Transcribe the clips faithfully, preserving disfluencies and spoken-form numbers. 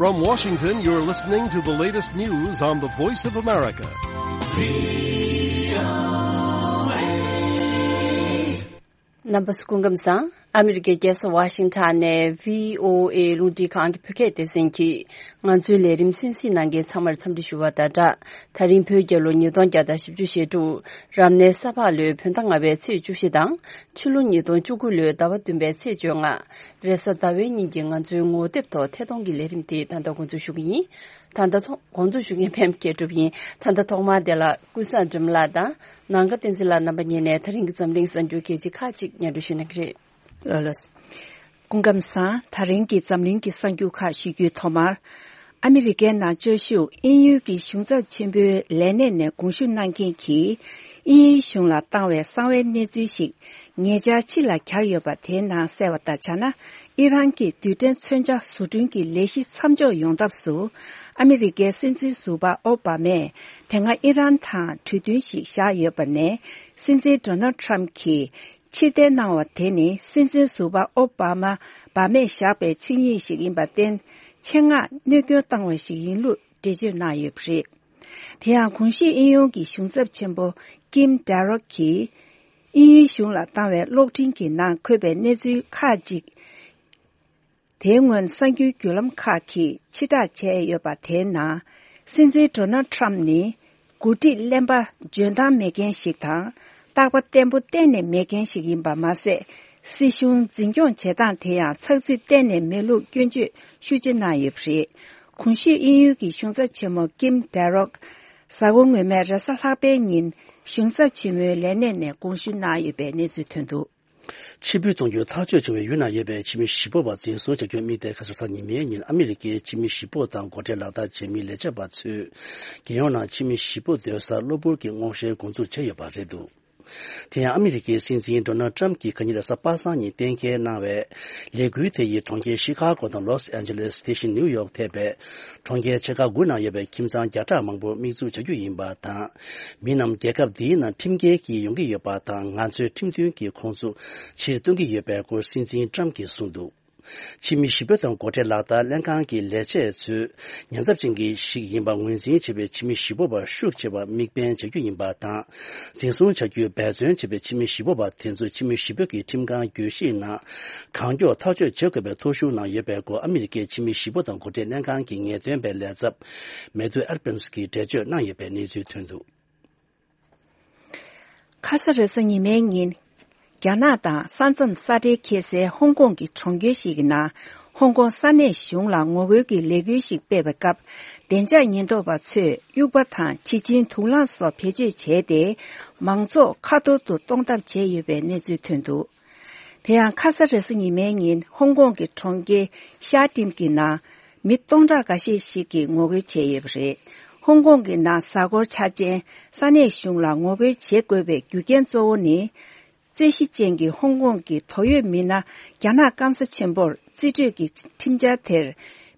From Washington, you're listening to the latest news on the Voice of America. རྣམ་པ་ཚོ་སྐུ་ཁམས་བཟང་། ཨ་མི་རི་ཀའི་རྒྱལ་ས་ཝ་ཤིང་ཊོན་ནས་བྷི་ཨོ་ཨེ་རླུང་འཕྲིན་ཁང་གི་བོད་སྐད་སྡེ་ཚན་གྱིས་ང་ཚོའི་ལས་རིམ་གསན་གཟིགས་གནང་མཁན་ཚང་མར་འཚམས་འདྲི་ཞུ་བ་དང་སྦྲགས། ད་རིང་བོད་རྒྱལ་ལོ་ཉིས་སྟོང་བརྒྱ་དང་བཞི་བཅུ་ཞེ་དྲུག་རབ་གནས་ས་ཕག་ལོའི་བོད་ཟླ་ལྔ་པའི་ཚེས་བཅུ་བཞི་དང་། ཕྱི་ལོ་ཉིས་སྟོང་བཅུ་དགུ་ལོའི་ཟླ་བ་བདུན་པའི་ཚེས་བཅོ་ལྔ། རེས་གཟའ་ཟླ་བའི་ཉིན་གྱི་ང་ཚོའི་ངོ་དེབ་ཐོག་ཐད་གཏོང་གི་ལས་རིམ་དེ་ད་ལྟ་འགོ་འཛུགས་ཞུ་གི་ཡིན། ད་ལྟ་ཐོག་འགོ་འཛུགས་ཞུ་མཁན་པད་མ་སྐྱིད་གྲུབ་ཡིན། ད་ལྟ་ཐོག་མར་དེ་ལ་ཀུན་བཟང་སྒྲོལ་མ་ལགས་དང་ནང་ཁ་བསྟན་འཛིན་ལགས་རྣམ་པ་གཉིས་ནས་ད་རིང་གི་འཛམ་གླིང་གསར་འགྱུར་གལ་ཆེ་ཁག་ཅིག་སྙན་སྒྲོན་ཞུ་གནང་གི་རེད། ལགས་ལགས། སྐུ་ཁམས་བཟང་། ད་རིང་གི་འཛམ་གླིང་གི་གསར་འགྱུར་ཁག་ཞུ་རྒྱུའི་ཐོག་མར། ཨ་མི་རི་ཀའི་ནང་བཅའ་བཞུགས་དབྱིན་ཡུལ་གྱི་གཞུང་ཚབ་ཆེན་པོའི་ལས་གནས་ནས་དགོངས་ཞུ་གནང་མཁན་གྱིས་དབྱིན་ཡུལ་གཞུང་ལ་བཏང་བའི་གསང་བའི་གནས་ཚུལ་ཞིག་ཉེ་ཆར་ཕྱི་ལ་གྱར་ཡོད་པ་དེའི་ནང་གསལ་བ་ལྟར་ཆ་ན། ཨི་རན་གྱི་རྡུལ་ཕྲན་མཚོན་ཆ་བཟོ་སྐྲུན་གྱི་ལས་གཞི་མཚམས་འཇོག་ཡོང་ཐབས་སུ། ཨ་མི་རི་ཀའི་སྲིད་འཛིན་ཟུར་པ་ཨོ་བྷ་མས་དེ་སྔ་ཨི་རན་དང་གྲོས་མཐུན་ཞིག་བཞག་ཡོད་པ་ནས། སྲིད་འཛིན་ཌོ་ནལ་ཊམ་གྱིས་ཕྱིར་འཐེན་གནང་བ་དེ་ནི་སྲིད་འཛིན་ཟུར་པ་ཨོ་བྷ་མ་བྷ་མས་བཞག་པའི་ཆིངས་ཡིག་ཞིག་ཡིན་པར་བརྟེན། ཆེད་མངགས་གནོད་སྐྱོན་བཏང་བ་ཞིག་ཡིན་ལུགས་འགྲེལ་བརྗོད་གནང་ཡོད་པ་རེད། དེ་ཡང་གོང་ཞུས་དབྱིན་ཡུལ་གྱི་གཞུང་ཚབ་ཆེན་པོ་ཀིམ་ཌེ་རོག་གིས་དབྱིན་ཡུལ་གཞུང་ལ་བཏང་བའི་གློག་འཕྲིན་གྱི་ནང་འཁོད་པའི་གནས་ཚུལ་ཁག་ཅིག་དེའི་སྔོན་གསར་འགྱུར་བརྒྱུད་ལམ་ཁག་གིས་ཕྱིར་བསྒྲགས་བྱས་ཡོད་པ་དེའི་ནང་། སྲིད་འཛིན་ཌོ་ནལ་ཊམ་ནི་འགོ་ཁྲིད་གླེན་པ་འཇོན་ཐང་མེད་མཁན་ཞིག་དང་། རྟག་པ་བརྟན་པོ་གཏན་ནས་མེད་མཁན་ཞིག་ཡིན་པ་མ་ཟད། སྲིད་གཞུང་འཛིན་སྐྱོང་བྱེད་སྟངས་དེ་ཡང་ཚགས་ཚུད་གཏན་ནས་མེད་ལུགས་སྐྱོན་བརྗོད་ཤུགས་ཆེ་གནང་ཡོད་པ་རེད། གོང་ཞུས་དབྱིན་ཡུལ་གྱི་གཞུང་ཚབ་ཆེན་མོ་ཀིམ་ཌེ་རོག་གཟའ་འཁོར་སྔོན་མའི་རེས་གཟའ་ལྷག་པའི་ཉིན་གཞུང་ཚབ་ཆེན་མོའི་ལས་གནས་ནས་དགོངས་ཞུ་གནང་ཡོད་པའི་གནས་ཚུལ་ཐོན་འདུག་ཕྱིར་འབུད་གཏོང་རྒྱུ་ཐག་གཅོད་བྱུང་བའི་ཡུལ་ནང་ཡོད་པའི་ཕྱི་མི་བཞི་པོ་བ་འཛིན་བཟུང་བྱ་རྒྱུ་དམིགས་གཏད་ཁ་སང་གཟའ་ཉི་མའི་ཉིན་ཨ་མི་རི་ཀའི་ཕྱི་མི་བཞི་པོ་དང་སྒོ་ཁྲལ་ལག་བསྟར་བྱེད་མི་ལས་བྱེད་པ་ཚོས་རྒྱལ་ཡོངས་ནང་ཕྱི་མི་བཞི་པོ་སྡོད་སར་གློ་བུར་གྱི་སྔོག་བཤེར་འགོ་འཛུགས་བྱས་ཡོད་པ་རེད་འདུག་དེ་ཡང་ཨ་མི་རི་ཀའི་སྲིད་འཛིན་ཌོ་ནལ་ཊམ་གྱིས་ག་ཉིན་རེས་གཟའ་པ་སངས་ཉིན་གཏན་འཁེལ་གནང་བའི་ལས་འགུལ་དེ་ཡིས་གྲོང་ཁྱེར་ཤི་ཁ་གོ་དང་ལོས་ཨན་ཇེ་ལེས། དེ་བཞིན་ནིའུ་ཡོག་ཐེ་བའི་གྲོང་ཁྱེར་ཆེ་ཁག་དགུ་ནང་ཡོད་པའི་ཁྱིམ་ཚང་བརྒྱ་ཕྲག་མང་པོར་དམིགས་འཛུགས་བྱ་རྒྱུ་ཡིན་པ་དང་། མི་རྣམས་རྒྱལ་ཁབ་འདིའི་ནང་ཁྲིམས་འགལ་གྱིས་ཡོང་གི་ཡོད་པ་དང་། ང་ཚོས་ཁྲིམས་མཐུན་གྱིས་ཁོང་ཚོ་ཕྱིར་གཏོང་གི་ཡོད་པའི་སྐོར་སྲིད་འཛིན་ཊམ་གྱིས་གསུངས་འདུག་ཕྱི་མི་བཞི་པོ་དང་སྒོ་ཁྲལ་ལག་བསྟར་ལྷན་ཁང་གི་ལས་བྱེད་ཚོས་ཉེན་ཚབས་ཅན་གྱི་ཞིག་ཡིན་པ་ངོས་འཛིན་བྱས་པའི་ཕྱི་མི་བཞི་པོ་བར་ཤུགས་ཆེ་བ་དམིགས་འབེན་བྱ་རྒྱུ་ཡིན་པ་དང་། འཛིན་བཟུང་བྱ་རྒྱུའི་འབད་བརྩོན་བྱས་པའི་ཕྱི་མི་བཞི་པོ་བ་དེ་ཚོ་ཕྱི་མི་བཞི་པོ་གི་ཁྲིམས་ཁང་གྱོད་གཞིའི་ནང་གང་མགྱོགས་ཐག་གཅོད་བྱེད་དགོས་པའི་ཐོ་གཞུང་ནང་ཡོད་པའི་སྐོར་ཨ་མི་རི་ཀའི་ཕྱི་མི་བཞི་པོ་དང་སྒོ་ཁྲལ་ལྷན་ཁང་གི་ངེས་སྟོན་པའི་ལས་ཚབ་མེ་ཐུ་ཨེར་པན་སི་གིས་འགྲེལ་བརྗོད་གནང་ཡོད་པའི་གནས་ཚུལ་ཐོན་འདུག་ཁ་ས་རེས་གཟའ་ཉི་མའི་ཉིན། རྒྱ་ནག་དང་ས་མཚམས་ས་འབྲེལ་འཁེལ་སའི་ཧོང་ཀོང་གི་གྲོང་ཁྱེར་ཞིག་གི་ནང་། ཧོང་ཀོང་ས་གནས་གཞུང་ལ་ངོ་རྒོལ་གྱི་ལས་འགུལ་ཞིག་སྤེལ་བའི་སྐབས། བདེ་འཇགས་ཉེན་རྟོག་པ་ཚོས་དབྱུག་པ་དང་། བྱི་ཆིང་། དུག་རླངས་སོགས་བེད་སྤྱོད་བྱས་ཏེ། མང་ཚོགས་ཁ་ཐོར་དུ་གཏོང་ཐབས་བྱས་ཡོད་པའི་གནས་ཚུལ་ཐོན་འདུག་དེ་ཡང་ཁ་ས་རེས་གཟའ་ཉི་མའི་ཉིན་ཧོང་ཀོང་གི་གྲོང་ཁྱེར་ཤར་ཏིམ་གྱི་ནང་། མི་སྟོང་ཕྲག་འགའ་ཤས་ཤིག་གིས་ངོ་རྒོལ་བྱས་ཡོད་པ་རེད། ཧོང་ཀོང་གི་ནང་གཟའ་འཁོར་འཆར་ཅན་ས་གནས་གཞུང་ལ་ངོ་རྒོལ་བྱེད་དགོས་པའི་རྒྱུ་རྐྱེན་གཙོ་བོ་ནི། རྩོད་གཞི་ཅན་གྱི་ཧོང་ཀོང་གི་དོགས་ཡོད་མི་སྣ་རྒྱ་ནག་སྐམ་ས་ཆེན་པོར་རྩིས་སྤྲོད་ཀྱི་ཁྲིམས་འཆར་དེར་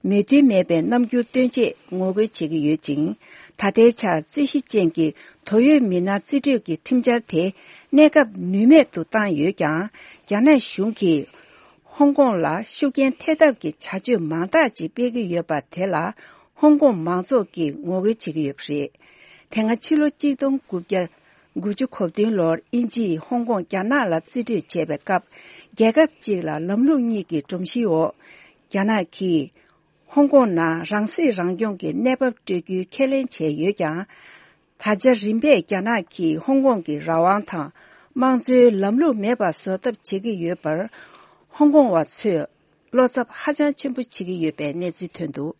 མོས་མཐུན་མེད་པའི་རྣམ་འགྱུར་སྟོན་ཆེད་ངོ་རྒོལ་བྱེད་ཀྱི་ཡོད་ཅིང་། ད་ལྟའི་ཆར་རྩོད་གཞི་ཅན་གྱི་དོགས་ཡོད་མི་སྣ་རྩིས་སྤྲོད་ཀྱི་ཁྲིམས་འཆར་དེ་གནས་སྐབས་ནུས་མེད་དུ་བཏང་ཡོད་ཀྱང་། རྒྱ་ནག་གཞུང་གིས་ཧོང་ཀོང་ལ་ཤུགས་རྐྱེན་ཐེབས་ཐབས་ཀྱི་བྱ་སྤྱོད་མང་དག་ཅིག་སྤེལ་གྱི་ཡོད་པ་དེ་ལ། ཧོང་ཀོང་མང་ཚོགས་ཀྱིས་ངོ་རྒོལ་བྱེད་ཀྱི་ཡོད་པ་རེད། དེ་སྔ་ཕྱི་ལོ་གཅིག་སྟོང་དགུ་བརྒྱ་དགུ་བཅུ་གོ་བདུན་ལོར་དབྱིན་ཇིས་ཧོང་ཀོང་རྒྱ་ནག་ལ་རྩིས་སྤྲོད་བྱས་པའི་སྐབས། རྒྱལ་ཁབ་གཅིག་ལ་ལམ་ལུགས་གཉིས་ཀྱི་སྒྲོམ་གཞིའི་འོག་རྒྱ་ནག་གིས་ཧོང་ཀོང་ནང་རང་སྲིད་རང་སྐྱོང་གི་གནས་བབ་སྤྲོད་རྒྱུའི་ཁས་ལེན་བྱས་ཡོད་ཀྱང་། ད་ཆ་རིམ་པས་རྒྱ་ནག་གིས་ཧོང་ཀོང་གི་རང་དབང་དང་དམངས་གཙོའི་ལམ་ལུགས་མེད་པ་བཟོ་ཐབས་བྱེད་ཀྱི་ཡོད་པར། ཧོང་ཀོང་བ་ཚོས་བློ་འཚབ་ཧ་ཅང་ཆེན་པོ་བྱེད་ཀྱི་ཡོད་པའི་གནས་ཚུལ་ཐོན་འདུག་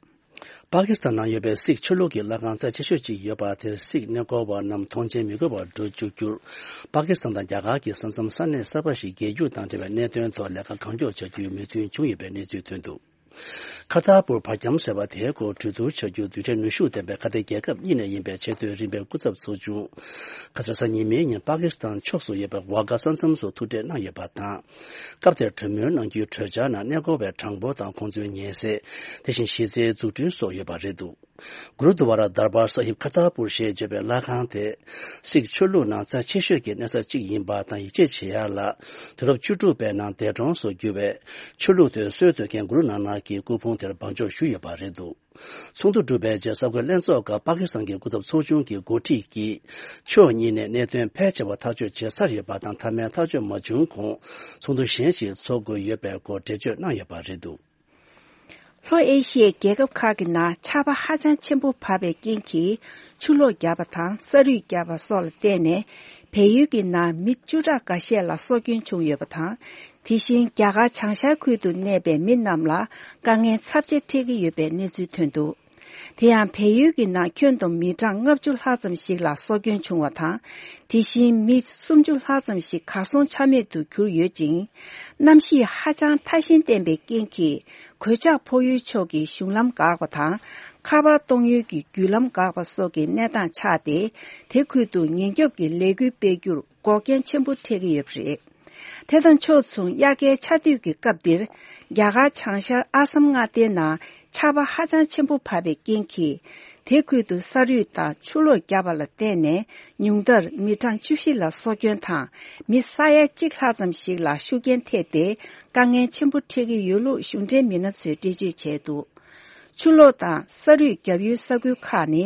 པ་ཀི་སི་ཐན་ནང་ཡོད་པའི་སིག་ཆོས་ལུགས་ཀྱི་ལྷ་ཁང་རྩ་ཆེ་ཤོས་གཅིག་ཡོད་པ་དེར་སིག་གནས་སྐོར་བ་རྣམས་མཐོང་མཆན་མི་དགོས་པར་འགྲོ་བཅུག་རྒྱུར། པ་ཀི་སི་ཐན་དང་རྒྱ་གར་གྱི་ས་མཚམས་ས་གནས་གསར་པ་ཞིག་རྒྱལ་རྒྱུགས་དང་འབྲེལ་བའི་གནད་དོན་ཐོག་ལས་ཀ་གང་མགྱོགས་བྱ་རྒྱུའི་མོས་མཐུན་བྱུང་ཡོད་པའི་གནས་ཚུལ་ཐོན་འདུག་ཁར་ཏར་པུར་བར་ཁྱམས་ཟེར་བ་དེའི་སྐོར་གྲོས་བསྡུར་བྱ་རྒྱུ་རྡུལ་ཕྲན་ནུས་ཤུགས་ལྡན་པའི་ཁ་གཏད་རྒྱལ་ཁབ་གཉིས་ནས་ཡིན་པའི་ཆེས་མཐོའི་རིམ་པའི་སྐུ་ཚབ་ཚོགས་ཆུང་། ཁ་སང་གཟའ་ཉི་མའི་ཉིན་པ་ཀི་སི་ཐན་ཕྱོགས་སུ་ཡོད་པའི་ཝ་གྷ་ས་མཚམས་སུ་ཐུག་འཕྲད་གནང་ཡོད་པ་དང་། སྐབས་དེར་གྲོས་མོལ་གནང་རྒྱུའི་གྲོས་འཆར་ནང་གནས་སྐོར་བའི་གྲངས་འབོར་དང་ཁོང་ཚོའི་ཉེན་སེལ། དེ་བཞིན་གཞི་རྩའི་འཛུགས་སྐྲུན་སོགས་ཡོད་པ་རེད་འདུག་གུ་རུ་དུ་ཝ་ར་དར་བར་ས་ཧིབ་ཁར་ཏར་པུར་ཞེས་བརྗོད་པའི་ལྷ་ཁང་དེ། སིག་ཆོས་ལུགས་ནང་རྩ་ཆེ་ཤོས་ཀྱི་གནས་ས་གཅིག་ཡིན་པ་དང་ཡིད་ཆེས་བྱེད་ཡག་ལ། དུས་རབས་བཅུ་དྲུག་པའི་ནང་འདས་གྲོངས་སུ་གྱུར་བའི་ཆོས་ལུགས་དེ་སྲོལ་གཏོད་མཁན་གུ་རུ་ནཱ་ནག་གི་སྐུ་ཕུང་དེར་བང་མཆོད་ཞུས་ཡོད་པ་རེད་འདུག་ཚོགས་འདུ་གྲུབ་པའི་རྗེས་གསར་འགོད་ལྷན་ཚོགས་སྐབས་པ་ཀི་སི་ཐན་གྱི་སྐུ་ཚབ་ཚོགས་ཆུང་གི་འགོ་ཁྲིད་ཀྱིས། ཕྱོགས་གཉིས་ནས་གནད་དོན་ཕལ་ཆེ་བ་ཐག་གཅོད་བྱེད་ཚར་ཡོད་པ་དང་། མཐའ་མའི་ཐག་གཅོད་མ་བྱུང་གོང་ཚོགས་འདུ་གཞན་ཞིག་འཚོགས་དགོས་ཡོད་པའི་སྐོར་འགྲེལ་བརྗོད་གནང་ཡོད་པ་རེད་འདུག་ལྷོ་ཨེ་ཤི་ཡའི་རྒྱལ་ཁབ་ཁག་གི་ནང་ཆར་པ་ཧ་ཅང་ཆེན་པོ་བབས་པའི་རྐྱེན་གྱིས། ཆུ་ལོག་བརྒྱབ་པ་དང་ས་རུད་བརྒྱབ་པ་སོགས་ལ་བརྟེན་ནས། བལ་ཡུལ་གྱི་ནང་མི་བཅུ་ཕྲག་འགའ་ཤས་ལ་སྲོག་སྐྱོན་བྱུང་ཡོད་པ་དང་། དེ་བཞིན་རྒྱ་གར་བྱང་ཤར་ཁུལ་དུ་གནས་པའི་མི་རྣམས་ལ་དཀའ་ངལ་ཚབས་ཆེ་འཕྲད་ཀྱི་ཡོད་པའི་གནས་ཚུལ་ཐོན་འདུག་དེ་ཡང་བལ་ཡུལ་གྱི་ནང་ཁྱོན་བསྡོམས་མི་གྲངས་ལྔ་བཅུ་ལྷག་ཙམ་ཞིག་ལ་སྲོག་སྐྱོན་བྱུང་བ་དང་། དེ་བཞིན་མི་སུམ་ཅུ་ལྷག་ཙམ་ཞིག་གར་སོང་ཆ་མེད་དུ་གྱུར་ཡོད་ཅིང་། གནམ་གཤིས་ཧ་ཅང་ཐ་ཞན་བསྟན་པའི་རྐྱེན་གྱིས། གོད་ཆག་ཕོག་ཡུལ་ཕྱོགས་ཀྱི་གཞུང་ལམ་འགག་པ་དང་། ཁ་པར་གཏོང་ཡུལ་གྱི་བརྒྱུད་ལམ་འགག་པ་སོགས་ཀྱི་གནས་སྟངས་ཆགས་ཏེ། དེ་ཁུལ་དུ་ཉེན་སྐྱོབ་ཀྱི་ལས་འགུལ་སྤེལ་རྒྱུར་འགོག་རྐྱེན་ཆེན་པོ་འཕྲད་ཀྱི་ཡོད་པ་རེད། དེ་དང་ཕྱོགས་མཚུངས། དབྱར་ཁའི་ཆར་དུས་ཀྱི་སྐབས་འདིར། རྒྱ་གར་བྱང་ཤར་ཨ་སམ་མངའ་སྡེའི་ནང་ཆར་པ་ཧ་ཅང་ཆེན་པོ་བབས་པའི་རྐྱེན་གྱིས། དེ་ཁུལ་དུ་ས་རུད་དང་ཆུ་ལོག་བརྒྱབ་པ་ལ་བརྟེན་ནས། ཉུང་མཐར་མི་གྲངས་བཅུ་བཞི་ལ་སྲོག་སྐྱོན་དང་། མི་ས་ཡ་གཅིག་ལྷག་ཙམ་ཞིག་ལ་ཤུགས་རྐྱེན་ཐེབས་ཏེ། དཀའ་ངལ་ཆེན་པོ་འཕྲད་ཀྱི་ཡོད་ལུགས་གཞུང་འབྲེལ་མི་སྣ་ཚོས་འགྲེལ་བརྗོད་བྱས་འདུག་ཆུ་ལོག་དང་ས་རུད་བརྒྱབ་ཡུལ་ས་ཁུལ་ཁག་ནི།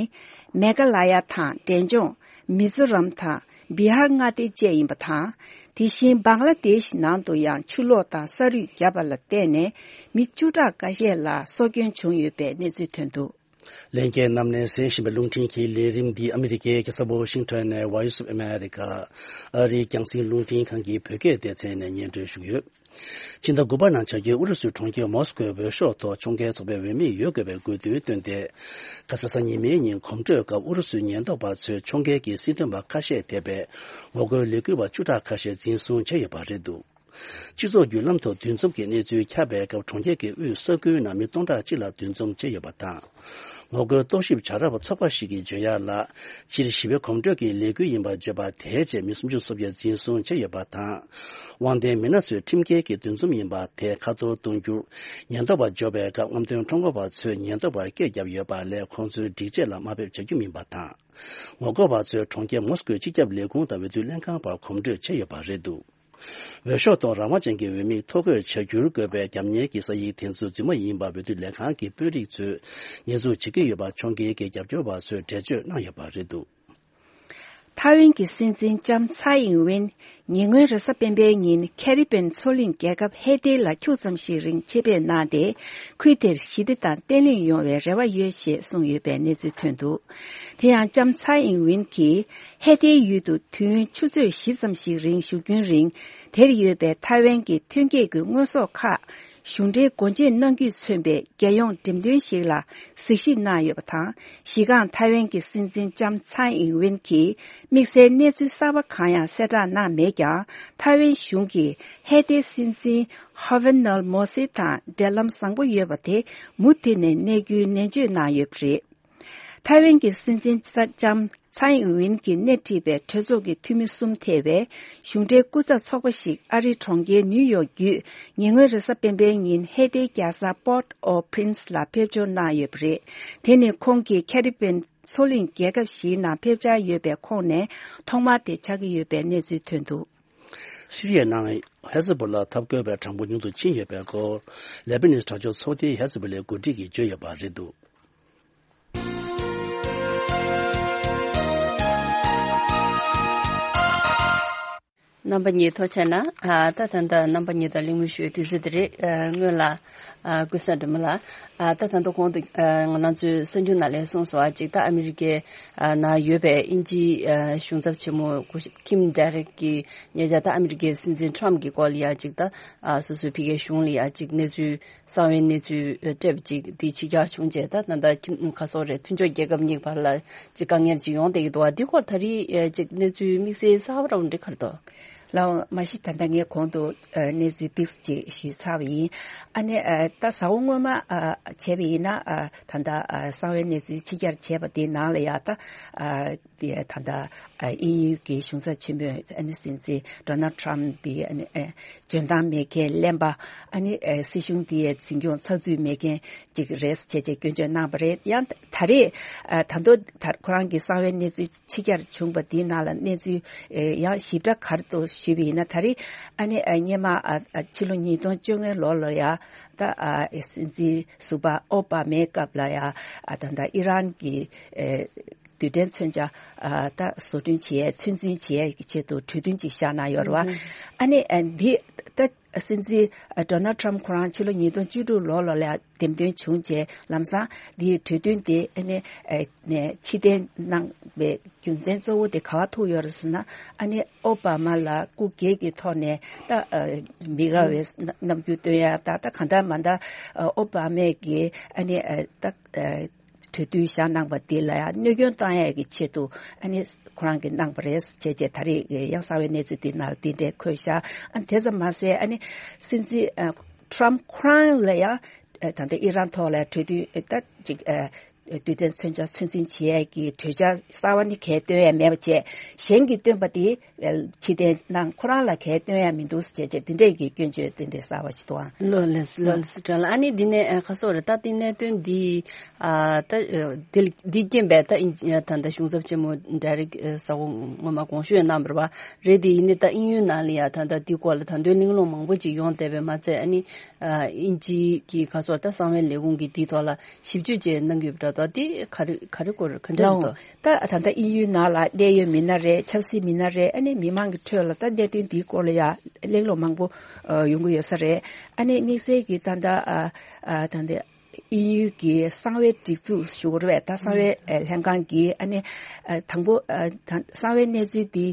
མེ་ག་ལ་ཡ་དང་འབྲས་ལྗོངས། མི་ཛོ་རམ་དང་བི་ཧར་མངའ་སྡེ་བཅས་ཡིན་པ་དང་། དེ་བཞིན་བང་ལ་དེཤ་ནང་དུ་ཡང་ཆུ་ལོག་དང་ས་རུད་བརྒྱབ་པ་ལ་བརྟེན་ནས། མི་བཅུ་ཕྲག་འགའ་ཤས་ལ་སྲོག་སྐྱོན་བྱུང་ཡོད་པའི་གནས་ཚུལ་ཐོན་འདུག་ལྷན་རྒྱས་རྣམས་ནས་གསན་བཞིན་པའི་རླུང་འཕྲིན་གྱི་ལས་རིམ་འདི་ཨ་མི་རི་ཀའི་རྒྱལ་ས་ཝ་ཤིང་ཊོན་ནས་Voice of America ཨ་རིའི་རྒྱང་སྲིང་རླུང་འཕྲིན་ཁང་གི་བོད་སྐད་སྡེ་ཚན་ནས་སྙན་སྒྲོན་ཞུ་གི་ཡོད། ཕྱི་ཟླ་དགུ་པ་ནང་བྱ་རྒྱུའི་ཨུ་རུ་སུའི་གྲོང་ཁྱེར་མོ་སི་ཀོའི་འོས་ཤོག་ཐོག་ཕྱོགས་འགལ་ཚོགས་པའི་འོས་མིས་ཡོད་དགོས་པའི་དགོས་འདུན་བཏོན་ཏེ། ཁ་ས་གཟའ་ཉི་མའི་ཉིན་གོམ་བགྲོད་སྐབས་ཨུ་རུ་སུའི་ཉེན་རྟོག་པ་ཚོས་ཕྱོགས་འགལ་གྱི་སྲིད་དོན་པ་ཁ་ཤས་དེད་པའི་ངོ་རྒོལ་ལས་འགུལ་བ་བཅུ་ཕྲག་ཁ་ཤས་འཛིན་བཟུང་བྱས་ཡོད་པ་རེད་འདུག་སྤྱི་ཚོགས་བརྒྱུད་ལམ་ཐོག་འདུ་འཛོམས་ཀྱི་གནས་ཚུལ་ཁྱབ་པའི་སྐབས། གྲོང་ཁྱེར་གྱི་དབུས་ས་ཁུལ་ནང་མི་སྟོང་ཕྲག་གཅིག་ལ་འདུ་འཛོམས་བྱས་ཡོད་པ་དང་། ངོ་རྒོལ་རྟོག་ཞིབ་བྱ་རོགས་ཚོགས་པ་ཞིག་གིས་བརྗོད་ཡག་ལ། སྤྱིར་ཞི་བའི་གོམ་བགྲོད་ཀྱི་ལས་འགུལ་ཡིན་པར་བརྗོད་པ་དེའི་རྗེས་མི་སུམ་ཅུ་སོ་བརྒྱད་འཛིན་བཟུང་བྱས་ཡོད་པ་དང་། དབང་ལྡན་མི་སྣ་ཚོས་ཁྲིམས་འགལ་གྱི་འདུ་འཛོམས་ཡིན་པ་དེ་ཁ་ཐོར་གཏོང་རྒྱུར། ཉེན་རྟོག་པ་འབྱོར་བའི་སྐབས་རྔམ་སྟོན་ཁྲོམ་སྐོར་བ་ཚོས་ཉེན་རྟོག་པར་སྐད་བརྒྱབ་ཡོད་པ་ལས། ཁོང་ཚོའི་སྒྲིག་ཆས་ལ་དམའ་འབེབས་བྱ་རྒྱུ་མིན་པ་དང་། ངོ་རྒོལ་བ་ཚོས་གྲོང་ཁྱེར་མོ་སི་ཀོའི་སྤྱི་ཁྱབ་ལས་ཁུངས་དང་འོས་བསྡུ་ལྷན་ཁང་བར་གོམ་བགྲོད་བྱས་ཡོད་པ་རེད་འདུག་འོས་ཤོག་ཐོག་རང་དབང་ཅན་གྱི་འོས་མིས་ཐོ་འགོད་བྱ་རྒྱུར་དགོས་པའི་རྒྱབ་གཉེར་གྱི་ས་ཡིག་དེ་ཚོ་རྫུན་མ་ཡིན་པ་འོས་བསྡུ་ལས་ཁང་གི་དཔོན་རིགས་ཚོས་ཉེས་འཛུགས་བྱེད་ཀྱི་ཡོད་པ་ཕྱོགས་འགལ་གྱི་རྒྱབ་སྐྱོར་བ་ཚོས་འགྲེལ་བརྗོད་གནང་ཡོད་པ་རེད་འདུག་ཐའེ་ཝན་གྱི་སྲིད་འཛིན་ལྕམ་ཚའེ་ཨིང་ཝེན་ཉེ་སྔོན་རེས་གཟའ་སྤེན་པའི་ཉིན་ཁེ་རི་བྷེན་མཚོ་གླིང་རྒྱལ་ཁབ་ཧེ་ཏེ་ལ་ཁྱུག་ཙམ་ཞིག་རིང་ཆེད་ཕེབས་གནང་སྟེ། ཁུལ་དེར་ཞི་བདེ་དང་བརྟན་ལྷིང་ཡོང་བའི་རེ་བ་ཡོད་ཅེས་གསུངས་ཡོད་པའི་གནས་ཚུལ་ཐོན་འདུག་དེ་ཡང་ལྕམ་ཚའེ་ཨིང་ཝེན་གྱིས། ཧེ་ཏེའི་ཡུལ་དུ་དུས་ཡུན་ཆུ་ཚོད་བཞི་ཙམ་ཞིག་རིང་བཞུགས་རྒྱུན་རིང་། དེར་ཡོད་པའི་ཐའེ་ཝན་གྱི་ཐོན་སྐྱེད་ཀྱི་དངོས་ཟོག་ཁག་གཞུང་འབྲེལ་སྒོ་འབྱེད་གནང་རྒྱུས་མཚོན་པའི་རྒྱལ་ཡོངས་འགྲེམས་སྟོན་ཞིག་ལ་གཟིགས་ཞིབ་གནང་ཡོད་པ་དང་། གཞི་རྐང་ཐའེ་ཝན་གྱི་སྲིད་འཛིན་ལྕམ་ཚའེ་ཨིང་ཝེན་གྱིས་དམིགས་བསལ་གནས་ཚུལ་གསར་པ་གང་ཡང་གསལ་བསྒྲགས་གནང་མེད་ཀྱང་། ཐའེ་ཝན་གཞུང་གིས་ཧེ་ཏེའི་སྲིད་འཛིན་ཧོ་ཝེ་ནལ་མོ་སི་དང་འབྲེལ་ལམ་བཟང་པོ་ཡོད་པ་དེ་མུ་མཐུད་ནས་གནས་རྒྱུའི་ནན་བརྗོད་གནང་ཡོད་པ་རེད། ཐའེ་ཝན་གྱི་སྲིད་འཛིན་ལྕམ་ཚའེ་ཨིང་ཝེན་གྱིས་སྣེ་ཁྲིད་པའི་གྲོས་ཚོགས་ཀྱི་འཐུས་མི་གསུམ་ཐེ་བའི་གཞུང་འབྲེལ་སྐུ་ཚབ་ཚོགས་པ་ཞིག་ཨ་རིའི་གྲོང་ཁྱེར་ནིའུ་ཡོག་བརྒྱུད། ཉེ་སྔོན་རེས་གཟའ་སྤེན་པའི་ཉིན་ཧེ་ཏེའི་རྒྱལ་ས་Port-au-Prince ལ་ཕེབས་འབྱོར་གནང་ཡོད་པ་རེད། དེ་ནི་ཁོང་གིས་ཁེ་རི་བྷེན་མཚོ་གླིང་རྒྱལ་ཁབ་བཞིའི་ནང་ཕེབས་འཆར་ཡོད་པའི་ཁོངས་ནས་ཐོག་མ་དེ་ཆགས་ཀྱི་ཡོད་པའི་གནས་ཚུལ་ཐོན་འདུག་སི་རི་ཡའི་ནང་ཧེ་ཛ་བྷོ་ལ་འཐབ་རྒོལ་བའི་གྲངས་འབོར་ཉུང་དུ་ཕྱིན་ཡོད་པའི་སྐོར། ལེ་བྷ་ནོན་དྲག་སྤྱོད་ཚོགས་སྡེའི་ཧེ་ཛ་བྷོ་ལའི་འགོ་ཁྲིད་ཀྱིས་བརྗོད་ཡོད་པ་རེད་འདུག་རྣམ་པ་གཉིས་ཐུགས་རྗེ་གནང་། ཨ། ད་ད་ལྟ་རྣམ་པ་གཉིས་དང་གླེང་མོལ་ཞུ་བའི་དུས་ཚོད་དེ་རེད། ཨ། སྔོན་ལ། ཨ། ཀུན་བཟང་སྒྲོལ་མ་ལགས། ཨ། ད་ད་ལྟ་གོང་དུ། ཨ། ང་རང་ཚོའི་གསར་འགྱུར་ནང་ལ་གསུངས་སོང་། ཨ། ཅིག་ད་ཨ་མི་རི་ཀའི། ཨ། ནང་ཡོད་པའི་དབྱིན་ཇིའི། ཨ། གཞུང་ཚབ་ཆེན་མོ་སྐུ་ཞབས་ཁིམ་ཌེ་རེག་གིས་ཉེ་ཆར་ད་ཨ་མི་རི་ཀའི་སྲིད་འཛིན་ཊམ་གྱི་སྐོར་ལ་ཡ་ཅིག་ད། ཨ། སོ་སོའི་ཕ་གིའི་གཞུང་ལ་ཡ་ཅིག་གནས་ཚུལ། གསང་བའི་གནས་ཚུལ་སྤྲད་པ་ཅིག་འདི་ཕྱི་གྱར་བྱུང་རྗེས། ད་ད་ལྟ་ཁྱིམ་ག་སོག་རེད། མཐུན་ཕྱོགས་རྒྱལ་ཁབ་གཉིས་བར་ལ་ཅིག་དཀའ་ངལ་ཅིག་ཡོང་བསྡད་ཀྱི་འདུག་བ། འདི་སྐོར་ད་རེས་ཅིག་གནས་ཚུལ་དམིགས་བསལ་གསར་པ་རང་འགྲིག་གར་འདུག་ལགས་འོང་། མ་གཞི་ད་ལྟ་ངས་གོང་དུ་ཨ་གནས་ཚུལ་ཏོག་ཙམ་ཅིག་ཞུས་ཚར་བ་ཡིན། ཨ་ནི་ཨ་ད་གཟའ་འཁོར་སྔོན་མ་ཨ་བྱས་པ་ཡིན་ན་ཨ་ད་ལྟ་ཨ་གསང་བའི་གནས་ཚུལ་ཕྱི་གྱར་བྱས་པ་དེའི་ནང་ལ་ཡང་ད་ཨ་དེ་ད་ལྟ་ཨ་དབྱིན་ཡུལ་གྱི་གཞུང་ཚབ་ཆེན་མོས་ཨ་ནི་སྲིད་འཛིན་ཌོ་ནལ་ཊམ་དེ་ཨ་ནི་ཨ་འཇོན་ཐང་མེད་མཁན་གླེན་པ། ཨ་ནི་ཨ་སྲིད་གཞུང་དེའི་འཛིན་སྐྱོང་ཚགས་ཚུད་མེད་མཁན་ཅིག་རེད་ཅེས་བྱས་སྐྱོན་བརྗོད་གནང་བ་རེད། ཡང་ད་རེས་ཨ་ད་དུང་ད་ཁོ་རང་གི་གསང་བའི་གནས་ཚུལ་ཕྱི་གྱར་བྱུང་བ་དེའི་ནང་ལ་གནས་ཚུལ་ཨེ་ཡང་ཞིབ་ཕྲ་ག་རེ་འདུག་ཞུས་པ་ཡིན་ན། ད་རེས་ཨ་ནི་ཨ་སྔོན་མ་ཨ་ཨ་ཕྱི་ལོ་ཉིས་སྟོང་བཅོ་ལྔ་ལོ་ལ་ཡ་ད་ཨ་སྲིད་འཛིན་ཟུར་པ་ཨོ་བྷ་མའི་སྐབས་ལ་ཡ་ཨ་ད་ད་ཨི་རན་གྱི་ཨེ་རྡུལ་ཕྲན་མཚོན་ཆ་ཨ་ད་བཟོ་སྐྲུན་བྱེད་ཡས་ཚོད་འཛིན་བྱེད་ཡས་ཀྱི་ཆེད་དུ་གྲོས་མཐུན་ཅིག་བཞག་གནང་ཡོད་རེད་བ། ཨ་ནི་ཨ་འདི་ད་སྲིད་འཛིན་ཨ་ཌོ་ནལ་ཊམ་ཁོ་རང་ཕྱི་ལོ་ཉིས་སྟོང་བཅུ་དྲུག་ལོ་ལ་ལ་འདེམས་ཐོན་བྱུང་རྗེས་ལམ་སང་འདིའི་གྲོས་མཐུན་དེ་ཨ་ནི་ཨ་ནས་ཕྱིར་འཐེན་གནང་བའི་རྒྱུ་མཚན་གཙོ་བོ་དེ་ག་པར་ཐུག་ཡོད་རེད་ཟེར་ན། ཨ་ནི་ཨོ་བྷ་མ་ལ་སྐུ་སྒེར་གྱི་ཐོག་ནས་ད་ཨ་མི་དགའ་བའི་རྣམ་འགྱུར་སྟོན་ཡ་ད་ད་གང་ལྟར་མ་ད་ཨོ་བྷ་མས་ཀྱི་ཨ་ནི་ཨ་ད་ཨ་གྲོས་མཐུན་བཞག་གནང་བ་དེ་ལ་ཡང་གནོད་སྐྱོན་བཏང་ཡས་ཀྱི་ཆེད་དུ་ཨ་ནི་ཁོ་རང་གིས་གནང་བ་རེད་ཅེས་བྱས་ད་རེས་ཡང་གསང་བའི་གནས་ཚུལ་དེ་ནང་ལ་དེ་འདྲས་འཁོད་ཤག་ཨ་ནི་དེ་ཙམ་མ་ཟད་ཨ་ནི་སྲིད་འཛིན་ཨ་ཊམ་ཁོ་རང་ལ་ཡང་ཨ་ད་ལྟ་ཨི་རན་ཐོག་ལ་གྲོས་མཐུན་ཨ་ད་ཅིག་ཨ་རྡུལ་ཕྲན་མཚོན་ཆ་ཚོད་འཛིན་བྱེད་ཡས་ཀྱི་གྲོས་འཆར་གསར་བ་ནི་གས་བཏོན་ཡས་མེད་པ་བྱས། གཞན་གྱིས་བཏོན་པ་དེ་ཕྱིར་འཐེན་གནང་། ཁོ་རང་ལ་གས་བཏོན་ཡ་མི་འདུག་ཅེས་བྱས་དེ་འདྲས་ཀྱི་སྐྱོན་བརྗོད་དེ་འདྲས་གསར་བ་ཞིག་འདུག་ཨང་། ལགས་ལགས་ལགས་ལགས་སོ། དྲན་ལ་ཨ་ནི་འདི་ནས་ཨ་ཁ་སོ་རེ་ད་དེ་གནད་དོན་འདི་ཨ་ད་ཨ་དེ་འདི་རྐྱེན་པས་ད་ཨིན་ད་ད་གཞུང་ཚབ་ཆེན་མོ་ཌེ་རེག་ཨ་ས་འོག་སྔོན་མ་དགོངས་ཞུ་ཡང་གནང་བ་རེད་པ། རེད་དེ་ཡིན་ནི་ད་དབྱིན་ཡུལ་ནང་ལ་ཡ་ད་ད་འདི་སྐོར་ལ་ད་དུང་གླེང་སློང་མང་པོ་ཅིག་ཡོང་བསྡད་པས་མ་ཚད། ཨ་ནི་ཨ་དབྱིན་ཇི་གི་ཁ་སོ་ད་གསང་བའི་ལས་ཁུངས་ཀྱི་འདི་ཐོག་ལ་ཞིབ་འཇུག་བྱས་གནང་གི་ཡོད་པ་འདྲ། ད་དེ་ག་རེ་ག་རེ་སྐོར་ག་འདྲ་རེད་དོ། ད་ད་ལྟ་དབྱིན་ཡུལ་ནང་ལ་གནད་ཡོད་མི་སྣ་རེད། ཆབ་སྲིད་མི་སྣ་རེད། ཨ་ནི་མི་མང་གི་ཁྲོད་ལ་ད་གནད་དོན་འདིའི་སྐོར་ལ་ཡ་གླེང་སློང་མང་པོ་ཨ་ཡོང་གི་ཡོད་ས་རེད། ཨ་ནི་དམིགས་བསལ་གྱིས་ད་ལྟ་ཨ་ཨ་ད་ལྟ་དབྱིན་ཡུལ་གྱི་གསང་བའི་སྒྲིག་འཛུགས་ཞུ་དགོས་རེད་པས། ད་གསང་བའི་ཨ་ལྷན་ཁང་གིས་ཨ་ནི་ཨ་དང་པོ་ཨ་ད་གསང་བའི་གནས་ཚུལ་འདི་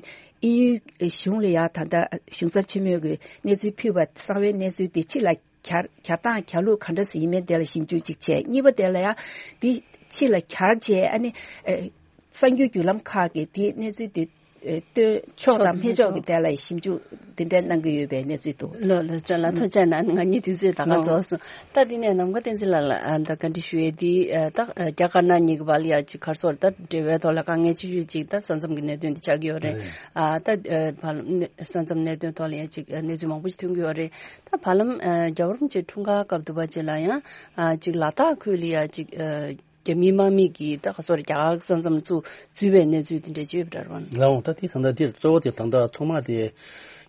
དབྱིན་ཡུལ་གཞུང་ལ་ཡ་ད་ལྟ་གཞུང་ཚབ་ཆེན་མོས་ཀྱི་གནས་ཚུལ་ཕུལ་བ། གསང་བའི་གནས་ཚུལ་འདི་ཕྱི་ལ་གྱར་གྱར་སྟངས་གྱར་ལུགས་ག་འདྲ་ཞིག་ཡིན་མིན་དེ་ལ་ཞིབ་འཇུག་ཅིག་བྱས། གཉིས་པ་དེ་ལ་ཡང་འདི་ཕྱི་ལ་གྱར་རྗེས་ཨ་ནི་ཨེ་གསར་འགྱུར་བརྒྱུད་ལམ་ཁག་གིས་དེའི་གནས་ཚུལ་དེ་ཨེ་སྟོན་ཆོག་དང་མི་ཆོག་གི་དེ་ལ་ཞིབ་འཇུག་དེ་འདྲ་གནང་གི་ཡོད་པའི་གནས་ཚུལ་འདུག་ལགས་ལགས་ལགས་ལགས། ཐུགས་རྗེ་གནང་། ང་གཉིས་དུས་ཚོད་ད་ག་རྫོགས་སོང་། ད་དེ་ནས་ནམ་མཁའ་བསྟན་འཛིན་ལགས་ལ་ཨ་ད་བཀའ་འདྲི་ཞུ་ཡས་དེ་ཨ་ད་རྒྱ་དཀར་ནག་གཉིས་ཀྱི་བར་ལ་ཡ་ཅིག་ག་རེ་ཟེར་ད་འབྲེལ་བའི་ཐོག་ལ་དཀའ་ངལ་ཆེ་ཤོས་ཅིག་ད་ས་མཚམས་ཀྱི་གནད་དོན་དེ་ཆགས་ཀྱི་ཡོད་རེད། ཨ་ད་ཨ་བར་ལམ་ས་མཚམས་གནད་དོན་ཐོག་ལ་ཡ་ཅིག་གནས་ཚུལ་མང་པོ་ཞིག་ཐོན་གྱི་ཡོད་རེད། ད་བར་ལམ་ཨ་རྒྱལ་བ་རིན་པོ་ཆེ་འཁྲུངས་སྐར་སྐབས་དུ་བ་ཅིག་ལ་ཡང་ཨ་ཅིག་ལ་དྭགས་ཁུལ་ལ་ཡ་ཅིག་ཨ་རྒྱ་མིའི་དམག་མི་གིས་ད་ག་ཚོད་རྒྱ་གར་ས་མཚམས་ཚུར་འཛུལ་བའི་གནས་ཚུལ་དེ་འདྲ་ཅིག་ཡོད་པ་འདྲ་བ། ལགས་འོང་། ད་དེ་ད་ལྟ་དེར་གཙོ་བོ་དེ་ད་ལྟ་ཐོག་མ་དེ་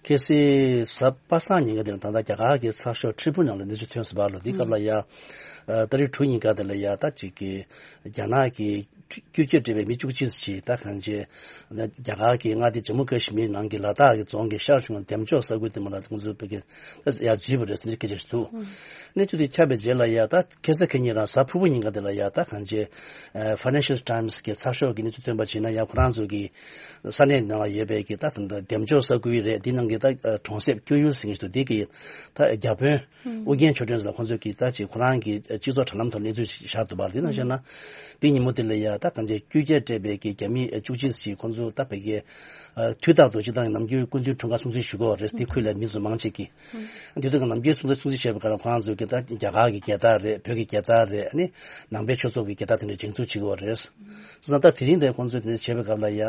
ཁ་སང་གཟའ་པ་སངས་ཉིན་ཀ་དེར་ད་ལྟ་རྒྱ་གར་གྱི་ཚགས་ཤོག་ཁྲི་ཕུ་ནང་ལ་གནས་ཚུལ་ཐོན་ཟིན་པ་ལོ། དེའི་སྐབས་ལ་ཡ་ཨ་ཏ་རིག་དྲུག་ཉིན་ཀ་དེ་ལ་ཡ་ད་ཅིག་གི་རྒྱ་ནག་གི་བཅོས་བསྒྱུར་སྤྲད་པའི་མི་བཅུ་གཅིག་ཅིག་ད་གང་ཅི་རྒྱ་གར་གྱི་མངའ་སྡེ་ཇམ་མུ་ཀ་ཤི་མིར་ནང་གི་ལ་དྭགས་ཀྱི་རྫོང་གི་ཤར་ཕྱོགས་འདེམས་ཅོག་ས་ཁུལ་དེ་མ་ལ་ཁོང་ཚོའི་བོད་ཀྱི་ད་ཡར་འཛུལ་བ་རེད་ཟེར་ནས་སྐད་ཆ་ཞིག་འདུག་གནས་ཚུལ་དེ་ཁྱབ་པའི་རྗེས་ལ་ཡ་ད་ཁ་སང་ཁ་ཉིན་རང་གཟའ་ཕུར་བུ་ཉིན་ཀ་དེ་ལ་ཡ་ད་གང་ཅི་ཨ་Financial Times་གི་ཚགས་ཤོག་གི་གནས་ཚུལ་བཏོན་པ་བྱས་ན་ཡ་ཁོ་རང་ཚོ་གི་ས་གནས་ནང་ལ་ཡོད་པའི་གི་ད་ད་འདེམས་ཅོག་ས་ཁུལ་རེད། དེ་ནང་གི་ད་གྲོང་གསེབ་ཀྱོ་ཡུལ་ཟེར་མཁན་ཞིག་འདུག་དེ་གི་ད་རྒྱ་དཔོན་ཨུ་རྒྱན་ཆོས་སྒྲོན་ལ་ཁོང་ཚོས་ཀྱིས་ད་ཅིག་ཁོ་རང་གི་སྤྱི་ཚོགས་དྲ་ལམ་ཐོག་གནས་ཚུལ་ཞིག་བཞག་འདུག་པ། དེ་ནང་བཞིན་ན་དེ་ཉིན་མོ་དེ་ལ་ཡ་ད་གང་ཅི་བཅོས་བསྒྱུར་སྤྲད་པའི་གི་རྒྱ་མི་བཅུ་གཅིག་ཅིག་ཁོང་ཚོ་ད་བོད་ཀྱི་དུས་རྟག་ཏུ་སྤྱི་བཏང་གི་ནམ་རྒྱུན་སྐུ་མདུན་འཁྲུངས་སྐར་སྲུང་བརྩི་ཞུ་གི་ཡོད་རེད། དེ་ཁུལ་ལ་མི་ཚོ་མང་ཆེ་གིས་དེ་དུས་ཀྱི་ནམ་རྒྱུན་སྲུང་བརྩི་སྲུང་བརྩི་བྱས་པའི་སྐབས་ལ་ཁོ་རང་ཚོ་གིས་ད་རྒྱ་གར་གྱི་རྒྱལ་དར་རེད། བོད་ཀྱི་རྒྱལ་དར་རེད། ཨ་ནི་ནང་པའི་ཆོས་ཚོགས་ཀྱི་རྒྱལ་དར་དེ་འདྲ་བཞེངས་ཚུལ་བྱེད་ཀྱི་ཡོད་རེད། སོང་ཙང་ད་དེ་རིང་དེ་ཁོང་ཚོས་དེ་འདྲ་བྱས་པའི་སྐབས་ལ་ཡ་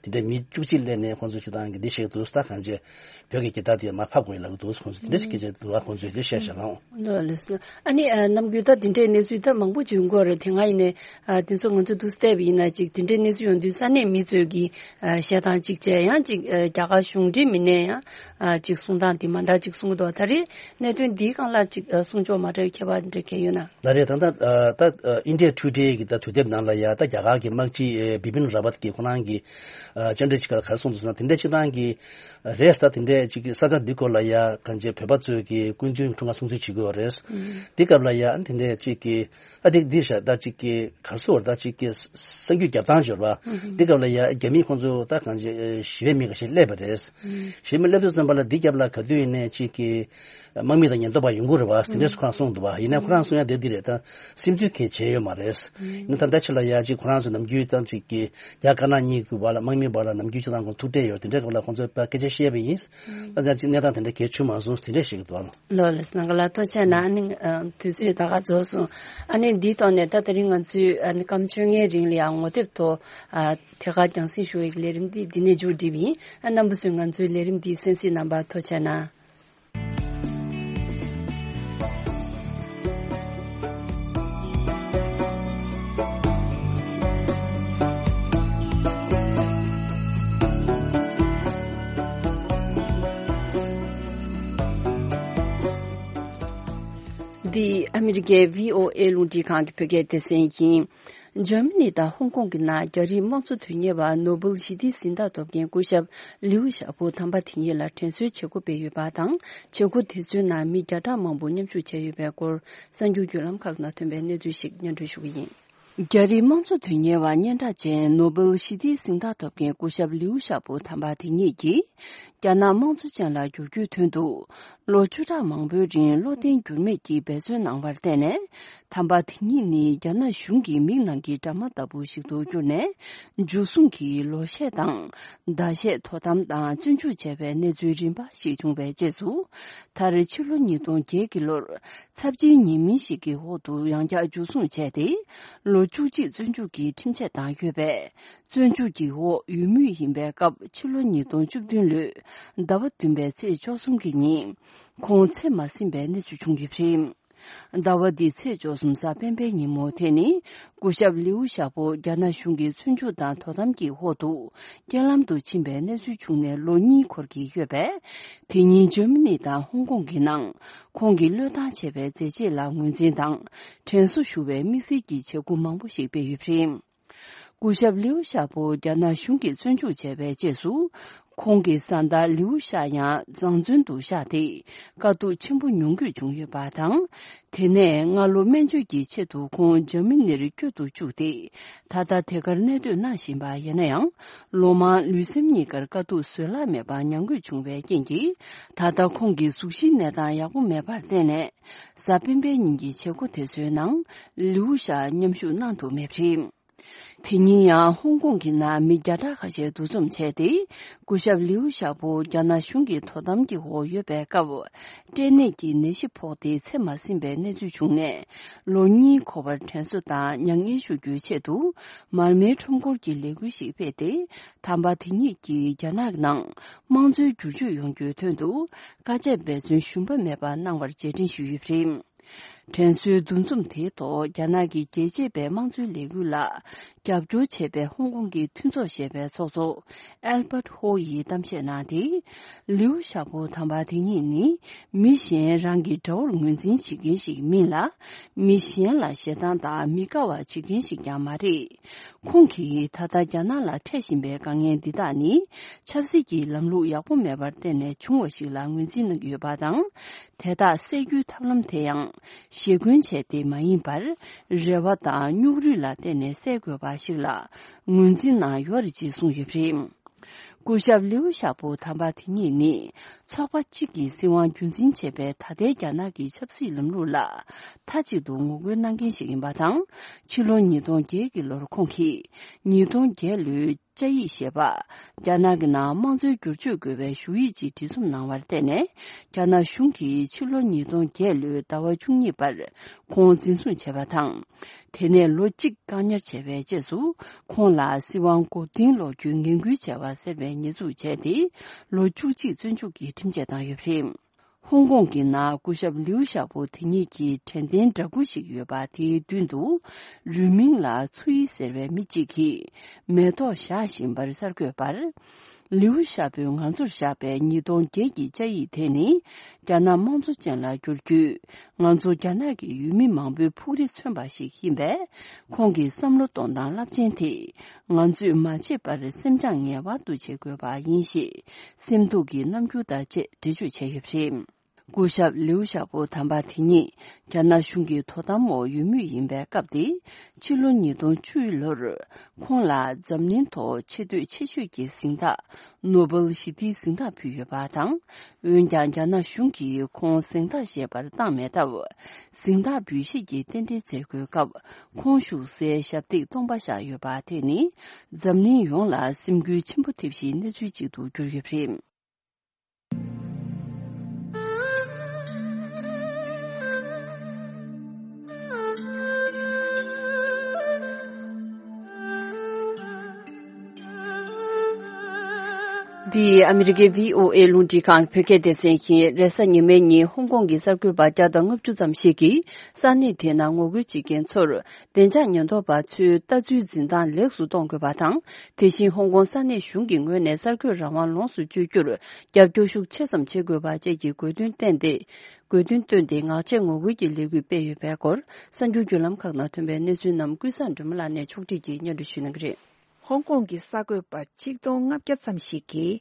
དེ་འདྲའི་མི་བཅུ་གཅིག་སླེབས་ནས་ཁོང་ཚོས་སྤྱི་བཏང་གི་འདི་བཤད་འདུག་ད་གང་ཅི་བོད་ཀྱི་རྒྱལ་དར་དེ་མར་ཕབ་དགོས་ལབ་ཀྱི་འདུག་ཁོང་ཚོས་དེ་འདྲ་ཞིག་སྐད་ཆ་འདུག་ཁོང་ཚོས་དེ་བཤད་བཞག་ལགས། ལགས་ལགས་སོ། ཨ་ནི་ཨ་ནམ་རྒྱུན་ད་དེ་འདྲའི་གནས་ཚུལ་ད་མང་པོ་བྱུང་གི་ཡོད་རེད། དེ་སྔ་ཡིན་ནའི་ཨ་དེ་ཚོ་ང་ཚོས་འདུག་བལྟས་པ་ཡིན་ན་ཅིག་དེ་འདྲའི་གནས་ཚུལ་ཡོང་དུས་ས་གནས་མི་ཚོས་ཀྱིས་ཨ་བཤད་སྟངས་གཅིག་བྱས། ཡང་ཅིག་ཨ་རྒྱ་གར་གཞུང་འབྲེལ་མི་སྣས་ཡང་ཨ་ཅིག་གསུང་སྟངས་དེ་མ་འདྲ་ཅིག་གསུང་གི་འདུག་ད་རེས་གནད་དོན་འདིའི་སྒང་ལ་ཅིག་ཨ་གསུང་ཕྱོགས་མ་འདྲ་བའི་ཁྱད་པར་འདྲ་གང་ཡོད་ན། ལགས་རེད། ད་ལྟ་ཨ་ད་ཨ་India Today གི་ད་དུས་དེབ་ནང་ལ་ཡ་ད་རྒྱ་གར་གྱི་དམག་སྤྱི་ཨེ་བི་པིན་ར་བཏ་གིས་ཁོ་རང་གི་ཨ་བཅར་འདྲི་ཅིག་ག་ལ་ག་རེ་གསུངས་འདུག་ཟེར་ན། དེ་འདྲ་སྤྱི་བཏང་གི་རེས་ད་དེ་འདྲས་ཅིག་གི་ས་ཆ་འདི་སྐོར་ལ་ཡ་གང་ཅི་བོད་པ་ཚོས་ཀྱི་སྐུ་མདུན་འཁྲུངས་སྐར་སྲུང་བརྩི་བྱེད་ཀྱི་ཡོད་རེད། འདི་སྐབས་ལ་ཡ་དེ་འདྲས་ཅིག་གི་ཨ་དེ་འདི་ཤ་ད་ཅིག་གི་ག་རེ་ཟེར་ད་ཅིག་གི་གསར་འགྱུར་རྒྱབ་སྟངས་ཡོད་རེད་པ། འདི་སྐབས་ལ་ཡ་རྒྱ་མི་ཁོང་ཚོ་ད་གང་ཅི་ཞི་བའི་མི་འགའ་ཤས་སླེབས་པ་རེད། ཞི་བའི་མི་སླེབས་དུས་ཙམ་པ་ལ་འདི་རྒྱབ་ལ་ག་དུས་ཡིན་ནའི་ཅིག་གི་དམག་མི་དང་ཉེན་རྟོག་པ་ཡོང་གི་རེད་པ། དེ་འདྲས་ཁོ་རང་གསུངས་འདུག་པ། ཡིན་ནའི་ཁོ་རང་གསུང་ཡ་དེ་འདི་རེད། ད་སིམ་འཛུལ་གང་བྱས་ཡོད་མ་རེད། ཡིན་ན་ད་ལྟ་ཆ་ལ་ཡ་ཅིག་ཁོ་རང་ཚོ་ནམ་རྒྱུན་ད་ཅིག་གི་རྒྱ་དཀར་ནག་གཉིས་ཀྱི་བར་ལ་དམག་མིའི་བར་ལ་ནམ་རྒྱུན་ཅིག་དང་ཁོང་ཐུག་འཕྲད་ཡོད། དེ་འདྲའི་སྐབས་ལ་ཁོང་ཚོས་ཕར་སྐད་ཆ་བཤད་པ་ཡིན། ད་ལྟ་ཅིག་གནས་སྟངས་དེ་འདྲ་གལ་ཆེ་མ་སོང་དེ་འདྲ་ཞིག་འདུག་ཨ། ལོ་ལ་སྣང་ག་ལ་ཐོ་ཆ་ན་ཨ་ནི་དུས་ཚོད་ད་ག་རྫོགས་སོང་། ཨ་ནི་འདིའི་ཐོག་ནས་ད་དེ་རིང་ང་ཚོས་ཨ་ནི་སྐམ་བཅོ་ལྔའི་རིང་ལ་ཡང་ངོ་དེབ་ཐོག་ཨ་ཐད་ཀར་རྒྱང་སྲིང་ཞུ་བའི་ལས་རིམ་འདི་འདི་ནས་མཇུག་སྒྲིལ་བ་ཡིན། ཨ་རྣམ་པ་ཚོས་ང་ཚོའི་ལས་རིམ་འདི་གསན་གཟིགས་གནང་བར་ཐོ་ཆ་ན། འདི་ཨ་མི་རི་ཀའི་བྷི་ཨོ་ཨེ་རླུང་འཕྲིན་ཁང་གི་བོད་སྐད་སྡེ་ཚན་ཡིན། འཇར་མ་ནི་དང་ཧོང་ཀོང་གི་ནང་རྒྱ་རིགས་དམངས་གཙོ་དོན་གཉེར་བ་ནོ་བེལ་ཞི་བདེའི་གཟེངས་རྟགས་ཐོབ་མཁན་སྐུ་ཞབས་ལིའུ་ཞའོ་པོ་དམ་པ་དེ་ཉིད་ལ་དྲན་གསོའི་བྱེད་སྒོ་སྤེལ་ཡོད་པ་དང་། བྱེད་སྒོ་དེ་ཚོའི་ནང་མི་བརྒྱ་ཕྲག་མང་པོ་མཉམ་ཞུགས་བྱས་ཡོད་པའི་སྐོར་གསར་འགྱུར་བརྒྱུད་ལམ་ཁག་ནང་ཐོན་པའི་གནས་ཚུལ་ཞིག་སྙན་སྒྲོན་ཞུ་གི་ཡིན། རྒྱ་རིགས་དམངས་གཙོ་དོན་གཉེར་བ་སྙན་གྲགས་ཅན་ནོ་བེལ་ཞི་བདེའི་གཟེངས་རྟགས་ཐོབ་མཁན་སྐུ་ཞབས་ལིའུ་ཞའོ་པོ་དམ་པ་དེ་ཉིད་ཀྱིས། རྒྱ་ནག་དམངས་གཙོ་ཅན་ལ་བསྒྱུར་རྒྱུའི་དོན་དུ། ལོ་བཅུ་ཕྲག་མང་པོའི་རིང་བློ་བརྟན་འགྱུར་མེད་ཀྱིས་འབད་བརྩོན་གནང་བར་བརྟེན་ནས། དམ་པ་དེ་ཉིད་ནི་རྒྱ་ནག་གཞུང་གི་མིག་ནང་གི་དྲ་མ་ལྟ་བུ་ཞིག་ཏུ་གྱུར་ནས། འཇུ་བཟུང་གིས་ལོ་ཤས་དང་། ཟླ་ཤས་དོ་དམ་དང་བཙོན་འཇུག་བྱས་པའི་གནས་ཚུལ་རིམ་པ་ཞིག་བྱུང་བའི་རྗེས་སུ། མཐར་ཕྱི་ལོ་ཉིས་སྟོང་བརྒྱད་ཀྱི་ལོར། ཚབས་ཆེའི་ཉེས་མིང་ཞིག་གི་འོག་ཏུ་ཡང་བསྐྱར་འཇུ་བཟུང་བྱས་ཏེ། ལོ་བཅུ་གཅིག་བཙོན་འཇུག་གི་ཁྲིམས་ཆད་བཏང་ཡོད་པས། བཙོན་འཇུག་གི་འོག་ཡོད་མུས་ཡིན་པའི་སྐབས། ཕྱི་ལོ་ཉིས་སྟོང་བཅུ་བདུན་ལོའི་ཟླ་བ་བདུན་པའི་ཚེས་བཅུ་གསུམ་གྱི་ཉིན། ཁོང་ཚེ་མ་ཟིན་པའི་གནས་ཚུལ་བྱུང་ཡོད་པ་རེད། ཟླ་བ་འདིའི་ཚེས་བཅུ་གསུམ་གཟའ་སྤེན་པའི་ཉིན་མོ་དེ་ནི། སྐུ་ཞབས་ལིའུ་ཞའོ་པོ་རྒྱ་ནག་གཞུང་གིས་བཙོན་འཇུག་དང་དོ་དམ་གྱི་འོག་ཏུ། རྐྱེན་ལམ་དུ་ཕྱིན་པའི་གནས་ཚུལ་བྱུང་ནས་ལོ་གཉིས་འཁོར་གྱི་ཡོད་པས། དེ་ཉིན་འཇར་མ་ནི་དང་ཧོང་ཀོང་གི་ནང་། ཁོང་གིས་བློས་བཏང་བྱས་པའི་མཛད་རྗེས་ལ་ངོས་འཛིན་དང་། དྲན་གསོ་ཞུ་བའི་དམིགས་བསལ་གྱི་བྱེད་སྒོ་མང་པོ་ཞིག་སྤེལ་ཡོད་པ་རེད། སྐུ་ཞབས་ལིའུ་ཞའོ་པོ་རྒྱ་ནག་གཞུང་གིས་བཙོན་འཇུག་བྱས་པའི་རྗེས་སུ། ཁོང་གི་བཟའ་ཟླ་ལིའུ་ཞའོ་ཡང་བཟང་བཙོན་དུ་བཞག་སྟེ། དཀའ་སྡུག་ཆེན་པོ་མྱོང་དགོས་བྱུང་ཡོད་པ་དང་། དེ་ནས་སྔ་ལོ་སྨན་བཅོས་ཀྱི་ཆེད་དུ་ཁོང་འཇར་མ་ནིར་བསྐྱོད་དུ་བཅུག་སྟེ། ད་ལྟ་དེ་གར་གནས་སྡོད་གནང་བཞིན་པ་ཡིན་ན་ཡང་། ལོ་མང་ལུས་སེམས་གཉིས་ཀར་དཀའ་སྡུག་བཟོད་གླགས་མེད་པ་མྱོང་དགོས་བྱུང་བའི་རྐྱེན་གྱིས། ད་ལྟ་ཁོང་གི་གཟུགས་གཞིའི་གནས་སྟངས་ཡག་པོ་མེད་པར་བརྟེན་ནས། གཟའ་སྤེན་པའི་ཉིན་གྱི་བྱེད་སྒོ་དེ་ཚོའི་ནང་། ལིའུ་ཞའོ་མཉམ་ཞུགས་གནང་ཐུབ་མེད་པ་རེད། དེ་ཉིན་ཡང་ཧོང་ཀོང་གི་ནང་མི་བརྒྱ་ཕྲག་ཁ་ཤས་འདུ་འཛོམས་བྱས་ཏེ། སྐུ་ཞབས་ལིའུ་ཞའོ་པོ་རྒྱ་ནག་གཞུང་གི་དོ་དམ་གྱི་འོག་ཡོད་པའི་སྐབས། སྐྲན་ནད་ཀྱི་ནད་གཞི་ཕོག་སྟེ་ཚེ་མ་ཟིན་པའི་གནས་ཚུལ་བྱུང་ནས། ལོ་གཉིས་འཁོར་བར་དྲན་གསོ་དང་མྱ་ངན་ཞུ་རྒྱུའི་ཆེད་དུ། མར་མེའི་ཁྲོམ་སྐོར་གྱི་ལས་འགུལ་ཞིག་སྤེལ་ཏེ། དམ་པ་དེ་ཉིད་ཀྱིས་རྒྱ་ནག་ནང་དམངས་གཙོའི་བསྒྱུར་བཅོས་ཡོང་རྒྱུའི་དོན་དུ། དཀའ་སྤྱད་འབད་བརྩོན་ཞུམ་པ་མེད་པ་གནང་བར་རྗེས་དྲན་ཞུས་ཡོད་པ་རེད། དྲན་གསོའི་འདུ་འཛོམས་དེའི་ཐོག་རྒྱ་ནག་གི་རྒྱལ་གཅེས་པའི་དམངས་གཙོའི་ལས་འགུལ་ལ་རྒྱབ་སྐྱོར་བྱས་པའི་ཧོང་ཀོང་གི་མཐུན་ཚོགས་ཞེས་པའི་ཚོགས་གཙོ་ཨལ་བྷར་ཧོ་ཡིས་གཏམ་བཤད་གནང་སྟེ། ལིའུ་ཞའོ་པོ་དམ་པ་དེ་ཉིད་ནི་མི་གཞན་རང་གི་དགྲ་བོར་ངོས་འཛིན་བྱེད་མཁན་ཞིག་མིན་ལ། མི་གཞན་ལ་ཞེ་སྡང་དང་མི་དགའ་བ་བྱེད་མཁན་ཞིག་ཀྱང་མ་རེད། ཁོང་གིས་ད་ལྟ་རྒྱ་ནག་ལ་འཕྲད་བཞིན་པའི་དཀའ་ངལ་འདི་དག་ནི། ཆབ་སྲིད་ཀྱི་ལམ་ལུགས་ཡག་པོ་མེད་པར་བརྟེན་ནས་བྱུང་བ་ཞིག་ལ་ངོས་འཛིན་གནང་གི་ཡོད་པ་དང་། དེ་དག་སེལ་རྒྱུའི་ཐབས་ལམ་དེ་ཡང་ཞེ་འཁོན་བྱས་ཏེ་མ་ཡིན་པར། རེ་བ་དང་སྙུག་རུས་ལ་བརྟེན་ནས་སེལ་དགོས་པ་ཞིག་ལ་ངོས་འཛིན་གནང་ཡོད་རེད་ཅེས་གསུངས་ཡོད་པ་རེད། སྐུ་ཞབས་ལིའུ་ཞའོ་པོ་དམ་པ་དེ་ཉིད་ནི། ཚོགས་པ་གཅིག་གིས་སྲིད་དབང་རྒྱུན་འཛིན་བྱེད་པའི་ད་ལྟའི་རྒྱ་ནག་གི་ཆབ་སྲིད་ལམ་ལུགས་ལ། མཐའ་གཅིག་ཏུ་ངོ་རྒོལ་གནང་མཁན་ཞིག་ཡིན་པ་དང་། ཕྱི་ལོ་ཉིས་སྟོང་བརྒྱད་ཀྱི་ལོར་ཁོང་གིས། ཉིས་སྟོང་བརྒྱད་ལོའི། བཅའ་ཡིག་ཞེས་པ། རྒྱ་ནག་གི་ནང་དམངས་གཙོའི་བསྒྱུར་བཅོས་དགོས་པའི་ཞུ་ཡིག་ཅིག་སྒྲིག་འཛུགས་གནང་བར་བརྟེན་ནས། རྒྱ་ནག་གཞུང་གིས་ཕྱི་ལོ་ཉིས་སྟོང་བརྒྱད་ལོའི་ཟླ་བ་བཅུ་གཉིས་པར་ཁོང་འཛིན་བཟུང་བྱས་པ་དང་། དེ་ནས་ལོ་གཅིག་བཀག་ཉར་བྱས་པའི་རྗེས་སུ། ཁོང་ལ་སྲིད་དབང་མགོ་རྟིང་སློག་རྒྱུའི་ངན་སྐུལ་བྱས་པ་ཟེར་བའི་ཉེས་འཛུགས་བྱས་ཏེ། ལོ་བཅུ་གཅིག་བཙོན་འཇུག་གི་ཁྲིམས་ཆད་བཏང་ཡོད་པ་རེད། ཧོང་ཀོང་གི་ནང་སྐུ་ཞབས་ལིའུ་ཞའོ་པོ་དེ་ཉིད་ཀྱི་དྲན་རྟེན་འདྲ་སྐུ་ཞིག་ཡོད་པ་དེའི་མདུན་དུ། རུས་མིང་ལ་ཚུ་ཡི་ཟེར་བའི་མི་གཅིག་གིས་མེ་ཏོག་བཞག་བཞིན་པར་གསར་འགོད་པར། ལིའུ་ཞའོ་པོས་ང་ཚོར་བཞག་པའི་ཉིས་སྟོང་བརྒྱད་ཀྱི་བཅའ་ཡིག་དེ་ནི། རྒྱ་ནག་དམངས་གཙོ་ཅན་ལ་བསྒྱུར་རྒྱུས། ང་ཚོ་རྒྱ་ནག་གི་ཡུལ་མི་མང་པོའི་ཕུགས་རེ་མཚོན་པ་ཞིག་ཡིན་པས། ཁོང་གི་བསམ་བློ་གཏོང་སྟངས་རླབས་ཆེན་དེ། ང་ཚོས་མ་བརྗེད་པར་སེམས་ཅན་ངེས་པར་དུ་བརྗེད་དགོས་པ་ཡིན་ཞེས། སེམས་སྡུག་གི་རྣམ་འགྱུར་དང་བཅས་འགྲེལ་བརྗོད་བྱས་ཡོད་པ་རེད། སྐུ་ཞབས་ལིའུ་ཞའོ་པོ་དམ་པ་དེ་ཉིད་རྒྱ་ནག་གཞུང་གི་དོ་དམ་འོག་ཡོད་མུས་ཡིན་པའི་སྐབས་དེ། ཕྱི་ལོ་ཉིས་སྟོང་བཅུ་ལོར། ཁོང་ལ་འཛམ་གླིང་ཐོག་ཆེ་བསྟོད་ཆེ་ཤོས་ཀྱི་གཟེངས་རྟགས། ནོ་བེལ་ཞི་བདེའི་གཟེངས་རྟགས་ཕུལ་ཡོད་པ་དང་། འོན་ཀྱང་། རྒྱ་ནག་གཞུང་གིས་ཁོང་གཟེངས་རྟགས་བཞེས་པར་བཏང་མེད་སྟབས། གཟེངས་རྟགས་འབུལ་བཞེས་ཀྱི་རྟེན་འབྲེལ་མཛད་སྒོའི་སྐབས། ཁོང་བཞུགས་སའི་ཞབས་སྟེགས་སྟོང་པ་བཞག་ཡོད་པ་དེ་ནི། འཛམ་གླིང་ཡོངས་ལ་སེམས་འགུལ་ཆེན་པོ་ཐེབས་གཞིའི་གནས་ཚུལ་ཅིག་ཏུ་གྱུར་ཡོད་པ་རེད། འདི་ཨ་མི་རི་ཀའི་བྷི་ཨོ་ཨེ་རླུང་འཕྲིན་ཁང་གི་བོད་སྐད་སྡེ་ཚན་ཡིན། རེས་གཟའ་ཉི་མའི་ཉིན་ཧོང་ཀོང་གི་གསར་འགོད་པ་བརྒྱ་དང་ལྔ་བཅུ་ཙམ་ཞིག་གིས་ས་གནས་དེའི་ནང་ངོ་རྒོལ་བྱེད་མཁན་ཚོར། བདེ་འཇགས་ཉེན་རྟོག་པ་ཚོའི་ལྟ་ཚུལ་འཛིན་སྟངས་ལེགས་སུ་གཏོང་དགོས་པ་དང་། དེ་བཞིན་ཧོང་ཀོང་ས་གནས་གཞུང་གི་ངོས་ནས་གསར་འགོད་རང་དབང་ལོངས་སུ་སྤྱོད་རྒྱུར་རྒྱབ་སྐྱོར་ཤུགས་ཆེ་ཙམ་བྱེད་དགོས་པ་བཅས་ཀྱི་དགོས་འདུན་བཏོན་ཏེ། དགོས་འདུན་བཏོན་ཏེ་ངག་བཅད་ངོ་རྒོལ་གྱི་ལས་འགུལ་སྤེལ་ཡོད་པའི་སྐོར། གསར་འགྱུར་བརྒྱུད་ལམ་ཁག་ནང་ཐོན་པའི་གནས་ཚུལ་རྣམས་ཀུན་བཟང་སྒྲོལ་མ་ལགས་ནས་ཕྱོགས་སྒྲིག་གིས་སྙན་སྒྲོན་ཞུ་གནང་གི་རེད། ཧོང་ཀོང་གི་གསར་འགོད་པ་ཆིག་སྟོང་ལྔ་བརྒྱ་ཙམ་ཞིག་གིས།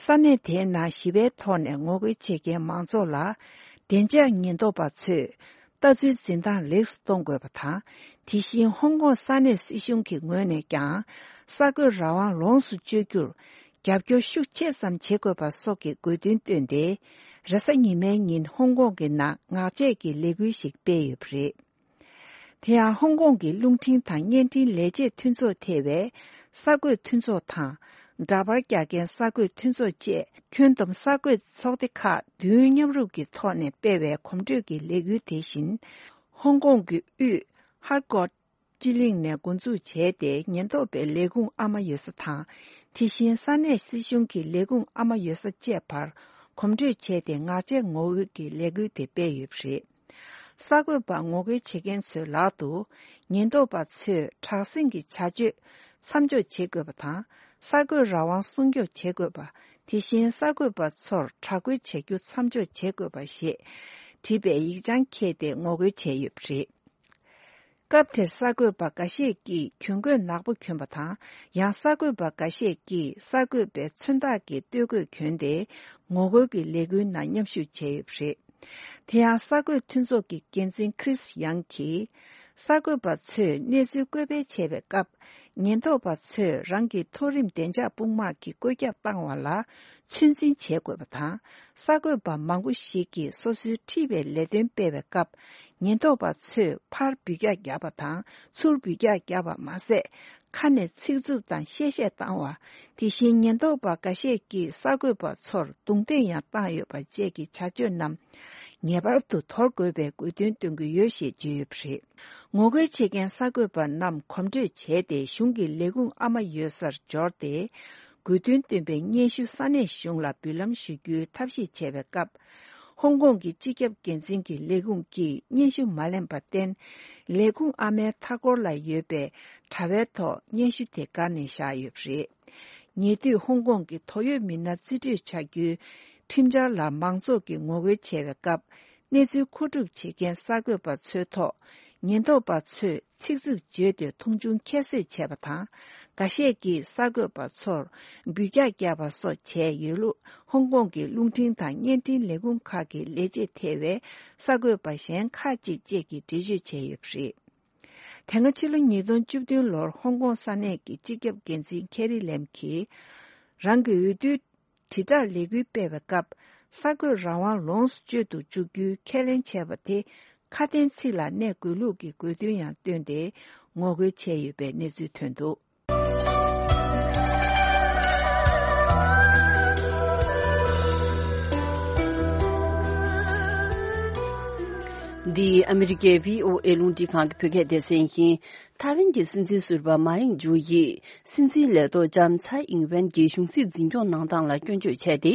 ས་གནས་དེའི་ནང་ཞི་བའི་ཐོག་ནས་ངོ་རྒོལ་བྱེད་མཁན་མང་ཚོགས་ལ། བདེ་འཇགས་ཉེན་རྟོག་པ་ཚོས་ལྟ་ཚུལ་འཛིན་སྟངས་ལེགས་སུ་གཏོང་དགོས་པ་དང་། དེ་བཞིན་ཧོང་ཀོང་ས་གནས་སྲིད་གཞུང་གི་ངོས་ནས་ཀྱང་། གསར་འགོད་རང་དབང་ལོངས་སུ་སྤྱོད་རྒྱུར་རྒྱབ་སྐྱོར་ཤུགས་ཆེ་ཙམ་བྱེད་དགོས་པ་སོགས་ཀྱི་དགོས་འདུན་བཏོན་ཏེ། རེས་གཟའ་ཉི་མའི་ཉིན་ཧོང་ཀོང་གི་ནང་ངག་བཅད་ཀྱི་ལས་འགུལ་ཞིག་སྤེལ་ཡོད་པ་རེད། དེ་ཡང་ཧོང་ཀོང་གི་རླུང་འཕྲིན་དང་བརྙན་འཕྲིན་ལས་བྱེད་མཐུན་ཚོགས་ཐེ་བའི་གསར་འགོད་མཐུན་ཚོགས་དང་། འདྲ་པར་རྒྱག་མཁན་གསར་འགོད་མཐུན་ཚོགས་བཅས་ཁྱོན་བསྡོམས་གསར་འགོད་ཚོགས་སྡེ་ཁག་བདུན་མཉམ་རུབ་ཀྱི་ཐོག་ནས་སྤེལ་བའི་གོམ་བགྲོད་ཀྱི་ལས་འགུལ་དེ་བཞིན། ཧོང་ཀོང་གི་དབུས་ཧར་ཀོ་སྤྱི་གླིང་ནས་འགོ་འཛུགས་བྱས་ཏེ། ཉེན་རྟོག་པའི་ལས་ཁུངས་ཨ་མ་ཡོད་ས་དང་། དེ་བཞིན་ས་གནས་སྲིད་གཞུང་གི་ལས་ཁུངས་ཨ་མ་ཡོད་ས་བཅས་བར་གོམ་བགྲོད་བྱས་ཏེ། ངག་བཅད་ངོ་རྒོལ་གྱི་ལས་འགུལ་དེ་སྤེལ་ཡོད་པ་རེད། གསར་འགོད་པ་ངོ་རྒོལ་བྱེད་མཁན་ཚོའི་ལག་ཏུ། ཉེན་རྟོག་པ་ཚོས་དྲག་ཟིང་གི་བྱ་སྤྱོད་མཚམས་འཇོག་བྱེད་དགོས་པ་དང་། གསར་འགོད་རང་དབང་སྲུང་སྐྱོབ་བྱེད་དགོས་པ། དེ་བཞིན་གསར་འགོད་པ་ཚོར་དྲག་རྒོལ་བྱ་རྒྱུ་མཚམས་འཇོག་བྱེད་དགོས་པ་ཞེས་བྲིས་པའི་ཡིག་བྱང་འཁྱེར་ཏེ་ངོ་རྒོལ་བྱས་ཡོད་པ་རེད། སྐབས་དེར་གསར་འགོད་པ་འགའ་ཤས་ཀྱིས་གྱོན་གོས་ནག་པོ་གྱོན་པ་དང་། ཡང་གསར་འགོད་པ་འགའ་ཤས་ཀྱིས་གསར་འགོད་པའི་མཚོན་རྟགས་ཀྱི་སྟོད་གོས་གྱོན་ཏེ། ངོ་རྒོལ་གྱི་ལས་འགུལ་ནང་མཉམ་ཞུགས་བྱས་ཡོད་པ་རེད། དེ་ཡང་གསར་འགོད་མཐུན་ཚོགས་ཀྱི་འགན་འཛིན་ཁྲིས་ཡང་གིས། གསར་འགོད་པ་ཚོས་གནས་ཚུལ་བཀོད་སྤེལ་བྱས་པའི་སྐབས། ཉེན་རྟོག་པ་ཚོས་རང་གི་མཐོ་རིམ་བདེ་འཇགས་དཔུང་དམག་གིས་བཀོད་ཁྱབ་བཏང་བ་ལ་ཚོད་འཛིན་བྱེད་དགོས་པ་དང་། གསར་འགོད་པ་མང་པོ་ཞིག་གིས་སོ་སོའི་འཁྲིས་པའི་ལས་དོན་སྤེལ་བའི་སྐབས། ཉེན་རྟོག་པ་ཚོས་ཕར་འབུད་རྒྱག་བརྒྱབ་པ་དང་། ཚུར་འབུད་རྒྱག་བརྒྱབ་པ་མ་ཟད། ཁ་ནས་ཚིག་རྩུབ་དང་གཤེ་གཤེ་བཏང་བ། དེ་བཞིན་ཉེན་རྟོག་པ་འགའ་ཤས་ཀྱིས་གསར་འགོད་པ་ཚོར་རྡུང་རྡེག་ཡང་བཏང་ཡོད་པ་བཅས་ཀྱི་བྱ་སྤྱོད་རྣམས་ངེས་པར་དུ་དོར་དགོས་པའི་དགོས་འདུན་བཏོན་གྱི་ཡོད་ཞེས་བརྗོད་ཡོད་པ་རེད། ངོ་རྒོལ་བྱེད་མཁན་གསར་འགོད་པ་རྣམས་གོམ་བགྲོད་བྱས་ཏེ། གཞུང་གི་ལས་ཁུངས་ཨ་མ་ཡོད་སར་འབྱོར་ཏེ། དགོས་འདུན་བཏོན་པའི་སྙན་ཞུ་ས་གནས་གཞུང་ལ་འབུལ་ལམ་ཞུ་རྒྱུའི་ཐབས་ཤེས་བྱས་པའི་སྐབས། ཧོང་ཀོང་གི་སྤྱི་ཁྱབ་འགན་འཛིན་གྱི་ལས་ཁུངས་ཀྱིས་སྙན་ཞུ་མ་ལེན་པར་བརྟེན། ལས་ཁུངས་ཨ་མའི་མཐའ་འཁོར་ལ་ཡོད་པའི་དྲ་བའི་ཐོག་སྙན་ཞུ་དེ་བསྒར་ནས་བཞག་ཡོད་པ་རེད། ཉེ་དུས་ཧོང་ཀོང་གི་དོགས་ཡོད་མི་སྣ་རྩིས་སྤྲོད་བྱ་རྒྱུའི་ཁྲིམས་འཆར་ལ་མང་ཚོགས་ཀྱིས་ངོ་རྒོལ་བྱས་པའི་སྐབས། གནས་ཚུལ་མཁོ་སྒྲུབ་བྱེད་མཁན་གསར་འགོད་པ་ཚོའི་ཐོག་ཉེན་རྟོག་པ་ཚོས་ཚིག་རྩུབ་བརྗོད་དེ་མཐོང་ཆུང་ཁྱད་གསོད་བྱས་པ་དང་། འགའ་ཤས་ཀྱིས་གསར་འགོད་པ་ཚོར་འབུད་རྒྱག་བརྒྱབ་པ་སོགས་བྱས་ཡོད་ལུགས། ཧོང་ཀོང་གི་རླུང་འཕྲིན་དང་བརྙན་འཕྲིན་ལས་ཁུངས་ཁག་གི་ལས་བྱེད་ཐེ་བའི་གསར་འགོད་པ་གཞན་ཁག་ཅིག་བཅས་ཀྱིས་འགྲེལ་བརྗོད་བྱས་ཡོད་པ་རེད། དེ་སྔ་ཕྱི་ལོ་ཉིས་སྟོང་བཅུ་བདུན་ལོར་ཧོང་ཀོང་ས་གནས་ཀྱི་སྤྱི་ཁྱབ་འགན་འཛིན་ཁེ་རི་ལེམ་གྱིས། རང་གི་འོས་བསྡུའི་དྲིལ་བསྒྲགས་ལས་འགུལ་སྤེལ་བའི་སྐབས། གསར་འགོད་རང་དབང་ལོངས་སུ་སྤྱོད་དུ་འཇུག་རྒྱུའི་ཁས་ལེན་བྱས་པ་དེ། ཁ་དན་ཚིག་ལ་གནས་དགོས་ལུགས་ཀྱི་དགོས་འདུན་ཡང་བཏོན་ཏེ། ངོ་རྒོལ་བྱས་ཡོད་པའི་གནས་ཚུལ་ཐོན་འདུག། འདི་ཨ་མི་རི་ཀའི་བྷི་ཨོ་ཨེ་རླུང་འཕྲིན་ཁང་གི་བོད་སྐད་སྡེ་ཚན་ཡིན། ཐའེ་ཝན་གྱི་སྲིད་འཛིན་ཟུར་པ་མཱ་ཡིང་ཇུ་ཡིས་སྲིད་འཛིན་ལས་ཐོག་ལྕམ་ཚའེ་ཨིང་ཝེན་གྱི་གཞུང་སྲིད་འཛིན་སྐྱོང་གནང་སྟངས་ལ་སྐྱོན་བརྗོད་བྱས་ཏེ།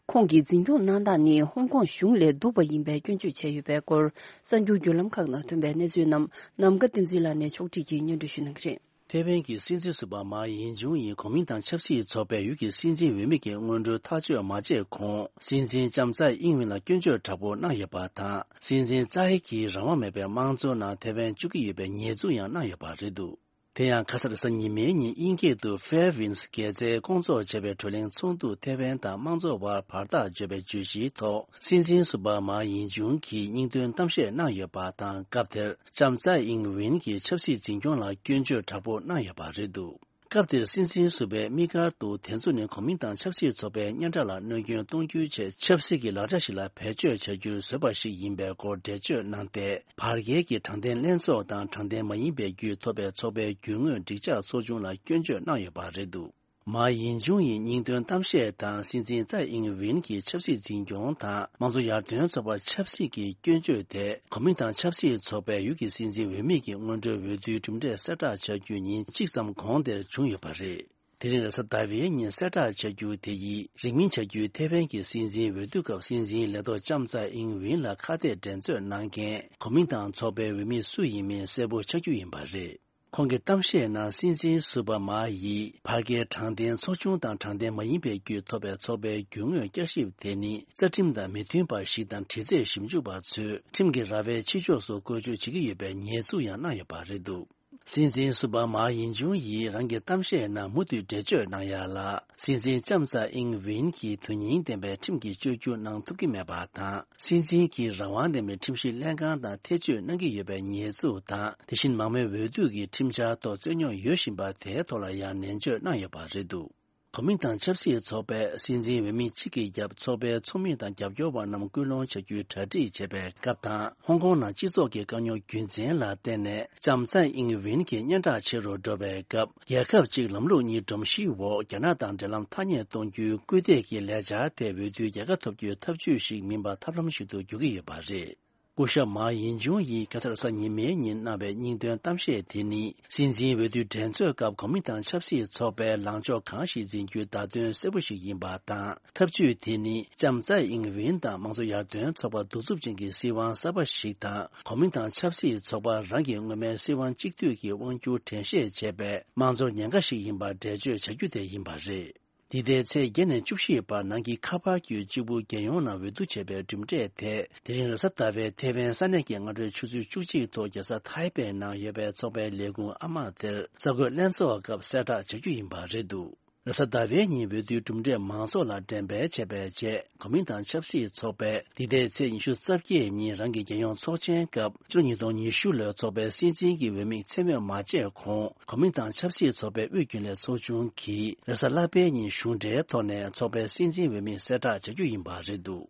ཁོང་གིས་འཛིན་སྐྱོང་གནང་སྟངས་ནི་ཧོང་ཀོང་གཞུང་ལས་སྡུག་པ་ཡིན་པའི་སྐྱོན་བརྗོད་བྱས་ཡོད་པའི་སྐོར། གསར་འགྱུར་བརྒྱུད་ལམ་ཁག་ནང་ཐོན་པའི་གནས་ཚུལ་རྣམས་ནམ་མཁའ་བསྟན་འཛིན་ལགས་ནས་ཕྱོགས་སྒྲིག་གིས་སྙན་སྒྲོན་ཞུ་གནང་གི་རེད། ཐའེ་ཝན་གྱི་སྲིད་འཛིན་ཟུར་པ་མཱ་ཡིང་ཇུང་ཡིས་གོ་མིང་དང་ཆབ་སྲིད་ཚོགས་པའི་ཡུལ་གྱི་སྲིད་འཛིན་འོས་མི་གི་སྔོན་འགྲོའི་ཐག་གཅོད་མ་བྱས་གོང་། སྲིད་འཛིན་ལྕམ་ཚའེ་ཨིང་ཝེན་ལ་སྐྱོན་བརྗོད་དྲག་པོ་གནང་ཡོད་པ་དང་། སྲིད་འཛིན་ཚའེ་གིས་རང་དབང་མེད་པའི་དམངས་གཙོའི་ནང་ཐའེ་ཝན་བཅུག་གི་ཡོད་པའི་ཉེས་འཛུགས་ཡང་གནང་ཡོད་པ་རེད་འདུག། དེ་ཡང་ཁ་སང་རེས་གཟའ་ཉི་མའི་ཉིན་དབྱིན་སྐད་དུ་Fairwinds་རྒྱལ་རྩེར་སྐོང་ཚོགས་བྱས་པའི་བགྲོ་གླེང་ཚོགས་འདུ་ཐའེ་ཝན་དང་དམངས་གཙོ་བར་བར་ཐག་གཅོད་པའི་བརྗོད་གཞིའི་ཐོག་སྲིད་འཛིན་ཟུར་པ་མཱ་ཡིང་ཇུང་གིས་སྙིང་དོན་གཏམ་བཤད་གནང་ཡོད་པ་དང་། སྐབས་དེར་ལྕམ་ཚའེ་ཨིང་ཝེན་གྱིས་ཆབ་སྲིད་འཛིན་སྐྱོང་ལ་སྐྱོན་བརྗོད་དྲག་པོ་གནང་ཡོད་པ་རེད་འདུག། སྐབས་དེར་སྲིད་འཛིན་ཟུར་པས་དམིགས་བཀར་དུ་དེ་ཚོ་ནི་གོ་མིང་དང་ཆབ་སྲིད་ཚོགས་པའི་སྙན་གྲགས་ལ་གནོད་སྐྱོན་གཏོང་རྒྱུའི་ཆེད་ཆབ་སྲིད་ཀྱི་ལག་ཆ་ཞིག་ལ་བེད་སྤྱོད་བྱ་རྒྱུར་བཟོས་པ་ཞིག་ཡིན་པའི་སྐོར་འགྲེལ་བརྗོད་གནང་སྟེ། བར་བརྒལ་གྱི་དྲང་བདེན་ལྷན་ཚོགས་དང་དྲང་བདེན་མ་ཡིན་པའི་བརྒྱུད་ཐོབ་པའི་ཚོགས་པའི་རྒྱུ་དངོས་འགྲིག་འཇགས་ཚོགས་ཆུང་ལ་སྐྱོན་བརྗོད་གནང་ཡོད་པ་རེད་འདུག། མཱ་ཡིན་ཅུང་ཡི་སྙིང་དོན་གཏམ་བཤད་དང་སྲིད་འཛིན་ཙའེ་ཨིང་ཝིན་གྱི་ཆབ་སྲིད་འཛིན་སྐྱོང་དང་དམངས་གཙོ་ཡར་ཐོན་ཚོགས་པ་ཆབ་སྲིད་ཀྱི་སྐྱོན་བརྗོད་དེ་གོ་མིན་ཏང་ཆབ་སྲིད་ཚོགས་པའི་ཡུལ་གྱི་སྲིད་འཛིན་འོས་མི་གི་སྔོན་འགྲོའི་འོས་བསྡུའི་གྲུབ་འབྲས་གསལ་བསྒྲགས་བྱ་རྒྱུ་ཉིན་གཅིག་ཙམ་གོང་དེར་བྱུང་ཡོད་པ་རེད། དེ་རིང་རེས་གཟའ་ཟླ་བའི་ཉིན་གསལ་བསྒྲགས་བྱ་རྒྱུ་དེ་ཡིས་རིང་མིན་བྱ་རྒྱུའི་ཐེ་ཝན་གྱི་སྲིད་འཛིན་འོས་བསྡུ་སྐབས་སྲིད་འཛིན་ལས་ཐོག་ལྕམ་ཚའེ་ཨིང་ཝིན་ལ་ཁ་གཏད་འགྲན་རྩོད་གནང་མཁན་གོ་མིན་ཏང་ཚོགས་པའི་འོས་མི་སུ་ཡིན་མིན་གསལ་པོ་ཆགས་རྒྱུ་ཡིན་པ་རེད། ཁོང་གིས་གཏམ་བཤད་ནང་སྲིད་འཛིན་སུ་པ་མ་ཡིས་ཕར་རྒྱལ་དྲང་བདེན་ཚོགས་ཆུང་དང་དྲང་བདེན་མ་ཡིན་པའི་བརྒྱུད་ཐོབ་པའི་ཚོགས་པའི་རྒྱུ་དངོས་བསྐྱར་ཞིབ་དེ་ནི་རྩ་ཁྲིམས་དང་མི་མཐུན་པ་ཞིག་དང་དྲི་རྩད་ཞིབ་འཇུག་པ་ཚོས་ཁྲིམས་ཀྱི་ར་བའི་ཕྱི་ཕྱོགས་སུ་བཀོལ་སྤྱོད་བྱེད་ཀྱི་ཡོད་པའི་ཉེས་འཛུགས་ཡང་གནང་ཡོད་པ་རེད་འདུག་སྲིད་འཛིན་སུ་པ་མ་ཡིན་ཅུང་ཡིས་རང་གི་གཏམ་བཤད་ནང་མུ་མཐུད་འགྲེལ་བརྗོད་གནང་ཡ་ལ། སྲིད་འཛིན་ལྕམ་ཚའེ་ཨིང་ཝིན་གྱིས་དོན་སྙིང་ལྡན་པའི་ཁྲིམས་ཀྱི་བཅོས་བསྒྱུར་གནང་ཐུབ་ཀྱི་མེད་པ་དང་། སྲིད་འཛིན་གྱིས་རང་དབང་ལྡན་པའི་ཁྲིམས་ཞིབ་ལྷན་ཁང་དང་ཐེ་བྱུས་གནང་གི་ཡོད་པའི་ཉེས་འཛུགས་དང་། དེ་བཞིན་མང་མོས་འོས་བསྡུ་གི་ཁྲིམས་འཆར་ཐོག་རྩོད་རྙོག་ཡོད་བཞིན་པ་དེའི་ཐོག་ལ་ཡང་ནན་བརྗོད་གནང་ཡོད་པ་རེད་འདུག་གོ་མིན་ཏང་ཆབ་སྲིད་ཚོགས་པས་སྲིད་འཛིན་འོས་མི་གཅིག་གི་རྒྱབ་ཚོགས་པའི་ཚོགས་མི་དང་རྒྱབ་སྐྱོར་བ་རྣམས་སྐུལ་སློང་བྱ་རྒྱུའི་གྲ་སྒྲིག་བྱེད་པའི་སྐབས་དང་། ཧོང་ཀོང་ནང་སྤྱི་ཚོགས་ཀྱི་དཀའ་རྙོག་རྒྱུ་མཚན་ལ་བརྟེན་ནས་ལྕམ་ཚའེ་ཨིང་ཝིན་གྱི་སྙན་གྲགས་ཆེ་རུ་འགྲོ་བའི་སྐབས། རྒྱལ་ཁབ་གཅིག་ལམ་ལུགས་གཉིས་སྒྲོམ་གཞིའི་འོག་རྒྱ་ནག་དང་འབྲེལ་ལམ་ཐག་ཉེ་གཏོང་རྒྱུའི་སྐུལ་འདེད་ཀྱི་ལས་འཆར་དེ་འོས་བསྡུའི་རྒྱལ་ཁ་ཐོབ་རྒྱུའི་ཐབས་ཇུས་ཤིག་མིན་པར་ཐབས་ལམ་ཞིག་ཏུ་འགྱུར་གྱི་ཡོད་པ་རེད། སྐུ་ཞབས་མཱ་ཡིན་ཅུང་ཡིས་ཁ་སང་རེས་གཟའ་ཉི་མའི་ཉིན་གནང་བའི་སྙིང་དོན་གཏམ་བཤད་དེ་ནི། སྲིད་འཛིན་འོས་བསྡུའི་འགྲན་རྩོད་སྐབས་གོ་མིན་ཏང་ཆབ་སྲིད་ཚོགས་པའི་ལངས་ཕྱོགས་གང་ཞིག་འཛིན་རྒྱུའི་བརྡ་དོན་གསལ་པོ་ཞིག་ཡིན་པ་དང་། ཐབས་ཇུས་དེ་ནི་ལྕམ་ཚའེ་ཨིང་ཝིན་དང་དམངས་གཙོ་ཡར་ཐོན་ཚོགས་པ་གདུག་རྩུབ་ཅན་གྱི་སྲིད་དབང་གསར་པ་ཞིག་དང་། གོ་མིན་ཏང་ཆབ་སྲིད་ཚོགས་པ་རང་གི་སྔོན་མའི་སྲིད་དབང་གཅིག་སྡུད་ཀྱི་དབང་སྒྱུར་དྲན་ཤེས་བྱས་པའི་དམངས་གཙོར་ཉེན་ཁ་ཞིག་ཡིན་པར་འགྲེལ་བརྗོད་བྱ་རྒྱུ་དེ་ཡིན་པ་རེད། འདི་ཟླའི་ཚེས་བརྒྱད་ནས་བཅུ་བཞི་བར་ནང་གི་ཁ་པར་བརྒྱུད་གཅིག་པུ་རྒྱལ་ཡོངས་ནང་འོས་བསྡུ་བྱས་པའི་གྲུབ་འབྲས་དེ། དེ་རིང་རེས་གཟའ་ཟླ་བའི་ཐེ་ཝན་ས་གནས་ཀྱི་སྔ་དྲོའི་ཆུ་ཚོད་བཅུ་གཅིག་ཐོག་རྒྱལ་ས་ཐའེ་པེ་ནང་ཡོད་པའི་ཚོགས་པའི་ལས་ཁུངས་ཨ་མ་དེར་གསར་འགོད་ལྷན་ཚོགས་སྐབས་གསལ་བསྒྲགས་བྱ་རྒྱུ་ཡིན་པ་རེད་འདུག་རེས་གཟའ་ཟླ་བའི་ཉིན་འོས་བསྡུའི་གྲུབ་འབྲས་མང་ཚོགས་ལ་འགྲེམས་སྤེལ་བྱས་པའི་རྗེས། གོ་མིན་ཏང་ཆབ་སྲིད་ཚོགས་པས་འདི་ཟླའི་ཚེས་ཉི་ཤུ་རྩ་བརྒྱད་ཉིན་རང་གི་རྒྱལ་ཡོངས་ཚོགས་ཆེན་སྐབས། ཕྱི་ལོ་ཉིས་སྟོང་ཉི་ཤུ་ལོའི་ཚོགས་པའི་སྲིད་འཛིན་གྱི་འོས་མི་མཚན་སྨོས་མ་བྱས་གོང་། གོ་མིན་ཏང་ཆབ་སྲིད་ཚོགས་པའི་དབུས་རྒྱུན་ལས་ཚོགས་ཆུང་གིས་རེས་གཟའ་ལྷག་པའི་ཉིན་གཞུང་འབྲེལ་ཐོག་ནས་ཚོགས་པའི་སྲིད་འཛིན་འོས་མི་གསལ་བསྒྲགས་བྱ་རྒྱུ་ཡིན་པ་རེད་འདུག་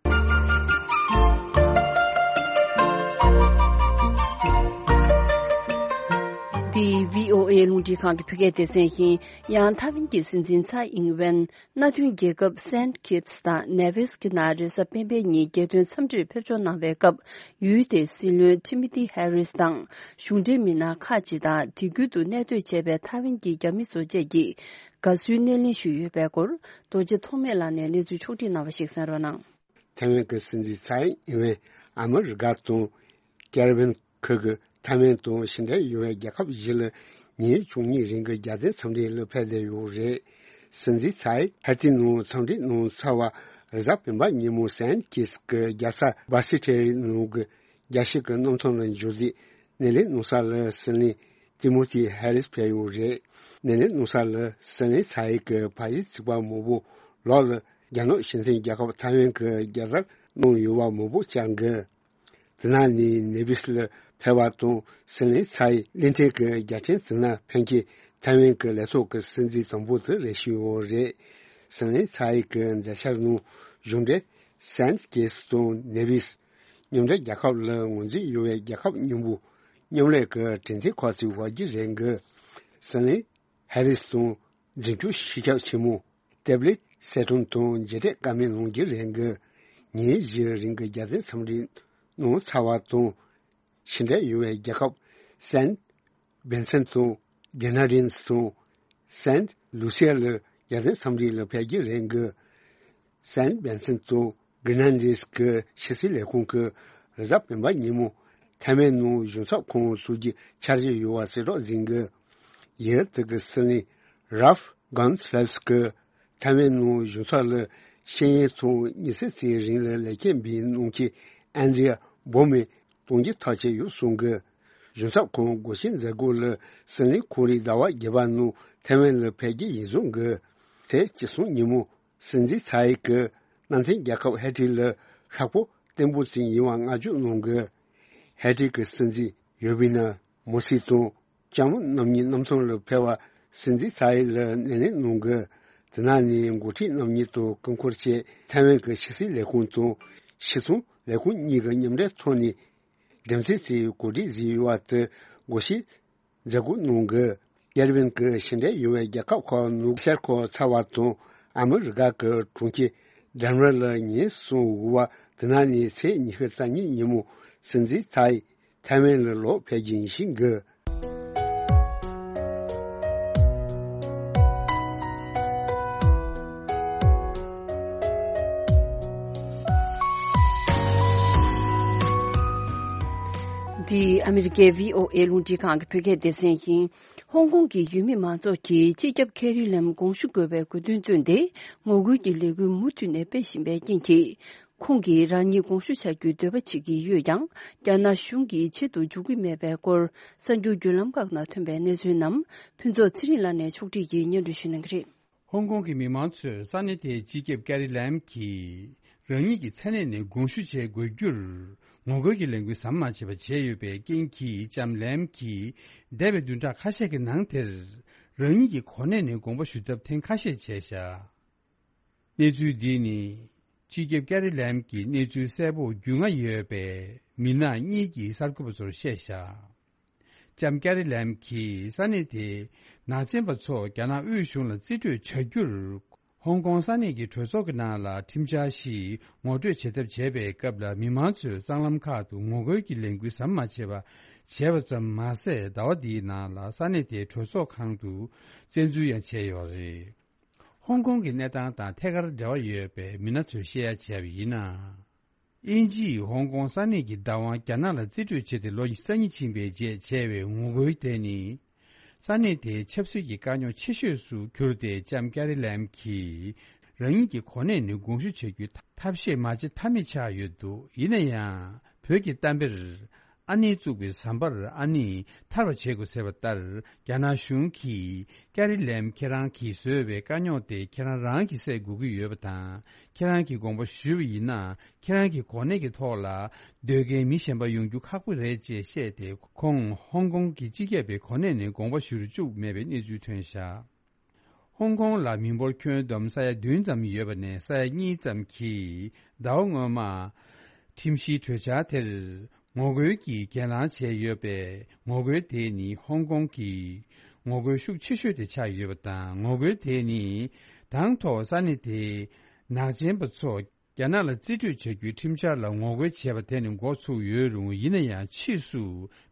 འདི་བྷི་ཨོ་ཨེ་རླུང་འཕྲིན་ཁང་གི་བོད་སྐད་སྡེ་ཚན་ཡིན། ཡང་ཐའེ་ཝན་གྱི་སྲིད་འཛིན་ཚའེ་ཨིང་ཝེན། མནའ་མཐུན་རྒྱལ་ཁབ་སན་ཁིད་སི་དང་ནེ་ཝིས་ཀྱི་ནང་རེས་གཟའ་སྤེན་པའི་ཉིན་རྒྱལ་དོན་འཚམས་འདྲིར་ཕེབས་འབྱོར་གནང་བའི་སྐབས། ཡུལ་དེའི་སྲིད་བློན་ཁྲི་མི་ཏི་ཧེ་རིས་དང་གཞུང་འབྲེལ་མི་སྣ་ཁག་ཅིག་དང་། དེ་ཁུལ་དུ་གནས་སྡོད་བྱས་པའི་ཐའེ་ཝན་གྱི་རྒྱ་མི་ཚོ་བཅས་ཀྱིས་དགའ་བསུའི་སྣེ་ལེན་ཞུས་ཡོད་པའི་སྐོར། རྡོ་རྗེ་ཐོགས་མེད་ལགས་ནས་གནས་ཚུལ་ཕྱོགས་བསྒྲིགས་གནང་བ་ཞིག་གསན་རོགས་གནང་། ཐའེ་ཝན་གྱི་སྲིད་འཛིན་ཚའེ་ཨིན་ཝེན་ཨ་མི་རི་ཀ་དང་ཀེ་རི་བྷན་ཁུལ་གྱི་ཐའེ་ཝན་དང་ཕྱི་འབྲེལ་ཡོད་པའི་རྒྱལ་ཁབ་བཞི་ལ་ཉིན་བཅུ་གཉིས་རིང་གི་རྒྱལ་དོན་འཚམས་འདྲི་ལ་ཕེབས་བསྡད་ཡོད་རེད། སྲིད་འཛིན་ཚའེ་ཧེ་ཏི་ནང་འཚམས་འདྲི་གནང་ཚར་བ་རེས་གཟའ་སྤེན་པ་ཉིན་མོ་སན་ཁིས་ཀྱི་རྒྱལ་ས་བྷ་སི་ཁྲེ་རི་ནང་གི་རྒྱལ་སྤྱི་གི་གནམ་ཐང་ལ་འབྱོར་རྗེས་སྣེ་ལེན་གནང་ས་ལ་སྲིད་བློན་ཏི་མོ་ཐི་ཧེ་རིས་ཕེབས་ཡོད་རེད། སྣེ་ལེན་གནང་ས་ལ་སྲིད་བློན་ཚའེ་གི་ཕ་ཡུལ་གཙུག་པ་མང་པོ་ལོགས་ལ། རྒྱ་ནག་སྤྱི་མཐུན་རྒྱལ་ཁབ་ཐའེ་ཝན་གྱི་རྒྱལ་དར་གནང་ཡོད་པ་མང་པོ་བཅར་འགོད། དེ་ནང་ནས་ནེ་བིས་ལ་ཕེབས་པ་དང་སྲིད་བློན་ཚའེ་གླིང་ཕྲན་གྱི་རྒྱལ་ཕྲན་དེ་ནང་ཕེབས་མཁན་ཐའེ་ཝན་གྱི་ལས་ཐོག་གི་སྲིད་འཛིན་དང་པོ་དེ་རེད་ཞུས་ཡོད་རེད། སྲིད་བློན་ཚའེ་གི་མཛད་འཆར་ནང་གཞུང་འབྲེལ་སན་ཁིས་དང་ནེ་བིས་མཉམ་འབྲེལ་རྒྱལ་ཁབ་ལ་ངོས་འཛིན་ཡོད་པའི་རྒྱལ་ཁབ་མཉམ་པོ་མཉམ་ལས་ཀྱི་གྲོས་མཐུན་ཁག་ཅིག་འོག་གི་རེད་འགོད། སྲིད་བློན་ཧེ་རིས་དང་འཛིན་སྐྱོང་སྤྱི་ཁྱབ་ཆེན་མོ་ཏེབ་ལི་སེ་ཏུང་དང་མཇལ་འཕྲད་བཀའ་མོལ་གནང་རྒྱུ་རེད་འགོད། ཉིན་བཞིའི་རིང་གི་རྒྱལ་དོན་འཚམས་འདྲི་གནང་ཚར་བ་དང་། ཕྱི་འབྲེལ་ཡོད་པའི་རྒྱལ་ཁབ་སན་བན་སན་དང་གྷི་ན་རིན་དང་སན་ལུ་སི་ཡ་ལ་རྒྱལ་དོན་འཚམས་འདྲི་ལ་ཕེབས་རྒྱུ་རེད་འགོད། སན་བན་སན་དང་གྷི་ན་རིས་ཀྱི་ཕྱི་སྲིད་ལས་ཁུངས་ཀྱིས་རེས་གཟའ་སྤེན་པ་ཉིན་མོ་ཐའེ་ཝན་ནང་གཞུང་ཚབ་ཁང་བཙུགས་རྒྱུའི་འཆར་གཞི་ཡོད་པ་གསལ་བསྒྲགས་ཟིན་འགོད། ཡུལ་དེ་གི་སྲིད་བློན་རཱལ་ཧྥ་གྷོན་སི་ལེབ་སི་ཀྱིས་ཐའེ་ཝན་ནང་གཞུང་ཚབ་ལ་ཤེས་ཡོན་ཐོག་ཉི་ཤུ་ཙམ་རིང་ལ་ལས་ཀ་འབད་མྱོང་མཁན་ཨན་དྲི་ཡ་བོ་མེ་གཏོང་རྒྱུ་ཐག་བཅད་ཡོད་གསུངས་འགོད། གཞུང་ཚབ་ཁང་སྒོ་ཕྱེ་མཛད་སྒོ་ལ་སྲིད་བློན་ཁོ་རེ་ཟླ་བ་བརྒྱད་པ་ནང་ཐའེ་ཝན་ལ་ཕེབས་རྒྱུ་ཡིན་གསུངས་འགོད། ཚེས་བཅུ་གསུམ་ཉིན་མོ་སྲིད་འཛིན་ཚའེ་གིས་མནའ་མཐུན་རྒྱལ་ཁབ་ཧེ་ཊི་ལ་ཤོག་བུ་བརྟན་པོ་ཅན་ཡིན་པ་བསྔགས་བརྗོད་གནང་དགོས། ཧེ་ཊི་གི་སྲིད་འཛིན་ཡོ་བི་ན་མོ་སི་དང་ལྕམ་མོ་རྣམ་གཉིས་གནམ་ཐང་ལ་ཕེབས་པར་སྲིད་འཛིན་ཚའེ་ལ་སྣེ་ལེན་གནང་དགོས། དེ་ནང་ནས་འགོ་ཁྲིད་རྣམ་གཉིས་དང་སྐུ་འཁོར་བཅས་ཐའེ་ཝན་གྱི་ཕྱི་སྲིད་ལས་ཁུངས་དང་ཕྱི་ཚོང་ལས་ཁུངས་གཉིས་ཀྱི་མཉམ་འབྲེལ་ཐོག་ནས། འགྲེམས་སྟོན་གྱི་གོ་སྒྲིག་བཟོས་ཡོད་པ་དེ་སྒོ་ཕྱེ་མཛད་སྒོ་གནང་དགོས། ཀེ་རི་བྷན་གྱི་ཕྱི་འབྲེལ་ཡོད་པའི་རྒྱལ་ཁབ་ཁག་ནང་ཤར་ཁག་ཚ་བ་དང་ཨ་མི་རི་ཀ་གི་གྲོང་ཁྱེར་ཌེན་ཝར་ལ་ཉིན་གསུམ་དབུ་བ་དེ་ནང་ནས་ཚེས་ཉི་ཤུ་རྩ་གཉིས་ཉིན་མོ་སྲིད་འཛིན་ཚའེ་ཐའེ་ཝན་ལ་ལོག་ཕེབས་རྒྱུ་ཡིན་ཞེས་འགོད། འདི་ཨ་མི་རི་ཀའི་བྷི་ཨོ་ཨེ་རླུང་འཕྲིན་ཁང་གི་བོད་སྐད་སྡེ་ཚན་ཡིན། ཧོང་ཀོང་གི་ཡུལ་མི་མང་ཚོགས་ཀྱིས་སྤྱི་ཁྱབ་ཀེ་རི་ལམ་དགོངས་ཞུ་དགོས་པའི་དགོས་འདུན་བཏོན་ཏེ། ངོ་རྒོལ་གྱི་ལས་འགུལ་མུ་མཐུད་ནས་སྤེལ་བཞིན་པའི་རྐྱེན་གྱིས། ཁོང་གིས་རང་ཉིད་དགོངས་ཞུ་བྱ་རྒྱུའི་འདོད་པ་བྱེད་ཀྱི་ཡོད་ཀྱང་། རྒྱ་ནག་གཞུང་གིས་ཆེད་དུ་འཇུག་གི་མེད་པའི་སྐོར། གསར་འགྱུར་བརྒྱུད་ལམ་ཁག་ནང་ཐོན་པའི་གནས་ཚུལ་རྣམས་ཕུན་ཚོགས་ཚེ་རིང་ལགས་ནས་ཕྱོགས་སྒྲིག་གིས་སྙན་སྒྲོན་ཞུ་གནང་གི་རེད། ཧོང་ཀོང་གི་མི་མང་ཚོས་ས་གནས་དེའི་སྤྱི་ཁྱབ་ཀེ་རི་ལམ་གྱིས་རང་ཉིད་ཀྱི་ས་གནས་ནས་དགོངས་ཞུ་བྱེད་དགོས་རྒྱུར་ངོ་རྒོལ་གྱི་ལས་འགུལ་ཟམ་མ་ཆད་པར་བྱས་ཡོད་པའི་རྐྱེན་གྱིས། ལྕམ་ལམ་གྱིས་འདས་པའི་བདུན་ཕྲག་ཁ་ཤས་ཀྱི་ནང་དེར་རང་ཉིད་ཀྱི་གོ་གནས་ནས་དགོངས་པ་ཞུ་ཐབས་ཐེངས་ཁ་ཤས་བྱས་བཞག་གནས་ཚུལ་འདི་ནི། སྤྱི་ཁྱབ་ཀེ་རི་ལམ་གྱིས་གནས་ཚུལ་གསལ་པོ་རྒྱུས་མངའ་ཡོད་པའི་མི་སྣ་གཉིས་ཀྱིས་གསར་འགོད་པ་ཚོར་བཤད་བཞག་ལྕམ་ཀེ་རི་ལམ་གྱིས་ས་གནས་དེའི་ནག་ཅན་པ་ཚོ་རྒྱ་ནག་དབུས་གཞུང་ལ་རྩིས་སྤྲོད་བྱ་རྒྱུར། ཧོང་ཀོང་ས་གནས་ཀྱི་གྲོས་ཚོགས་ཀྱི་ནང་ལ་ཁྲིམས་འཆར་ཞིག་ངོ་སྤྲོད་བྱེད་ཐབས་བྱས་པའི་སྐབས་ལ། མི་མང་ཚོས་སྲང་ལམ་ཁག་ཏུ་ངོ་རྒོལ་གྱི་ལས་འགུལ་ཟམ་མ་ཆད་པ་བྱས་པ་ཙམ་མ་ཟད། ཟླ་བ་འདིའི་ནང་ལ་ས་གནས་དེའི་གྲོས་ཚོགས་ཁང་དུ་བཙན་འཛུལ་ཡང་བྱས་ཡོད་རེད། ཧོང་ཀོང་གི་གནས་སྟངས་དང་ཐད་ཀར་འབྲེལ་བ་ཡོད་པའི་མི་སྣ་ཚོས་བཤད་ཡ་བྱས་པ་ཡིན་ན། དབྱིན་ཇིས་ཧོང་ཀོང་ས་གནས་ཀྱི་བདག་དབང་རྒྱ་ནག་ལ་རྩིས་སྤྲོད་བྱས་ཏེ་ལོ་ཉི་ཤུ་རྩ་གཉིས་ཕྱིན་པའི་རྗེས་བྱས་པའི་ངོ་རྒོལ་དེ་ནི། ས་གནས་དེའི་ཆབ་སྲིད་ཀྱི་དཀའ་རྙོག་ཆེ་ཤོས་སུ་གྱུར་ཏེ། ལྕམ་ཀེ་རི་ལམ་གྱིས་རང་ཉིད་ཀྱི་གོ་གནས་ནས་དགོངས་ཞུ་བྱ་རྒྱུའི་ཐབས་ཤེས་མ་བྱེད་ཐབས་མེད་ཆགས་ཡོད་འདུག་ཡིན་ན་ཡང་། བོད་ཀྱི་གཏམ་དཔེར། ཨ་ནེས་བཙུགས་པའི་ཟམ་པར་ཨ་ནེས་ཐར་བར་བྱེད་དགོས་ཟེར་བ་ལྟར། རྒྱ་ནག་གཞུང་གིས་ཀེ་རི་ལམ་ཁྱེད་རང་གིས་བཟོས་པའི་དཀའ་རྙོག་དེ་ཁྱེད་རང་རང་གིས་སེལ་དགོས་ཀྱི་ཡོད་པ་དང་། ཁྱེད་རང་གིས་དགོངས་པ་ཞུས་པ་ཡིན་ན། ཁྱེད་རང་གི་གོ་གནས་ཀྱི་ཐོག་ལ་སྡོད་མཁན་མི་གཞན་པ་ཡོང་རྒྱུ་ཁག་པོ་རེད་ཅེས་བཤད་དེ། ཁོང་ཧོང་ཀོང་གི་སྤྱི་ཁྱབ་པའི་གོ་གནས་ནས་དགོངས་པ་ཞུ་རུ་བཅུག་མེད་པའི་གནས་ཚུལ་ཐོན་བཞག་ཧོང་ཀོང་ལ་མི་འབོར་ཁྱོན་བསྡོམས་ས་ཡ་བདུན་ཙམ་ཡོད་པ་ནས། ས་ཡ་གཉིས་ཙམ་གྱིས་ཟླ་བ་སྔོན་མ་ཁྲིམས་གཞིའི་གྲོས་འཆར་དེར་ངོ་རྒོལ་གྱིས་གྱེན་ལངས་བྱས་ཡོད་པས། ངོ་རྒོལ་དེ་ནི་ཧོང་ཀོང་གི་ངོ་རྒོལ་ཤུགས་ཆེ་ཤོས་དེ་ཆགས་ཡོད་པ་དང་། ངོ་རྒོལ་དེ་ནི་དང་ཐོག་ས་གནས་དེའི་ནག་ཅན་པ་ཚོ་རྒྱ་ནག་ལ་རྩིས་སྤྲོད་བྱ་རྒྱུའི་ཁྲིམས་འཆར་ལ་ངོ་རྒོལ་བྱས་པ་དེ་ནས་འགོ་ཚུགས་ཡོད་རུང་། ཡིན་ན་ཡང་། ཕྱིས་སུ་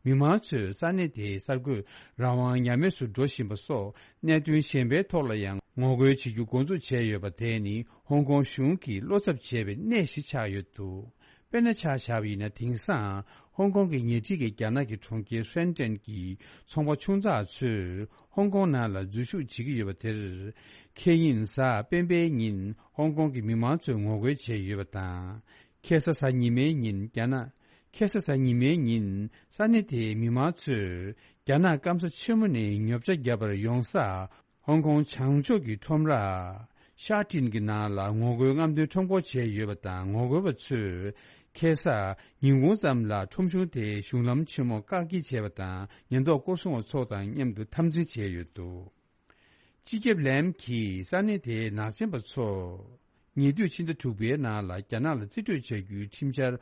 མི་མང་ཚོས་ས་གནས་དེའི་གསར་འགོད་རང་དབང་ཉམས་དམས་སུ་འགྲོ་བཞིན་པ་སོགས་གནད་དོན་གཞན་པའི་ཐོག་ལ་ཡང་ངོ་རྒོལ་བྱེད་རྒྱུ་འགོ་འཛུགས་བྱས་ཡོད་པ་དེ་ནི་ཧོང་ཀོང་གཞུང་གིས་བློ་འཚབ་བྱས་པའི་གནས་ཤིག་ཆགས་ཡོད་འདུག་དཔེར་ན་ཆ་བཞག་པ་ཡིན་ན། དེང་སང་ཧོང་ཀོང་གི་ཉེ་འཁྲིས་ཀྱི་རྒྱ་ནག་གི་གྲོང་ཁྱེར་ཧྲེན་ཀྲེན་གྱི་ཚོང་པ་ཆུང་ཙག་ཚོས་ཧོང་ཀོང་ནང་ལ་འཛུལ་ཞུགས་བྱེད་ཀྱི་ཡོད་པ་དེར། ཁེ་ཉིན་གཟའ་སྤེན་པའི་ཉིན་ཧོང་ཀོང་གི་མི་མང་ཚོས་ངོ་རྒོལ་བྱས་ཡོད་པ་དང་། ཁ་སང་གཟའ་ཉི་མའི་ཉིན་རྒྱ་ནག་ཁ་སང་གཟའ་ཉི་མའི་ཉིན་ས་གནས་དེའི་མི་མང་ཚོས་རྒྱ་ནག་སྐམ་ས་ཆེན་མོ་ནས་ཉོ་ཆ་བརྒྱབ་པར་ཡོང་ས། ཧོང་ཀོང་བྱང་ཕྱོགས་ཀྱི་ཁྲོམ་ར་ཤ་ཏིན་གྱི་ནང་ལ་ངོ་རྒོལ་རྔམ་སྟོན་ཁྲོམ་སྐོར་བྱས་ཡོད་པ་དང་། ངོ་རྒོལ་བ་ཚོས་ཁ་སང་ཉིན་གུང་ཙམ་ལ་ཁྲོམ་གཞུང་དེའི་གཞུང་ལམ་ཆེན་མོ་བཀག་སྐྱིལ་བྱས་པ་དང་། ཉེན་རྟོག་སྐོར་སྲུང་བ་ཚོ་དང་མཉམ་དུ་འཐབ་འཛིང་བྱས་ཡོད་འདུག་སྤྱི་ཁྱབ་ལེམ་གྱིས་ས་གནས་དེའི་ནག་ཅན་པ་ཚོ་ཉེ་དུས་ཕྱི་ཟླ་དྲུག་པའི་ནང་ལ་རྒྱ་ནག་ལ་རྩིས་སྤྲོད་བྱ་རྒྱུའི་ཁྲིམས་འཆར་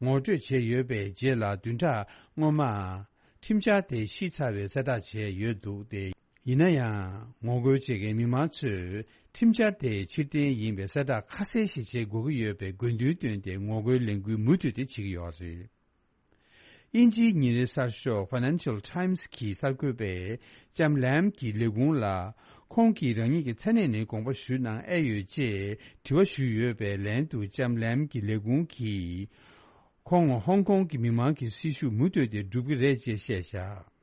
ངོ་སྤྲོད་བྱས་ཡོད་པའི་རྗེས་ལ། བདུན་ཕྲག་སྔོན་མ་ཁྲིམས་འཆར་དེ་ཕྱིས་ཚར་བའི་གསལ་བསྒྲགས་བྱས་ཡོད་འདུག་སྟེ། ཡིན་ན་ཡང་། ངོ་རྒོལ་བྱེད་མཁན་མི་མང་ཚོས་ཁྲིམས་འཆར་དེ་ཕྱིར་འཐེན་ཡིན་པའི་གསལ་བསྒྲགས་ཁ་གསལ་ཞིག་བྱེད་དགོས་ཀྱི་ཡོད་པའི་དགོས་འདུན་བཏོན་ཏེ། ངོ་རྒོལ་ལས་འགུལ་མུ་མཐུད་དེ་བྱེད་ཀྱི་ཡོད་རེད། དབྱིན་ཇིའི་ཉིན་རེའི་གསར་ཤོག་Financial Times གྱི་གསར་འགོད་པས་ལྕམ་ལེམ་གྱི་ལས་ཁུངས་ལ། ཁོང་གིས་རང་ཉིད་ཀྱི་མཚན་གནས་ནས་དགོངས་པ་ཞུ་གནང་ཨེ་ཡོད་ཅེས་དྲི་བ་ཞུས་ཡོད་པའི་ལན་དུ། ལྕམ་ལེམ་གྱི་ལས་ཁུངས་ཀྱིས་ཁོང་ཧོང་ཀོང་གི་མི་མང་གི་སྲིད་ཞུ་མུ་མཐུད་དེ་སྒྲུབ་ཀྱི་རེད་ཅེས་བཤད་བཞག་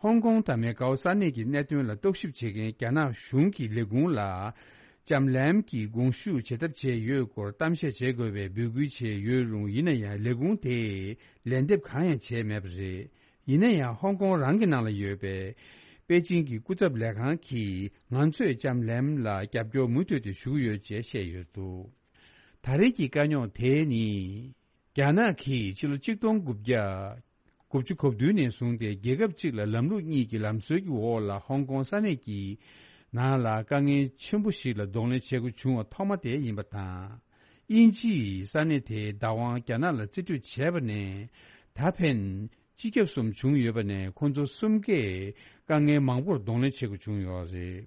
ཧོང་ཀོང་དང་མེ་ཀའོ་ས་གནས་ཀྱི་གནད་དོན་ལ་རྟོག་ཞིབ་བྱེད་མཁན་རྒྱ་ནག་གཞུང་གི་ལས་ཁུངས་ལ། ལྕམ་ལེམ་གྱིས་དགོངས་ཞུ་བྱེད་ཐབས་བྱས་ཡོད་སྐོར་གཏམ་བཤད་བྱེད་དགོས་པའི་འབོད་སྐུལ་བྱས་ཡོད་རུང་། ཡིན་ན་ཡང་། ལས་ཁུངས་དེས་ལན་འདེབས་གང་ཡང་བྱས་མེད་པ་རེད། ཡིན་ན་ཡང་། ཧོང་ཀོང་རང་གི་ནང་ལ་ཡོད་པའི་པེ་ཅིང་གི་སྐུ་ཚབ་ལས་ཁང་གིས། ང་ཚོས་ལྕམ་ལེམ་ལ་རྒྱབ་སྐྱོར་མུ་མཐུད་དེ་ཞུ་གི་ཡོད་ཅེས་བཤད་ཡོད་འདུག་ད་རེས་ཀྱི་དཀའ་རྙོག་དེ་ནི། རྒྱ་ནག་གིས་ཕྱི་ལོ་ཆིག་སྟོང་དགུ་བརྒྱ་དགུ་བཅུ་གོ་བདུན་ནས་བཟུང་སྟེ། རྒྱལ་ཁབ་གཅིག་ལ་ལམ་ལུགས་གཉིས་ཀྱི་ལམ་སྲོལ་གྱི་འོག་ལ་ཧོང་ཀོང་ས་གནས་ཀྱི་ནང་ལ་དཀའ་ངལ་ཆེན་པོ་ཞིག་ལ་གདོང་ལེན་བྱེད་དགོས་བྱུང་བ་ཐོག་མ་དེ་ཡིན་པ་དང་། དབྱིན་ཇིས་ས་གནས་དེའི་བདག་དབང་རྒྱ་ནག་ལ་རྩིས་སྤྲོད་བྱས་པ་ནས་ད་ཕན་སྤྱི་ཁྱབ་གསུམ་བྱུང་ཡོད་པ་ནས། ཁོང་ཚོ་གསུམ་ཀས་དཀའ་ངལ་མང་པོར་གདོང་ལེན་བྱེད་དགོས་བྱུང་ཡོད་རེད།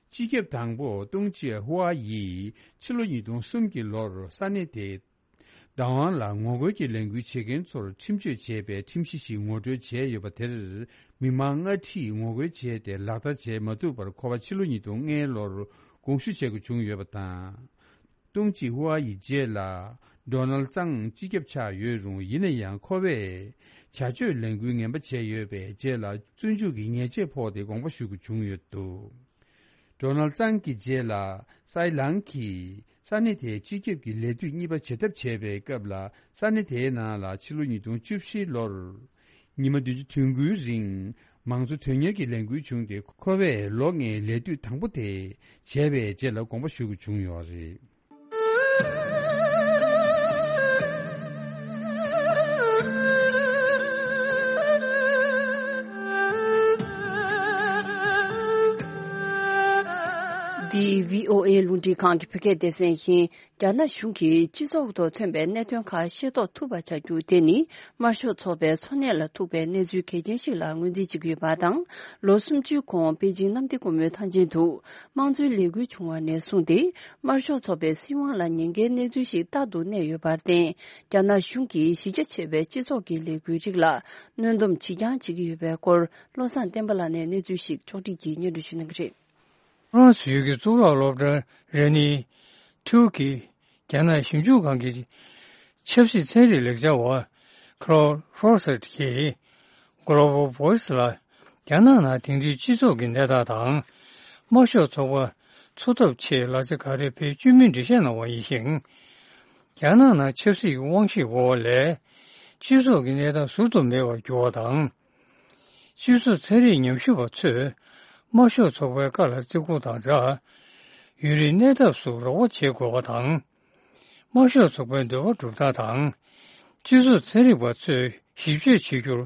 སྤྱི་ཁྱབ་དང་པོ་ཏུང་ཅེ་ཧུའ་ཡིས་ཕྱི་ལོ་ཉིས་སྟོང་གསུམ་གྱི་ལོར་ས་གནས་དེའི་བདག་དབང་ལ་ངོ་རྒོལ་གྱི་ལས་འགུལ་བྱེད་མཁན་ཚོར་ཁྲིམས་གཅོད་བྱས་པའི་ཁྲིམས་གཞི་ཞིག་ངོ་སྤྲོད་བྱས་ཡོད་པ་དེར། མི་མང་ལྔ་ཁྲིས་ངོ་རྒོལ་བྱས་ཏེ་ལག་བསྟར་བྱས་མ་ཐུབ་པར། ཁོ་པ་ཕྱི་ལོ་ཉིས་སྟོང་ལྔའི་ལོར་དགོངས་ཞུ་བྱེད་དགོས་བྱུང་ཡོད་པ་དང་། ཏུང་ཅེ་ཧུའ་ཡི་རྗེས་ལ་ ཌོ་ནལ་ཙང་སྤྱི་ཁྱབ་ཆགས་ཡོད་རུང་། ཡིན་ན་ཡང་ཁོ་བས་བྱ་སྤྱོད་ལས་འགུལ་ངན་པ་བྱས་ཡོད་པའི་རྗེས་ལ་བཙོན་འཇུག་གི་ཉེས་ཆད་ཕོག་སྟེ་དགོངས་པ་ཞུ་དགོས་བྱུང་ཡོད་འདུག་ཌོ་ནལ་ཙང་གི་རྗེས་ལ་སའི་ལང་གིས་ས་གནས་དེའི་སྤྱི་ཁྱབ་ཀྱི་ལས་དུས་གཉིས་པ་བྱེད་ཐབས་བྱས་པའི་སྐབས་ལ། ས་གནས་དེའི་ནང་ལ་ཕྱི་ལོ་ཉིས་སྟོང་བཅུ་བཞི་ལོར་ཉི་མ་བདུན་ཅུ་དོན་དགུའི་རིང་མང་གཙོ་དོན་གཉེར་གྱི་ལས་འགུལ་བྱུང་སྟེ། ཁོ་བས་ལོ་ལྔའི་ལས་དུས་དང་པོ་དེ་བྱས་པའི་རྗེས་ལ་དགོངས་པ་ཞུ་དགོས་བྱུང་ཡོད་རེད། འདི་བྷི་ཨོ་ཨེ་རླུང་འཕྲིན་ཁང་གི་བོད་སྐད་སྡེ་ཚན་ཡིན། རྒྱ་ནག་གཞུང་གིས་སྤྱི་ཚོགས་ཐོག་ཐོན་པའི་གནད་དོན་ཁག་ཤེས་རྟོགས་ཐུབ་པ་བྱ་རྒྱུ་དེ་ནི། དམར་ཤོག་ཚོགས་པའི་འཚོ་གནས་ལ་ཐུག་པའི་གནས་ཚུལ་གལ་ཆེན་ཞིག་ལ་ངོས་འཛིན་བྱེད་ཀྱི་ཡོད་པ་དང་། ལོ་སུམ་ཅུའི་གོང་པེ་ཅིང་གནམ་བདེ་སྒོ་མོའི་ཐང་ཆེན་དུ་དམངས་གཙོའི་ལས་འགུལ་བྱུང་བ་ནས་བཟུང་སྟེ། དམར་ཤོག་ཚོགས་པའི་སྲིད་དབང་ལ་ཉེན་ཁའི་གནས་ཚུལ་ཞིག་རྟག་ཏུ་གནས་ཡོད་པར་བརྟེན། རྒྱ་ནག་གཞུང་གིས་གཞི་རྒྱ་ཆེ་བའི་སྤྱི་ཚོགས་ཀྱི་ལས་འགུལ་རིགས་ལ་གནོན་སྡོམ་ཇི་འགྱངས་བྱེད་ཀྱི་ཡོད་པའི་སྐོར། བློ་བཟང་བསྟན་པ་ལགས་ནས་གནས་ཚུལ་ཞིག་ཕྱོགས་སྒྲིག་གིས་སྙན་སྒྲོན་ཞུ་གནང་གི་རེད། ཧྥ་རན་སི་ཡུལ་གྱི་གཙུག་ལག་སློབ་གྲྭ་རེ་ནི་ཐུར་ཀི་རྒྱ་ནག་ཞིབ་འཇུག་ཁང་གི་ཆབ་སྲིད་ཚན་རིག་ལེགས་སྦྱར་བ་ཁ་ལོ་ཧྥོར་སེད་ཀྱིས། Global Voice ལ། རྒྱ་ནག་ནང་དེང་དུས་སྤྱི་ཚོགས་ཀྱི་གནས་སྟངས་དང་། དམར་ཤོག་ཚོགས་པ་འཚོ་ཐབས་ཆེད་ལག་ཆ་ག་རེ་འཕེལ་བཅུག་མིན་འགྲེལ་བཤད་གནང་བ་ཡིན་ཞིང་། རྒྱ་ནག་ནང་ཆབ་སྲིད་ཀྱི་དབང་ཤེད་འོག་ལས། སྤྱི་ཚོགས་ཀྱི་གནས་སྟངས་ཟུར་དུ་མེད་པར་གྱུར་བ་དང་། སྤྱི་ཚོགས་ཚན་རིག་ཉམས་ཞིབ་པ་ཚོས་དམར་ཤོག་ཚོགས་པའི་བཀའ་ལ་བརྩི་བཀུར་དང་སྦྲགས། ཡུན་རིང་གནས་ཐབས་སུ་རོགས་པ་བྱེད་དགོས་པ་དང་། དམར་ཤོག་ཚོགས་པའི་འདོད་པ་སྒྲུབ་སྟངས་དང་། སྤྱི་ཚོགས་ཚན་རིག་པ་ཚོས་ཞིབ་དཔྱད་བྱེད་རྒྱུར་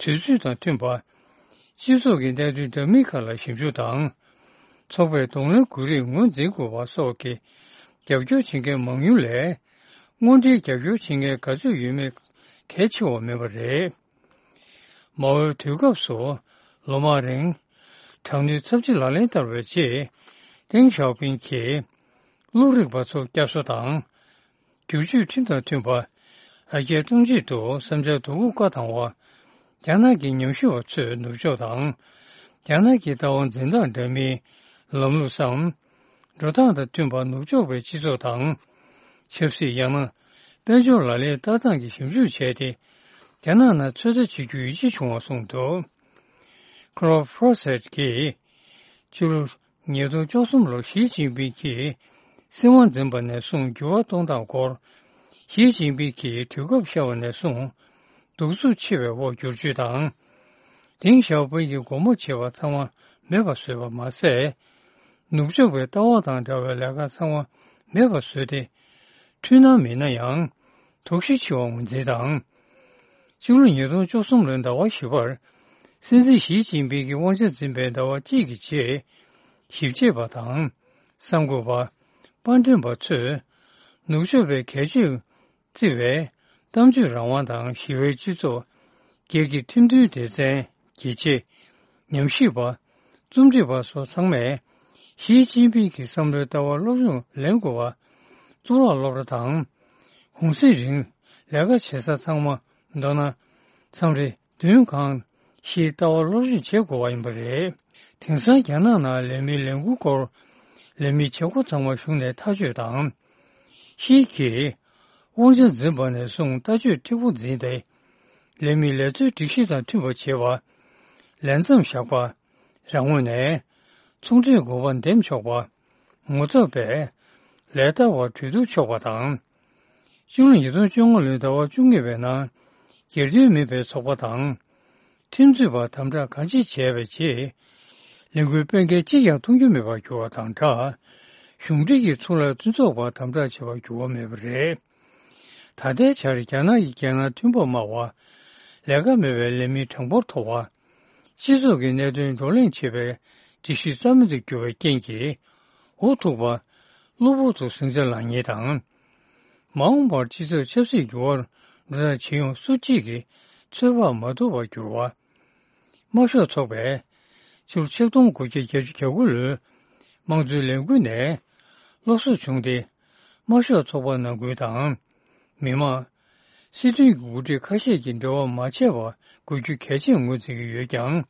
དུས་ཚོད་དང་མཐུན་པ། སྤྱི་ཚོགས་ཀྱི་གནད་དོན་འདྲ་མིན་ཁག་ལ་ཞིབ་འཇུག་དང་། ཚོགས་པའི་གདོང་ལེན་དགོས་རིགས་ངོས་འཛིན་དགོས་པ་སོགས་ཀྱི་རྒྱབ་སྐྱོར་བྱེད་མཁན་མང་ཉུང་ལས། དངོས་འབྲེལ་རྒྱབ་སྐྱོར་བྱེད་མཁན་ག་ཚོད་ཡོད་མེད་གལ་ཆེ་བ་མིན་པ་རེད། མའོའི་དུས་སྐབས་སུ་ལོ་མང་རིང་དྲག་གནོན་ཚབས་ཆེ་ལག་ལེན་བསྟར་བའི་རྗེས། ཏེང་ཞའོ་ཕིང་གིས་བློ་རིག་པ་ཚོ་བསྐྱར་གསོ་དང་། བསྒྱུར་བཅོས་ཁྲིམས་དང་མཐུན་པ། ཨ་རྒྱའི་གཏོང་བྱེད་དུ་བསམ་འཆར་དོ་ཁུར་བཀའ་བཏང་བ། རྒྱ་ནག་གི་ཉམས་ཞིབ་པ་ཚོས་ནུབ་ཕྱོགས་དང་། རྒྱ་ནག་གི་ལྟ་བ་འཛིན་སྟངས་འདྲ་མིན། ལམ་ལུགས་སམ། འགྲོ་སྟངས་དང་མཐུན་པ་ནུབ་ཕྱོགས་པའི་སྤྱི་ཚོགས་དང་། ཆབ་སྲིད་ཡང་ན། དཔལ་འབྱོར་ལག་ལེན་བསྟར་སྟངས་ཀྱི་ཞིབ་འཇུག་བྱས་ཏེ། རྒྱ་ནག་ནང་ཚོད་ལྟ་བྱེད་རྒྱུ་ཡིད་ཆེས་བྱུང་བ་གསུངས་འདུག་ཁ་ལོ་ཧྥོར་སེད་ཀྱིས། ཕྱི་ལོ་ཉིས་སྟོང་བཅུ་གསུམ་ལོར་ཞི་ཅིན་ཕིང་གིས་སྲིད་དབང་འཛིན་པ་ནས་བཟུང་འགྱུར་བ་གཏོང་སྟངས་སྐོར། ཞི་ཅིན་ཕིང་གིས་དུས་སྐབས་ཤར་བ་ནས་བཟུང་གདུག་རྩུབ་ཆེ་བའི་འོག་བསྒྱུར་བཅོས་དང་། ཏེང་ཞའོ་ཕིང་གིས་སྒོ་མོ་འབྱེད་པ་ཚང་མ་མེད་པར་བཟོས་པ་མ་ཟད། ནུབ་ཕྱོགས་པའི་ལྟ་བ་དང་འདྲ་བའི་ལས་ཀ་ཚང་མ་མེད་པར་བཟོས་ཏེ། འཁྲུལ་སྣང་མིན་ན་ཡང་། དོགས་གཞི་ཆེ་བ་ངོས་འཛིན་དང་། སྤྱི་ལོ་ཉིས་སྟོང་བཅུ་གསུམ་ལོའི་ཟླ་བ་བཞི་པར། སྲིད་འཛིན་ཞི་ཅིན་ཕིང་གིས་དབང་ཆ་འཛིན་པའི་ཟླ་བ་གཅིག་གི་རྗེས། ཞིབ་དཔྱད་པ་དང་། གསར་འགོད་པ། པར་འགྲེམས་པ་ཚོས། ནུབ་ཕྱོགས་པའི་གལ་ཆེར་བརྩི་བའི་གཏམ་བརྗོད་རང་དབང་དང་ཞི་བའི་སྤྱི་ཚོགས། སྒེར་གྱི་ཁྲིམས་མཐུན་སྡེ་ཚན། རྒྱལ་གཅེས། ཉམས་ཞིབ་པ། རྩོམ་སྒྲིག་པ་སོགས་ཚང་མས་ཞི་ཅིན་ཕིང་གི་བསམ་བློའི་ལྟ་བར་སློབ་སྦྱོང་ལེན་དགོས་པ། གཙུག་ལག་སློབ་གྲྭ་དང་། གུང་གསེང་རིང་ལས་ཀ་བྱེད་ས་ཚང་མ། མདོར་ན། མཚམས་རེ་མདུན་གང་ཞིག་ལྟ་བར་སློབ་སྦྱོང་བྱེད་དགོས་པ་ཡིན་པ་རེད། དེང་སང་རྒྱ་ནག་ནང་ལས་མིའི་ལས་འགུལ་སྐོར། ལས་མིའི་བྱེད་སྒོ་ཚང་མ་གཞུང་ནས་ཐག་གཅོད་དང་། ཞི་གིས་དབང་ཆ་འཛིན་པ་ནས་བཟུང་ལྟ་སྤྱོད་མཁྲེགས་པོ་འཛིན་ཏེ། ལས་མིའི་ལས་རྩོལ་སྒྲིག་གཞི་དང་མཐུན་པ་བྱེད་པ། ལས་མཚམས་བཞག་པ། རང་ངོས་ནས་ཚོང་འབྲེལ་དགོས་པ་འདེམས་ཆོག་པ། ངོ་ཚབ་པས་ལས་བདའ་བར་གྲོས་བསྡུར་ཆོག་པ་དང་། སྤྱི་ལོ་ཉིས་སྟོང་བཅོ་ལྔ་ལོའི་ཟླ་བ་བཅུ་གཉིས་པའི་ནང་སྒེར་དོན་མིན་པའི་ཚོགས་པ་དང་། ཁྲིམས་རྩོད་པ་དམ་དྲག་གང་ཅི་བྱས་པའི་རྗེས། ལས་འགུལ་སྤེལ་མཁན་གཅིག་ཀྱང་མཐོང་རྒྱུ་མེད་པར་གྱུར་བ་དང་སྦྲགས། གཞུང་འབྲེལ་གྱི་ཚོང་ལས་མཐུན་ཚོགས་པ་དམ་དྲག་བྱས་པར་གྱུར་བ་མེད་པ་རེད། ད་ལྟའི་ཆར་རྒྱ་ནག་གི་རྒྱལ་ནང་མཐུན་པ་སྨྲ་བ། ལས་ཀ་མེད་པའི་ལས་མིའི་གྲངས་འབོར་མཐོ་བ། སྤྱི་ཚོགས་ཀྱི་གནད་དོན་བགྲོ་གླེང་བྱེད་པའི་སྒྲིག་གཞི་རྩ་མེད་དུ་གྱུར་བའི་རྐྱེན་གྱིས། འུ་ཐུག་པ། གློ་བུར་དུ་ཟིང་ཆ་ལངས་ཉེན་དང་། མ་འོངས་པར་སྤྱི་ཚོགས་ཆབ་སྲིད་འགྱུར་བར་འགྲོ་སྟངས་ཇི་ཡོང་སུ་གཅིག་གིས་ཚོད་དཔག་མ་ཐུབ་པར་གྱུར་བ། དམར་ཤོག་ཚོགས་པས་ཕྱི་ལོ་ཆིག་སྟོང་དགུ་བརྒྱ་བརྒྱད་ཅུ་གྱ་དགུ་ལོའི་དམངས་གཙོའི་ལས་འགུལ་ནས་སློབ་གསོ་བྱུང་སྟེ། དམར་ཤོག་ཚོགས་པ་ནང་ཁུལ་དང་། མི་དམངས། སྲིད་དོན་གྱི་འགོ་ཁྲིད་ཁ་ཤས་ཀྱིས་འབྲེལ་བ་མ་བྱས་པ་དགོས་རྒྱུ་གལ་ཆེར་ངོས་འཛིན་གྱི་ཡོད་ཀྱང་།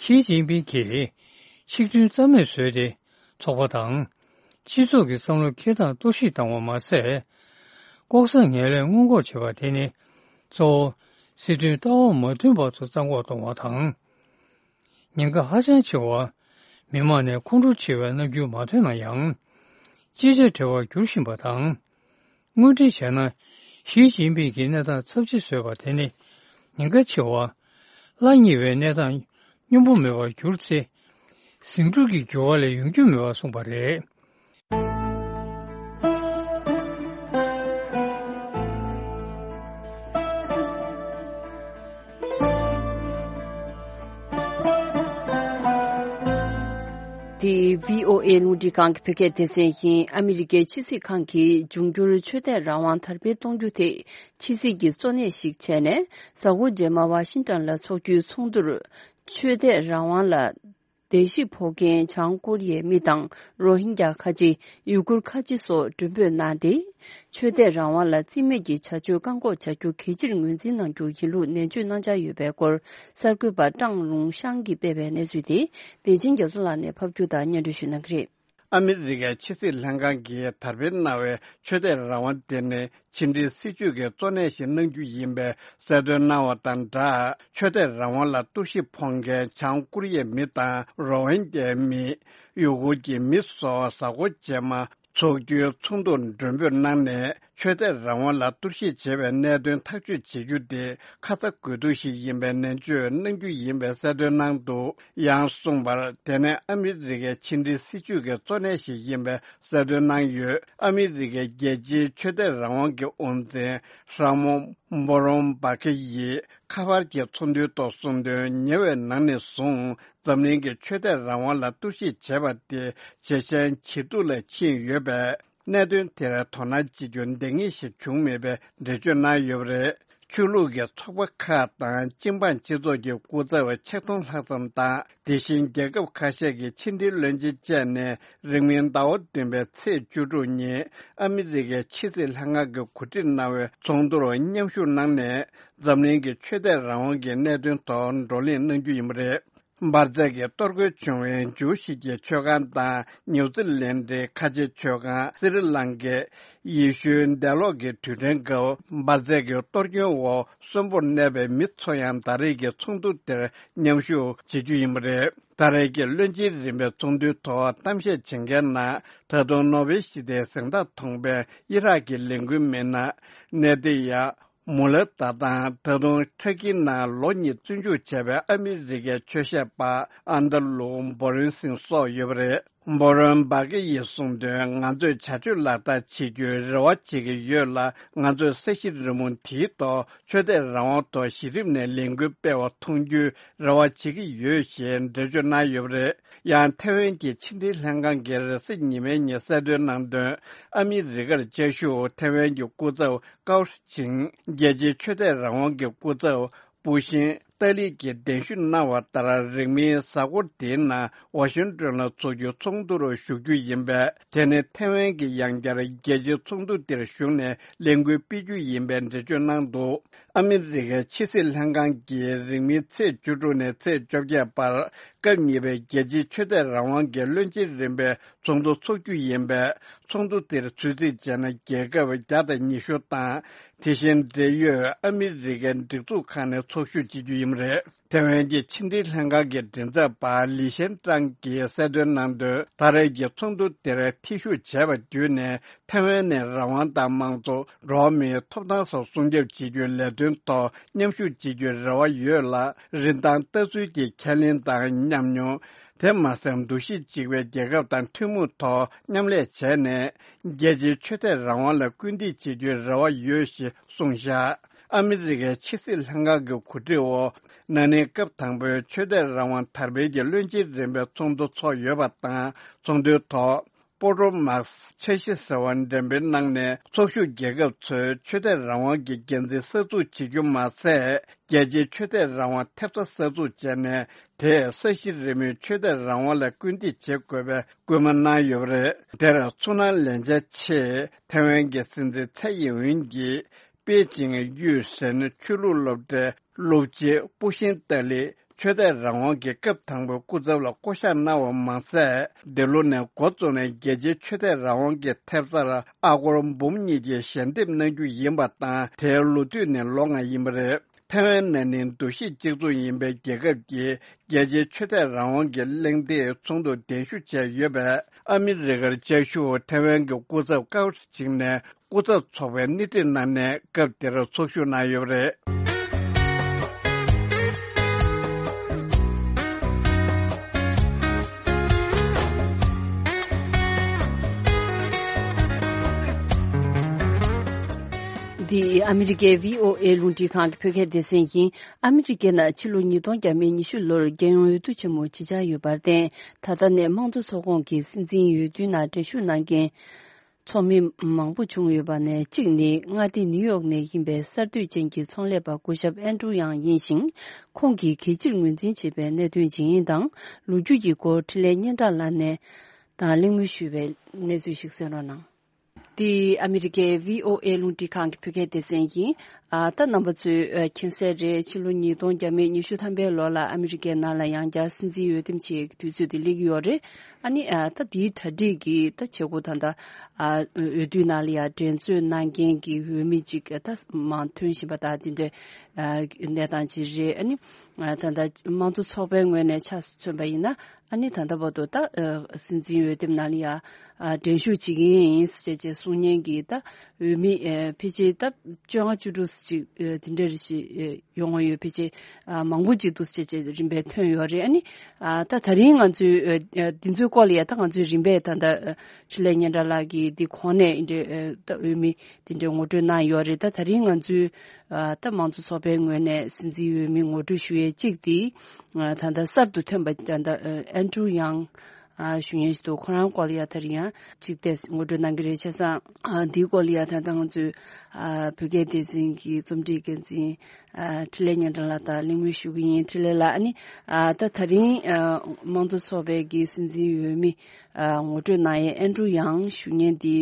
ཞི་ཅིན་ཕིང་གིས་ཆིག་མཐུན་རྩ་མེད་བཟོས་ཏེ། ཚོགས་པ་དང་། སྤྱི་ཚོགས་ཀྱི་བསམ་བློ་འཁྱེར་སྟངས་གཏོར་བཤིག་བཏང་བ་མ་ཟད། ལྐོག་ཟ་ངན་ལྷད་སྔོན་འགོག་བྱེད་པ་དེ་ནི་གཙོ་བོ་སྲིད་དོན་ལྟ་བ་མ་མཐུན་པ་ཚོ་རྩ་འགོག་གཏོང་བ་དང་། ཉེན་ཁ་ཧ་ཅང་ཆེ་བ། མི་དམངས་ནས་ཁོང་ཁྲོ་ཆེ་བའི་རྣམ་འགྱུར་མ་ཐོན་ན་ཡང་། ཅི་བྱ་བྲལ་བར་འགྱུར་བཞིན་པ་དང་། དངོས་འབྲེལ་བྱས་ན། ཞི་ཅིན་ཕིང་གི་གནས་སྟངས་ཚབས་ཆེ་བཟོས་པ་དེ་ནི་ཉེན་ཁ་ཆེ་བ། སླ་ཉེ་བའི་གནས་སྟངས་སྙོམས་པོ་མེད་པར་གྱུར་ཚེ། ཟིང་འཁྲུག་གི་འགྱུར་བ་ལས་ཡོང་རྒྱུ་མེད་པར་གསུངས་པ་རེད། འདི་བྷི་ཨོ་ཨེ་རླུང་འཕྲིན་ཁང་གི་བོད་སྐད་སྡེ་ཚན་ཡིན། ཨ་མི་རི་ཀའི་ཕྱི་སྲིད་ཁང་གིས་འབྱུང་འགྱུར་ཆོས་དད་རང་དབང་དར་སྤེལ་གཏོང་རྒྱུ་དེ་ཕྱི་སྲིད་ཀྱི་གཙོ་གནད་ཞིག་བྱས་ནས། གཟའ་འཁོར་རྗེས་མ་ཝ་ཤིང་ཊོན་ལ་འཚོགས་རྒྱུའི་ཚོགས་འདུར། ཆོས་དད་རང་དབང་ལ་བརྡལ་བཤིག་ཕོག་མཁན་བྱང་ཀོ་རི་ཡའི་མི་དང་། རོ་ཧིན་རྒྱ་ཁ་ཆེ། ཡུ་གུར་ཁ་ཆེ་སོགས་མགྲོན་འབོད་གནང་སྟེ། ཆོས་དད་རང་དབང་ལ་རྩིས་མེད་ཀྱི་བྱ་སྤྱོད་བཀག་འགོག་བྱ་རྒྱུ་གལ་ཆེར་ངོས་འཛིན་གནང་རྒྱུ་ཡིན་ལུགས་ནན་བརྗོད་གནང་འཆར་ཡོད་པའི་སྐོར། གསར་འགོད་པ་ཀྲང་ལུང་ཤང་གིས་སྤེལ་བའི་གནས་ཚུལ་དེ། བདེ་ཆེན་རྒྱ་མཚོ་ལགས་ནས་ཕབ་སྒྱུར་དང་སྙན་སྒྲོན་ཞུ་གནང་གི་རེད། ཨ་མི་རི་ཀའི་ཕྱི་སྲིད་ལྷན་ཁང་གིས་དར་སྤེལ་གནང་བའི་ཆོས་དད་རང་དབང་དེ་ནི་ཕྱི་འབྲེལ་སྲིད་ཇུས་ཀྱི་གཙོ་གནད་ཞིག་གནང་རྒྱུ་ཡིན་པའི་གསལ་སྟོན་གནང་བ་དང་སྦྲགས། ཆོས་དད་རང་དབང་ལ་གཏོར་བཤིག་ཕོག་མཁན་བྱང་ཀོ་རི་ཡའི་མི་དང་རོ་ཧིན་རྒྱའི་མི། ཡུ་གུར་གྱི་མི་སོགས་གཟའ་འཁོར་རྗེས་མ་ཚོགས་རྒྱུའི་ཚོགས་འདུར་མགྲོན་འབོད་གནང་ནས། ཆོས་དད་རང་དབང་ལ་གཏོར་བཤིག་བྱས་པའི་གནད་དོན་ཐག་གཅོད་བྱེད་རྒྱུ་དེ་ཁ་ཚ་དགོས་གཏུགས་ཤིག་ཡིན་པའི་ནན་བརྗོད་གནང་རྒྱུ་ཡིན་པའི་གསལ་སྟོན་གནང་འདུག་ཡང་གསུངས་པར། དེ་ནས་ཨ་མི་རི་ཀའི་ཕྱི་འབྲེལ་སྲིད་ཇུས་ཀྱི་གཙོ་གནད་ཞིག་ཡིན་པའི་གསལ་སྟོན་གནང་ཡོད། ཨ་མི་རི་ཀའི་རྒྱལ་སྤྱིའི་ཆོས་དད་རང་དབང་གི་དབུ་འཛིན་ར་མོན་འབོ་རོན་བྷ་ཁེ་ཡིས་ཁ་པར་གྱི་ཚོགས་འདུའི་ཐོག་གསུངས་དོན། ཉེ་བའི་ནང་ནས་བཟུང་འཛམ་གླིང་གི་ཆོས་དད་རང་དབང་ལ་གཏོར་བཤིག་བྱས་པ་དེ་ཇེ་ཞན་ཇེ་སྡུག་ལ་ཕྱིན་ཡོད་པས། གནད་དོན་དེར་དོ་སྣང་བྱེད་རྒྱུ་འདང་ངེས་ཤིག་བྱུང་མེད་པའི་འགྲེལ་བརྗོད་གནང་ཡོད་པ་རེད། ཆོས་ལུགས་ཀྱི་ཚོགས་པ་ཁག་དང་སྤྱི་འབངས་སྤྱི་ཚོགས་ཀྱི་སྐུ་ཚབ་ཆིག་སྟོང་ལྷག་ཙམ་དང་། དེ་བཞིན་རྒྱལ་ཁབ་ཁ་ཤས་ཀྱི་ཕྱི་འབྲེལ་བློན་ཆེན་བཅས་ནས་རིང་མིན་ཟླ་བ་བདུན་པའི་ཚེས་བཅུ་དྲུག་ཉིན་ཨ་མི་རི་ཀའི་ཕྱི་སྲིད་ལྷན་ཁང་གིས་གོ་སྒྲིག་གནང་བའི་ཚོགས་འདུར་མཉམ་ཞུགས་གནང་ནས། འཛམ་གླིང་གི་ཆོས་དད་རང་དབང་གི་གནད་དོན་ཐོག་བགྲོ་གླེང་གནང་རྒྱུ་ཡིན་པ་རེད། འབར་རྫས་ཀྱིས་གཏོར་རྒོལ་བྱུང་བའི་ཇུའུ་ཞིག་གི་ཆོས་ཁང་དང་། ནིའུ་ཛི་ལན་ཌའི་ཁ་ཆེ་ཆོས་ཁང་། སི་རི་ལང་ཀའི་ཡེ་ཤུའི་འདས་ལོག་གི་དུས་དྲན་སྐབས་འབར་རྫས་ཀྱི་གཏོར་སྐྱོན་འོག་གསོན་པོར་གནས་པའི་མི་ཚོ་ཡང་ད་རེས་ཀྱི་ཚོགས་འདུ་དེར་མཉམ་ཞུགས་བྱེད་རྒྱུ་ཡིན་པ་རེད། ད་རེས་ཀྱི་བློན་ཆེན་རིམ་པའི་ཚོགས་འདུའི་ཐོག་གཏམ་བཤད་བྱེད་མཁན་ནང་། ད་དུང་ནོ་བེལ་ཞི་བདེའི་གཟེངས་རྟགས་ཐོབ་པའི་ཨི་རག་གི་ལས་འགུལ་མི་སྣ་ནེ་ཏི་ཡ། མུ་ལ་ཏཱ་དང་། ད་དུང་ཐ་ཀི་ནང་ལོ་གཉིས་བཙོན་འཇུག་བྱས་པའི་ཨ་མི་རི་ཀའི་ཆོས་བཤད་པ་ཨན་ཏ་ལུ་འབོ་རོན་སིང་སོགས་ཡོད་པ་རེད། འབོ་རོན་བྷ་ཀེ་ཡིས་གསུངས་དོན། ང་ཚོས་བྱ་སྤྱོད་ལག་བསྟར་བྱེད་རྒྱུའི་རེ་བ་བྱེད་ཀྱི་ཡོད་ལ། ང་ཚོས་ས་གཞི་རི་མོ་དེའི་ཐོག་ཆོས་དད་རང་དབང་ཐོག་གཞི་རིམ་ནས་ལས་འགུལ་སྤེལ་བ་མཐོང་རྒྱུའི་རེ་བ་བྱེད་ཀྱི་ཡོད་ཞེས་འགྲེལ་བརྗོད་གནང་ཡོད་པ་རེད། ཡང་ཐེ་ཝན་གྱི་ཕྱི་འབྲེལ་ལྷན་ཁང་གིས་རེས་གཟའ་ཉི་མའི་ཉིན་གསལ་སྟོན་གནང་དོན། ཨ་མི་རི་ཀར་བཅའ་བཞུགས་ཐེ་ཝན་གྱི་སྐུ་ཚབ་ཀའོ་ཧྲི་ཆིང་། རྒྱལ་སྤྱིའི་ཆོས་དད་རང་དབང་གི་སྐུ་ཚབ་པུ་ཤིན། ཏཱ་ལི་གིས་གདན་ཞུ་གནང་བ་ལྟར། རིང་མིན་གཟའ་འཁོར་འདིའི་ནང་ཝ་ཤིང་ཏོན་ལ་འཚོགས་རྒྱུའི་ཚོགས་འདུར་ཞུགས་རྒྱུ་ཡིན་པས། དེ་ནི་ཐེ་ཝན་གྱིས་ཡང་བསྐྱར་རྒྱལ་སྤྱིའི་ཚོགས་འདུ་འདིར་ཞུགས་ནས་ལས་འགུལ་སྤེལ་རྒྱུ་ཡིན་པའི་འགྲེལ་བརྗོད་གནང་འདུག་ཨ་མི་རི་ཀའི་ཕྱི་སྲིད་ལྷན་ཁང་གིས་རིང་མིན་ཚེས་བཅུ་དྲུག་ནས་ཚེས་བཅོ་བརྒྱད་བར། སྐབས་གཉིས་པའི་རྒྱལ་སྤྱིའི་ཆོས་དད་རང་དབང་གི་བློན་ཆེན་རིམ་པའི་ཚོགས་འདུ་འཚོགས་རྒྱུ་ཡིན་པས། ཚོགས་འདུ་དེར་ཚུད་རྩིས་བྱས་ན་རྒྱལ་ཁབ་བརྒྱ་དང་ཉི་ཤུ་དང་། དེ་བཞིན་འབྲེལ་ཡོད་ཨ་མི་རི་ཀའི་སྒྲིག་འཛུགས་ཁག་ནས་ཚོགས་ཞུགས་བྱེད་རྒྱུ་ཡིན་པ་རེད། ཐེ་ཝན་གྱི་ཕྱི་འབྲེལ་ལྷན་ཁང་གི་མགྲིན་ཚབ་པ་ལི་ཤན་ཀྲང་གིས་གསལ་སྟོན་གནང་དོན། ད་རེས་ཀྱི་ཚོགས་འདུ་དེར་ཐེ་ཞུགས་བྱས་པ་བརྒྱུད་ནས། ཐེ་ཝན་ནས་རང་དབང་དང་མང་གཙོ། འགྲོ་བ་མིའི་ཐོབ་ཐང་སོགས་སྲུང་སྐྱོབ་བྱེད་རྒྱུའི་ལས་དོན་ཐོག་མཉམ་ཞུགས་བྱེད་རྒྱུའི་རེ་བ་ཡོད་ལ། རིན་ཐང་ལྟ་ཚུལ་གྱི་ཁས་ལེན་དང་ཉམས་མྱོང་། དེ་མ་ཟད། འདུ་ཤེས་གཅིག་པའི་རྒྱལ་ཁབ་དང་ཐུན་མོང་ཐོག་མཉམ་ལས་བྱས་ནས། རྒྱལ་སྤྱིའི་ཆོས་དད་རང་དབང་ལ་སྐུལ་འདེད་བྱེད་རྒྱུའི་རེ་བ་ཡོད་ཞེས་གསུངས་བཞག་ཨ་མི་རི་ཀའི་ཕྱི་སྲིད་ལྷན་ཁང་གི་གོ་སྒྲིག་འོག་ན་ནིང་སྐབས་དང་པོའི་ཆོས་དད་རང་དབང་དར་སྤེལ་གྱི་བློན་ཆེན་རིམ་པའི་ཚོགས་འདུ་འཚོགས་ཡོད་པ་དང་། ཚོགས་འདུའི་ཐོག་པོ་ཏོ་མཱག་འཆར་གཞི་ཟེར་བ་འགྲེམས་སྤེལ་གནང་ནས། ཚོགས་ཞུགས་རྒྱལ་ཁབ་ཚོས་ཆོས་དད་རང་དབང་གི་འགན་འཛིན་གསར་འཛུགས་བྱེད་རྒྱུ་མ་ཟད། རྒྱལ་སྤྱིའི་ཆོས་དད་རང་དབང་ཐེབས་རྩ་གསར་འཛུགས་བྱས་ནས། དེས་ས་གཞི་རི་མོའི་ཆོས་དད་རང་དབང་ལ་སྐུལ་འདེད་བྱེད་དགོས་པའི་སྐུལ་མ་གནང་ཡོད་པ་རེད། དེར་ཚོར་སྣང་ལེན་འཆར་ཆེད་ཐེ་ཝན་གྱི་སྲིད་འཛིན་ཚའེ་ཡིན་ཝིན་གྱིས། པེ་ཅིང་གཡུས་ཟེར་ཆོས་ལུགས་སློབ་གྲྭའི་སློབ་སྤྱི་པུ་ཤིན་ཏཱ་ལི། ཆོས་དད་རང་དབང་གི་སྐབས་དང་པོའི་སྐུ་ཚབ་ལ་བསྐོ་གཞག་གནང་བ་མ་ཟད། འདི་ལོ་ནས་འགོ་བཙུགས་ནས་རྒྱལ་སྤྱིའི་ཆོས་དད་རང་དབང་གི་ཐེབས་རྩར་ཨ་སྒོར་འབུམ་གཉིས་ཀྱི་ཞལ་འདེབས་གནང་རྒྱུ་ཡིན་པ་དང་། དེའི་ལོ་དུས་ནི་ལོ་ལྔ་ཡིན་པ་རེད། ཐའེ་ཝན་ནི་འདུ་ཤེས་གཅིག་མཚུངས་ཡིན་པའི་རྒྱལ་ཁབ་ཀྱི་རྒྱལ་སྤྱིའི་ཆོས་དད་རང་དབང་གི་གླེང་སྟེགས་ཚོགས་འདུར་གདན་ཞུ་བྱས་ཡོད་པས། ཨ་མི་རི་ཀར་བཅའ་བཞུགས་ཐའེ་ཝན་གྱི་སྐུ་ཚབ་ཀའོ་ཧྲི་ཆིང་ནས་སྐུ་ཚབ་ཚོགས་པའི་སྣེ་ཁྲིད་གནང་ནས་སྐབས་དེར་ཚོགས་ཞུགས་གནང་ཡོད་པ་རེད། འདི་ཨ་མི་རི་ཀའི་བྷི་ཨོ་ཨེ་རླུང་འཕྲིན་ཁང་གི་བོད་སྐད་སྡེ་ཚན་ཡིན། ཨ་མི་རི་ཀའི་ནང་ཕྱི་ལོ་ཉིས་སྟོང་བརྒྱ་མེད་ཉི་ཤུ་ལོར་རྒྱལ་ཡོངས་འོས་བསྡུ་ཆེན་མོ་ཇི་ཆགས་ཡོད་པར་བརྟེན། ད་ལྟ་ནས་དམངས་གཙོ་ཚོགས་ཁོངས་ཀྱི་སྲིད་འཛིན་འོས་བསྡུའི་ནང་འགྲན་ཞུགས་གནང་མཁན་ཚོགས་མི་མང་པོ་བྱུང་ཡོད་པ་ནས། གཅིག་ནི་མངའ་སྡེ་ནིའུ་ཡོག་ནས་ཡིན་པའི་གསར་གཏོད་ཅན་གྱི་ཚོང་ལས་པ་སྐུ་ཞབས་ཨན་ཀྲུ་ཡང་ཡིན་ཞིང་། ཁོང་གིས་གད་ཕྱིར་ངོས་འཛིན་བྱས་པའི་གནད་དོན་ཇི་ཡིན་དང་། ལོ་རྒྱུས་ཀྱི་སྐོར་འཕྲིན་ལས་སྙན་གྲགས་ལགས་ནས་དང་གླེང་མོལ་ཞུས་པའི་གནས་ཚུལ་ཞིག་གསན་རོགས་གནང་། འདི་ཨ་མི་རི་ཀའི་བྷི་ཨོ་ཨེ་རླུང་འཕྲིན་ཁང་གི་བོད་སྐད་སྡེ་ཚན་ཡིན། ཨ། ད་རྣམ་པ་ཚོས་ཨ་མཁྱེན་གསལ་རེད། ཕྱི་ལོ་ཉིས་སྟོང་བརྒྱ་མེད་ཉི་ཤུ་ཐམ་པའི་ལོ་ལ་ཨ་མི་རི་ཀའི་ནང་ལ་ཡང་བསྐྱར་སྲིད་འཛིན་འོས་འདེམས་བྱེད་ཀྱི་དུས་ཚོད་དེ་སླེབས་ཀྱི་ཡོད་རེད། ཨ་ནི་ཨ་ད་འདིའི་གྲ་སྒྲིག་གི་ད་བྱེད་སྒོ་ད་ལྟ་ཨ་འོས་བསྡུའི་ནང་ལ་ཡང་འགྲན་རྩོད་གནང་མཁན་གྱི་འོས་མི་ཅིག་ད་མང་ཐོན་བཞིན་པ་དང་། དེ་འདྲའི་ཨ་གནས་སྟངས་ཅིག་རེད། ཨ་ནི་ཨ་ད་ལྟ་དམངས་གཙོ་ཚོགས་པའི་ངོས་ནས་ཆ་མཚོན་པ་ཡིན་ན། ཨ་ནི་ད་ལྟ་བར་དུ་ད་ཨ་སྲིད་འཛིན་འོས་འདེམས་ནང་ལ་ཡ་ཨ་འགྲན་ཞུགས་བྱེད་ཀྱི་ཡིན་ཟེར་བྱས་གསུང་མཁན་གྱི་ད་འོས་མི་ཨ་ཕལ་ཆེར་ད་བཅོ་ལྔ་བཅུ་དྲུག་ཅིག་ཨ་དེ་འདྲ་རེ་ཞིག་ཨ་ཡོང་བ་ཡོད། ཕལ་ཆེར་ཨ་མང་པོ་ཅིག་འདུག་ཟེར་བྱས་རིམ་པས་ཐོན་ཡོད་རེད། ཨ་ནི་ཨ་ད་ད་རིང་ང་ཚོའི་ཨ་ཨ་འདི་ཚོའི་སྐོར་ལ་ཡ་ད་ང་ཚོའི་རིམ་པས་ད་ད་ཨ་འཕྲིན་ལས་སྙན་གྲགས་ལགས་ཀྱིས་འདི་གོང་ནས་འདི་འདྲའི་ཨ་ད་འོས་མི་དེ་འདྲའི་ངོ་སྤྲོད་གནང་ཡོད་རེད། ད་ད་རིང་ང་ཚོའི་ཨ་ད་དམངས་གཙོ་ཚོགས་པའི་ངོས་ནས་སྲིད་འཛིན་འོས་མི་ངོ་སྤྲོད་ཞུ་ཡས་གཅིག་དེ་ཨ་ད་ལྟ་གསར་དུ་ཐོན་པ་ད་ལྟ་ཨ་ཨན་ཀྲུ་ཡང་ཨ་ཞུ་མཁན་ཞིག་འདུག་ཁོ་རང་སྐོར་ལ་ཡ་ད་རིང་ཡང་གཅིག་ཏེ་ངོ་སྤྲོད་གནང་གི་རེད། བྱས་ཙང་ཨ་འདིའི་སྐོར་ལ་ཡ་ད་ལྟ་ང་ཚོའི་ཨ་བོད་སྐད་སྡེ་ཚན་གྱི་རྩོམ་སྒྲིག་འགན་འཛིན་ཨ་འཕྲིན་ལས་སྙན་གྲགས་ལགས་དང་གླེང་མོལ་ཞུ་གི་ཡིན། འཕྲིན་ལས་ལགས། ཨ་ནི་ཨ་ད་ད་རིང་ཨ་དམངས་གཙོ་ཚོགས་པའི་གི་སྲིད་འཛིན་འོས་མི་ཨ་ངོ་སྤྲོད་གནང་ཡས་ཨན་ཀྲུ་ཡང་ཞུ་མཁན་འདི་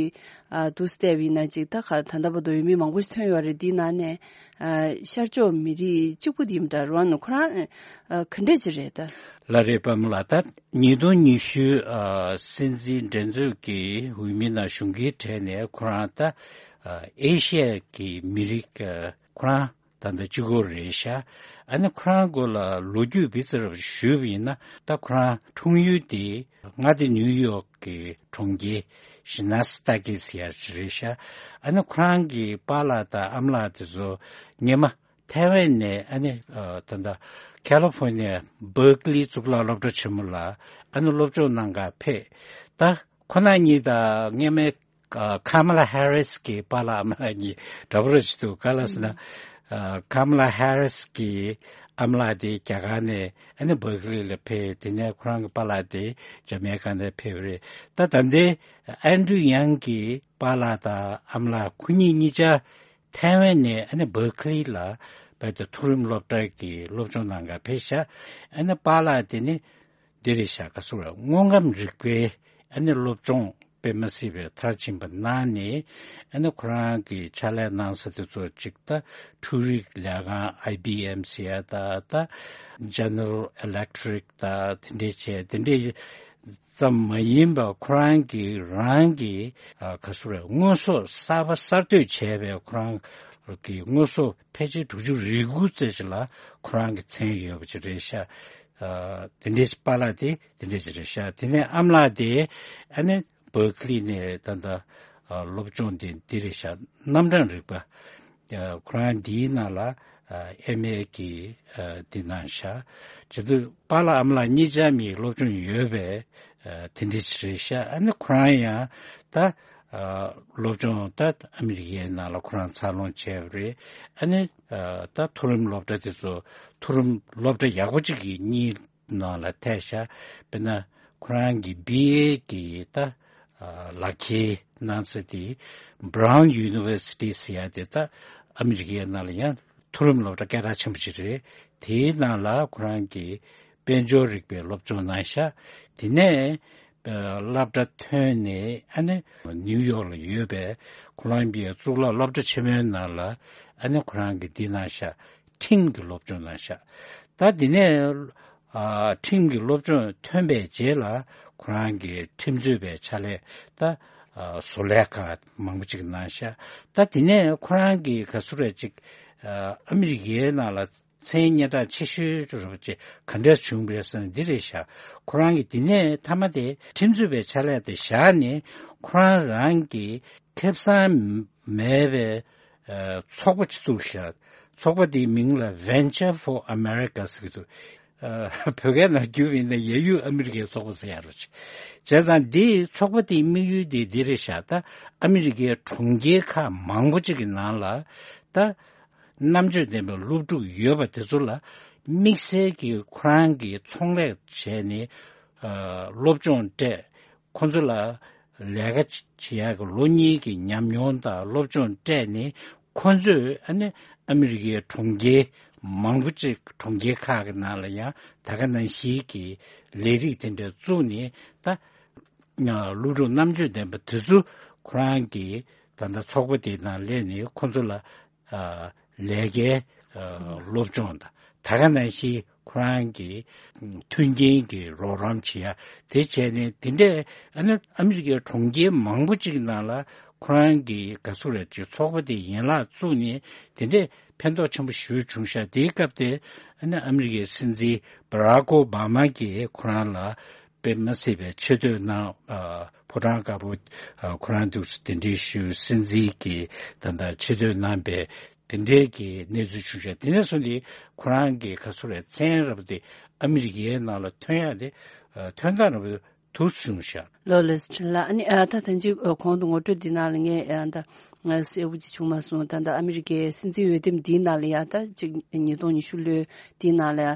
ཨ་འདུག་སེ་བལྟས་པ་ཡིན་ན་ཅིག་ད་ག་ད་ལྟ་བར་དུ་འོས་མི་མང་པོ་ཞིག་ཐོན་ཡོད་རེད། འདིའི་ནང་ནས་ཨ་ཤར་ཕྱོགས་མི་རིགས་གཅིག་པུ་འདི་མི་འདྲ་རོ་ནོ་ཁོ་རང་ཨ་ག་འདྲས་ཅིག་རེད་ད། ལགས་རེད། པདྨ་ལགས། ད་ཉིས་སྟོང་ཉི་ཤུ་ཨ་སྲིད་འཛིན་འགྲན་རྩོད་ཀྱི་འོས་མི་ནང་ཞུགས་མཁན་གྲས་ནས་ཁོ་རང་ད་ཨ་ཨེ་ཤི་ཡ་གི་མི་རིགས་ཨ་ཁོ་རང་ད་ལྟ་གཅིག་པོ་རེད་ཤག་ཨ་ནི་ཁོ་རང་སྐོར་ལ་ལོ་རྒྱུས་བི་ཙི་རབ་ཞུས་པ་ཡིན་ན། ད་ཁོ་རང་འཁྲུངས་ཡུལ་དེ་མངའ་སྡེ་ནིའུ་ཡོག་གི་གྲོང་ཁྱེར་ཤི་ན་སི་ཏ་ཀི་ཟེར་ཡ་ཅིག་རེད་ཤག་ཨ་ནི་ཁོ་རང་གི་པཱ་ལགས་དང་ཨ་མ་ལགས་དེ་ཚོ་སྔོན་མ་ཐའེ་ཝན་ནས་ཨ་ནི་ཨ་ད་ལྟ་ཁ་ལི་ཧྥོར་ནི་ཡ་བར་ཀ་ལི་གཙུག་ལག་སློབ་གྲྭ་ཆེན་མོ་ལ་ཨ་ནི་སློབ་སྦྱོང་གནང་གར་ཕེབས། ད་ཁོ་ན་གཉིས་དང་སྔོན་མའི་ཨ་ཁ་མ་ལ་ཧེ་རིས་ཀྱི་པཱ་ལགས་ཨ་མ་ལགས་གཉིས་འདྲ་པོ་རེད་ཅིག་འདུག་ག་ལ་ཟེར་ན། ཨ་ཁ་མ་ལ་ཧེ་རིས་ཀྱི་ཨ་མ་ལགས་དེ་རྒྱ་གར་ནས་ཨ་ནི་བར་ཀ་ལི་ལ་ཕེབས། དེ་ནས་ཁོ་རང་གི་པཱ་ལགས་དེ་ཇ་མེ་ཀ་ནས་ཕེབས་རེད། ད་ད་ལྟའི་ཨན་ཀྲུ་ཡང་གི་པཱ་ལགས་དང་ཨ་མ་ལགས་ཁོ་གཉིས་གཉིས་ཆ་ཐའེ་ཝན་ནས་ཨ་ནི་བར་ཀ་ལི་ལ་རྦད་དེ་མཐོ་རིམ་སློབ་གྲྭ་གི་སློབ་སྦྱོང་གནང་གར་ཕེབས་ཤག་ཨ་ནི་པཱ་ལགས་དེ་ནི་འདི་རེད་ཤག་ག་ཟེར་བ། དངོས་ཁམས་རིག་པའི་ཨ་ནི་སློབ་སྦྱོང་དཔེ་མ་སྲིད་པའི་མཐར་ཕྱིན་པ་གནང་ནས། ཨ་ནི་ཁོ་རང་གི་ཕྱག་ལས་གནང་ས་དེ་ཚོ་གཅིག་ད་འཕྲུལ་རིག་ལས་ཁང་ཨའི་བི་ཨེམ་ཟེར་ཡ་ད་ད་ཇེ་ནེ་རལ་ཨི་ལེག་ཊི་རིག་ད་དེ་འདྲས་བྱས། དེ་འདྲས་ཙམ་མ་ཡིན་པར་ཁོ་རང་གིས་རང་གི་ཨ་ག་ཟེར་བ། དངོས་ཟོག་གསར་པ་གསར་གཏོད་བྱས་པའི་ཁོ་རང་གི་དངོས་ཟོག་ཕལ་ཆེར་དྲུག་ཅུ་རེ་དགུ་ཙམ་ཞིག་ལ་ཁོ་རང་གི་མཚན་ཡོད་པ་ཅིག་རེད་ཤག་ཨ་དེ་འདྲའི་པཱ་ལགས་དེ་དེ་འདྲའི་ཅིག་རེད་ཤག་དེ་ནས་ཨ་མ་ལགས་དེ་ཨ་ནི་བར་ཀ་ལི་ནས་ད་ལྟ་ཨ་སློབ་སྦྱོང་དེ་འདི་རེད་ཤག་རྣམ་གྲངས་རིག་པ། ཨ་ཁོ་རང་འདིའི་ནང་ལ་ཨ་ཨེམ་ཨེ་གི་ཨ་འདི་གནང་ཤག་བྱས་ཙང་པཱ་ལགས་ཨ་མ་ལགས་གཉིས་ཆ་མིའི་སློབ་སྦྱོང་ཡོད་པའི་ཨ་དེ་འདྲ་ཞིག་རེད་ཤག་ཨ་ནི་ཁོ་རང་ཡང་ད་ཨ་སློབ་སྦྱོང་ད་ཨ་མི་རི་ཀའི་ནང་ལ་ཁོ་རང་འཚར་ལོངས་བྱས་པ་རེད། ཨ་ནི་ཨ་ད་མཐོ་རིམ་སློབ་གྲྭ་དེ་ཚོ་མཐོ་རིམ་སློབ་གྲྭ་ཡག་པོ་གཅིག་གི་གཉིས་ནང་ལ་ཐེ་ཤག་དཔེར་ན་ཁོ་རང་གི་བི་ཨེ་གི་ད་ཨ་ལག་འཁྱེར་གནང་ས་དེ་Brown University ཟེར་ཡ་དེ་ད་ཨ་མི་རི་ཀའི་ནང་ལ་ཡང་མཐོ་རིམ་སློབ་གྲྭ་སྐད་གྲགས་ཆེན་པོ་ཞིག་རེད། དེའི་ནང་ལ་ཁོ་རང་གིས་དཔལ་འབྱོར་རིག་པའི་སློབ་སྦྱོང་གནང་ཤག་དེ་ནས་ཨ་སློབ་གྲྭ་ཐོན་ནས་ཨ་ནི་ནིའུ་ཡོག་ལ་ཡོད་པའི་ཁོ་ལོམ་བི་ཡ་གཙུག་ལག་སློབ་གྲྭ་ཆེན་མོའི་ནང་ལ་ཨ་ནི་ཁོ་རང་གིས་འདི་གནང་ཤག་ཁྲིམས་ཀྱི་སློབ་སྦྱོང་གནང་ཤག་ད་དེ་ནས་ཨ་ཁྲིམས་ཀྱི་སློབ་སྦྱོང་ཐོན་པའི་རྗེས་ལ་ཁོ་རང་གི་ཁྲིམས་རྩོད་པའི་ཕྱག་ལས་ད་ཨ་བཟོ་ལས་ཁག་མང་པོ་ཅིག་གནང་ཤག་ད་དེ་ནས་ཁོ་རང་གི་ག་ཚོད་རེད་ཅིག་ཨ་ཨ་མི་རི་ཀའི་ནང་ལ་མཚན་སྙན་གྲགས་ཆེ་ཤོས་རེད་པ་ཅིག་ག་འདྲས་བྱུང་བ་རེད་ཟེར་ན་འདི་རེད་ཤག་ཁོ་རང་གིས་དེ་ནས་མཐའ་མ་དེ་ཁྲིམས་རྩོད་པའི་ཕྱག་ལས་དེ་བཞག་ནས་ཁོ་རང་རང་གི་ཁེ་བཟང་མེད་པའི་ཨ་ཚོགས་པ་ཅིག་བཙུགས་ཤག་ཚོགས་པ་དེའི་མིང་ལ་Venture for America ཟེར་གྱི་འདུག་ཨ་བོད་སྐད་ནང་བསྒྱུར་བ་ཡིན་ན་ཡ་ཡུལ་ཨ་མི་རི་ཀའི་ཚོགས་པ་ཟེར་ཡ་རེད། བྱས་ཙང་འདིའི་ཚོགས་པ་དེའི་དམིགས་ཡུལ་དེ་འདི་རེད་ཤག་ད་ཨ་མི་རི་ཀའི་གྲོང་ཁྱེར་ཁག་མང་པོ་ཅིག་གི་ནང་ལ་ད་རྣམ་དཔྱོད་ལྡན་པའི་སློབ་ཕྲུག་ཡོད་པ་དེ་ཚོ་ལ་དམིགས་བསལ་གྱི་ཁོ་རང་གིས་ཚོང་ལས་བྱས་ནས་ཨ་སློབ་སྦྱོང་སྤྲད། ཁོ་ཚོ་ལ་ལས་ཀ་བྱེད་ཡག་གི་ལོ་གཉིས་ཀྱི་ཉམས་མྱོང་དང་སློབ་སྦྱོང་སྤྲད་ནས་ཁོ་ཚོས་ཨ་ནི་ཨ་མི་རི་ཀའི་གྲོང་ཁྱེར་མང་པོ་ཅིག་གྲོང་ཁྱེར་ཁག་གི་ནང་ལ་ཡང་ད་ག་ནང་བཞིན་གྱི་ལས་རིགས་དེ་འདྲ་བཙུགས་ནས་ད་སློབ་ཕྲུག་རྣམ་དཔྱོད་ལྡན་པ་དེ་ཚོ་ཁོ་རང་གི་ད་ལྟ་ཚོགས་པ་དེ་ནང་སླེབས་ནས་ཁོ་ཚོ་ལ་ཨ་ལས་ཀའི་ཨ་སློབ་སྦྱོང་དང་ད་ག་ནང་བཞིན་ཁོ་རང་གི་མཐུན་རྐྱེན་གྱི་རོགས་རམ་བྱེད་ཡ་དེ་བྱས་ནས་དེ་འདྲས་ཨ་ནི་ཨ་མི་རི་ཀའི་གྲོང་ཁྱེར་མང་པོ་ཅིག་ནང་ལ་ཁོ་རང་གི་ག་ཚོད་རེད་ཅིག་ཚོགས་པ་དེ་ཡན་ལག་བཙུགས་ནས་དེ་འདྲས་ཕན་ཐོགས་ཆེན་པོ་ཞེ་པོ་བྱུང་ཤག་དེའི་སྐབས་དེ་ཨ་ནི་ཨ་མི་རི་ཀའི་སྲིད་འཛིན་བྷ་རག་ཨོ་བྷ་མ་གིས་ཁོ་རང་ལ་དཔེ་མི་སྲིད་པའི་ཆེ་བསྟོད་གནང་། ཨ་ཕོ་བྲང་དཀར་པོ་ཨ་ཁོ་རང་འདུག་སེ་གདན་འདྲེན་ཞུས། སྲིད་འཛིན་གྱིས་ད་ལྟ་ཆེ་བསྟོད་གནང་པའི་དེ་འདྲའི་གི་གནས་ཚུལ་བྱུང་ཤག་དེ་ནས་བཟུང་སྟེ་ཁོ་རང་གི་ག་ཚོད་རེད་མཚན་རབས་དེ་ཨ་མི་རི་ཀའི་ནང་ལ་ཐོན་ཡག་དེ་ཨ་ཐོན་སྟངས་རབས་དེ་ཐུགས་བྱུང་ཤག་ལོ་ལེགས་ལགས། ཨ་ནི་ཨ་ད་ཐེངས་གཅིག་ཨ་གོང་དུ་ངོ་སྤྲོད་འདི་ནང་ལ་ངས་ཨ་ད་ང་གསལ་པོ་ཅིག་བྱུང་མ་སོང་། ད་ལྟ་ཨ་མི་རི་ཀའི་སྲིད་འཛིན་འོས་འདེམས་འདིའི་ནང་ལ་ཡ་ད་ཅིག་ཉིས་སྟོང་ཉི་ཤུ་ལོའི་འདིའི་ནང་ལ་ཡ་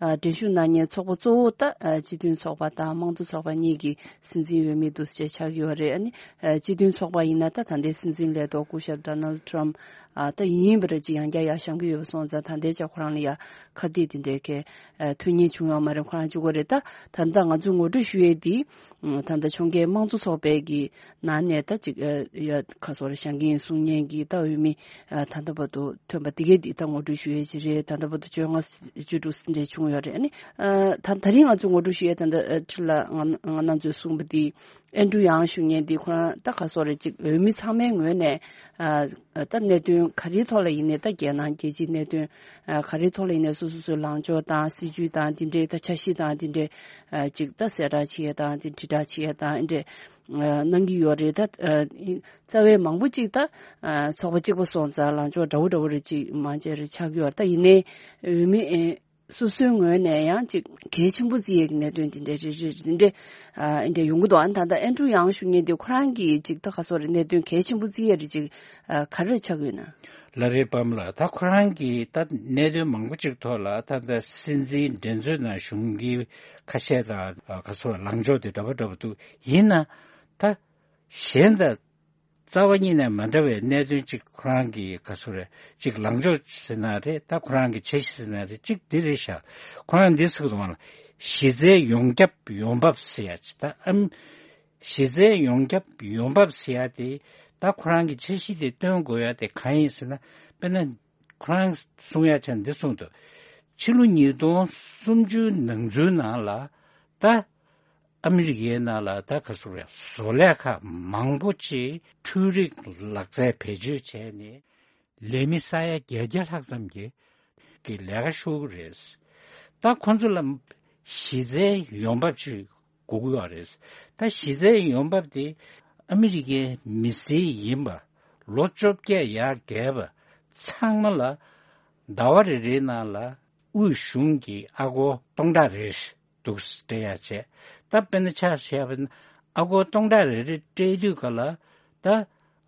ཨ་འགྲན་ཞུགས་གནང་མཁན་ཚོགས་པ་གཙོ་བོ་ད་ཨ་སྤྱི་མཐུན་ཚོགས་པ་དང་དམངས་གཙོ་ཚོགས་པ་གཉིས་ཀྱི་སྲིད་འཛིན་འོས་མི་འདུག་སེ་ཆགས་ཀྱི་ཡོད་རེད། ཨ་ནི་ཨ་སྤྱི་མཐུན་ཚོགས་པ་ཡིན་ན་ད་ད་ལྟའི་སྲིད་འཛིན་ལས་ཐོག་སྐུ་ཞབས་Donald Trump ཨ་ད་ཡིན་པ་རེད། ཅིག་ཡང་བསྐྱར་ཡར་བཞེངས་ཀྱི་ཡོད་པ་སོང་ཙང་ད་ལྟའི་ཆ་ཁོ་རང་ལ་ཡ་ཁ་གཏད་དེ་འདྲའི་གི་ཨ་ཐོན་མཁན་བྱུང་ཡོད་མ་རེད། ཁོ་རང་གཅིག་པོ་རེད། ད་ད་ལྟ་ང་ཚོས་ངོ་སྤྲོད་ཞུ་ཡས་འདི་ད་ལྟ་ཕྱོགས་འགལ་དམངས་གཙོ་ཚོགས་པའི་གི་ནང་ནས་ད་ཅིག་ཨ་ཡ་ཁ་སོར་བཞེངས་མཁན་གསུང་མཁན་གྱི་ད་འོས་མི་ཨ་ད་ལྟ་བར་དུ་ཐོན་པ་དེ་གས་འདི་ད་ངོ་སྤྲོད་ཞུ་ཡས་ཅིག་རེད། ད་ལྟ་བར་དུ་བཅོ་ལྔ་བཅུ་དྲུག་འདྲ་བྱུང་ཡོད་རེད། ཨ་ནི་ཨ་ད་ད་རིང་ང་ཚོས་ངོ་སྤྲོད་ཞུ་ཡས་ད་ལྟ་ཨ་ཁྲི་ལ་ང་ང་རང་ཚོས་གསུངས་པ་འདི་ཨན་ཌྲུ་ཡང་ཞུ་མཁན་འདི་ཁོ་རང་ད་ཁ་སོར་རེ་ཅིག་འོས་མི་ཚང་མའི་ངོས་ནས་ཨ་ད་གནད་དོན་ག་རེའི་ཐོག་ལ་ཡིན་ནའི་ད་རྒྱལ་ནང་རྒྱལ་སྤྱིའི་གནད་དོན་ཨ་ག་རེའི་ཐོག་ལ་ཡིན་ནའི་སོ་སོ་སོའི་ལངས་ཕྱོགས་དང་སྲིད་ཇུས་དང་འདི་འདྲའི་ད་འཆར་གཞི་དང་འདི་འདྲའི་ཨ་ཅིག་ད་གསལ་བསྒྲགས་བྱེད་ཡས་དང་འདི་དྲིལ་བསྒྲགས་བྱེད་ཡས་དང་འདི་འདྲའི་ཨ་གནང་གི་ཡོད་རེད། ད་ཨ་རྩ་བའི་མང་པོ་ཅིག་ད་ཨ་ཚོགས་པ་གཅིག་པ་སོང་ཙང་ལངས་ཕྱོགས་འདྲ་བོ་འདྲ་བོ་རེ་ཅིག་མང་ཆེ་རེ་ཆགས་ཀྱི་ཡོད་རེད། ད་ཡིན་ནའི་འོས་མི་ཨེ་སོ་སོའི་ངོས་ནས་ཡང་ཅིག་གལ་ཆེན་པོ་བརྩི་ཡས་ཀྱི་གནད་དོན་དེ་འདྲ་རེ་རེ་རེ་འདྲ་ཨ་འདྲ་ཡོང་གི་འདུག་ཨ་ནི་ད་ལྟ་ཨན་ཌྲུ་ཡང་ཞུ་མཁན་དེ་ཁོ་རང་གིས་ཅིག་ད་ག་སོ་རེ་གནད་དོན་གལ་ཆེན་པོ་བརྩི་ཡས་རེ་ཅིག་ཨ་ག་རེ་ཆགས་ཀྱི་ཡོད་ན། ལ་རེ་པམ་ལ་ད་ཁོ་རང་གིས་ད་གནད་དོན་མང་པོ་ཅིག་ཐོག་ལ་ད་ལྟ་སྲིད་འཛིན་འགྲན་རྩོད་ནང་ཞུགས་མཁན་ཁ་ཤས་དང་ཨ་ག་སོ་ལངས་ཕྱོགས་དེ་འདྲ་པོ་འདྲ་པོ་འདུག་ཡིན་ན་ད་གཞན་དང་རྩ་བ་ཉིད་ནས་མ་འདྲ་བའི་གནད་དོན་གཅིག་ཁོ་རང་གི་ག་ཚོད་རེད་གཅིག་ལངས་ཕྱོགས་ཟེར་ན་རེད། ད་ཁོ་རང་གི་འཆར་གཞི་ཟེར་ན་རེད། གཅིག་འདི་རེད་ཤག་ཁོ་རང་འདི་ཟེར་གི་འདུག་ག་ལ་གཞི་རྩའི་ཡོངས་ཁྱབ་ཡོང་འབབ་ཟེར་ཡ་ཅིག་ད་ཨམ་གཞི་རྩའི་ཡོངས་ཁྱབ་ཡོང་འབབ་ཟེར་ཡ་དེ་ད་ཁོ་རང་གི་འཆར་གཞི་དེ་སྟོན་དགོས་ཡ་དེ་གང་ཡིན་ཟེར་ན། དཔེར་ན་ཁོ་རང་གསུང་ཡ་ཆ་འདི་གསུངས་འདུག་ཕྱི་ལོ་ཉིས་སྟོང་སུམ་ཅུ་ནང་ཚུན་ནང་ལ་ད་ཨ་མི་རི་ཀའི་ནང་ལ་ད་ག་ཚོད་རེད། བཟོ་ལས་ཁག་མང་པོ་ཅིག་འཕྲུལ་རིག་ལག་རྩལ་བེད་སྤྱོད་བྱས་ནས་ལས་མི་ས་ཡ་བརྒྱད་བརྒྱ་ལྷག་ཙམ་གྱི་གི་ལས་ཀ་ཤོར་གི་རེད། ད་ཁོང་ཚོ་ལ་གཞི་རྩའི་ཡོང་འབབ་ཅིག་དགོས་ཀྱི་ཡོད་རེད། ད་གཞི་རྩའི་ཡོང་འབབ་དེ་ཨ་མི་རི་ཀའི་མི་སེར་ཡིན་པ་ལོ་བཅོ་བརྒྱད་ཡར་བརྒལ་བ་ཚང་མ་ལ་ཟླ་བ་རེ་རེའི་ནང་ལ་དབུས་གཞུང་གི་ཨ་སྒོར་སྟོང་ཕྲག་རེ་འདུག་སྤྲད་ཡ་བྱས། ད་དཔེར་ན་ཆ་བཞག་པ་ན་ཨ་སྒོར་སྟོང་ཕྲག་རེ་རེ་སྤྲད་དུས་ག་ལ་ད་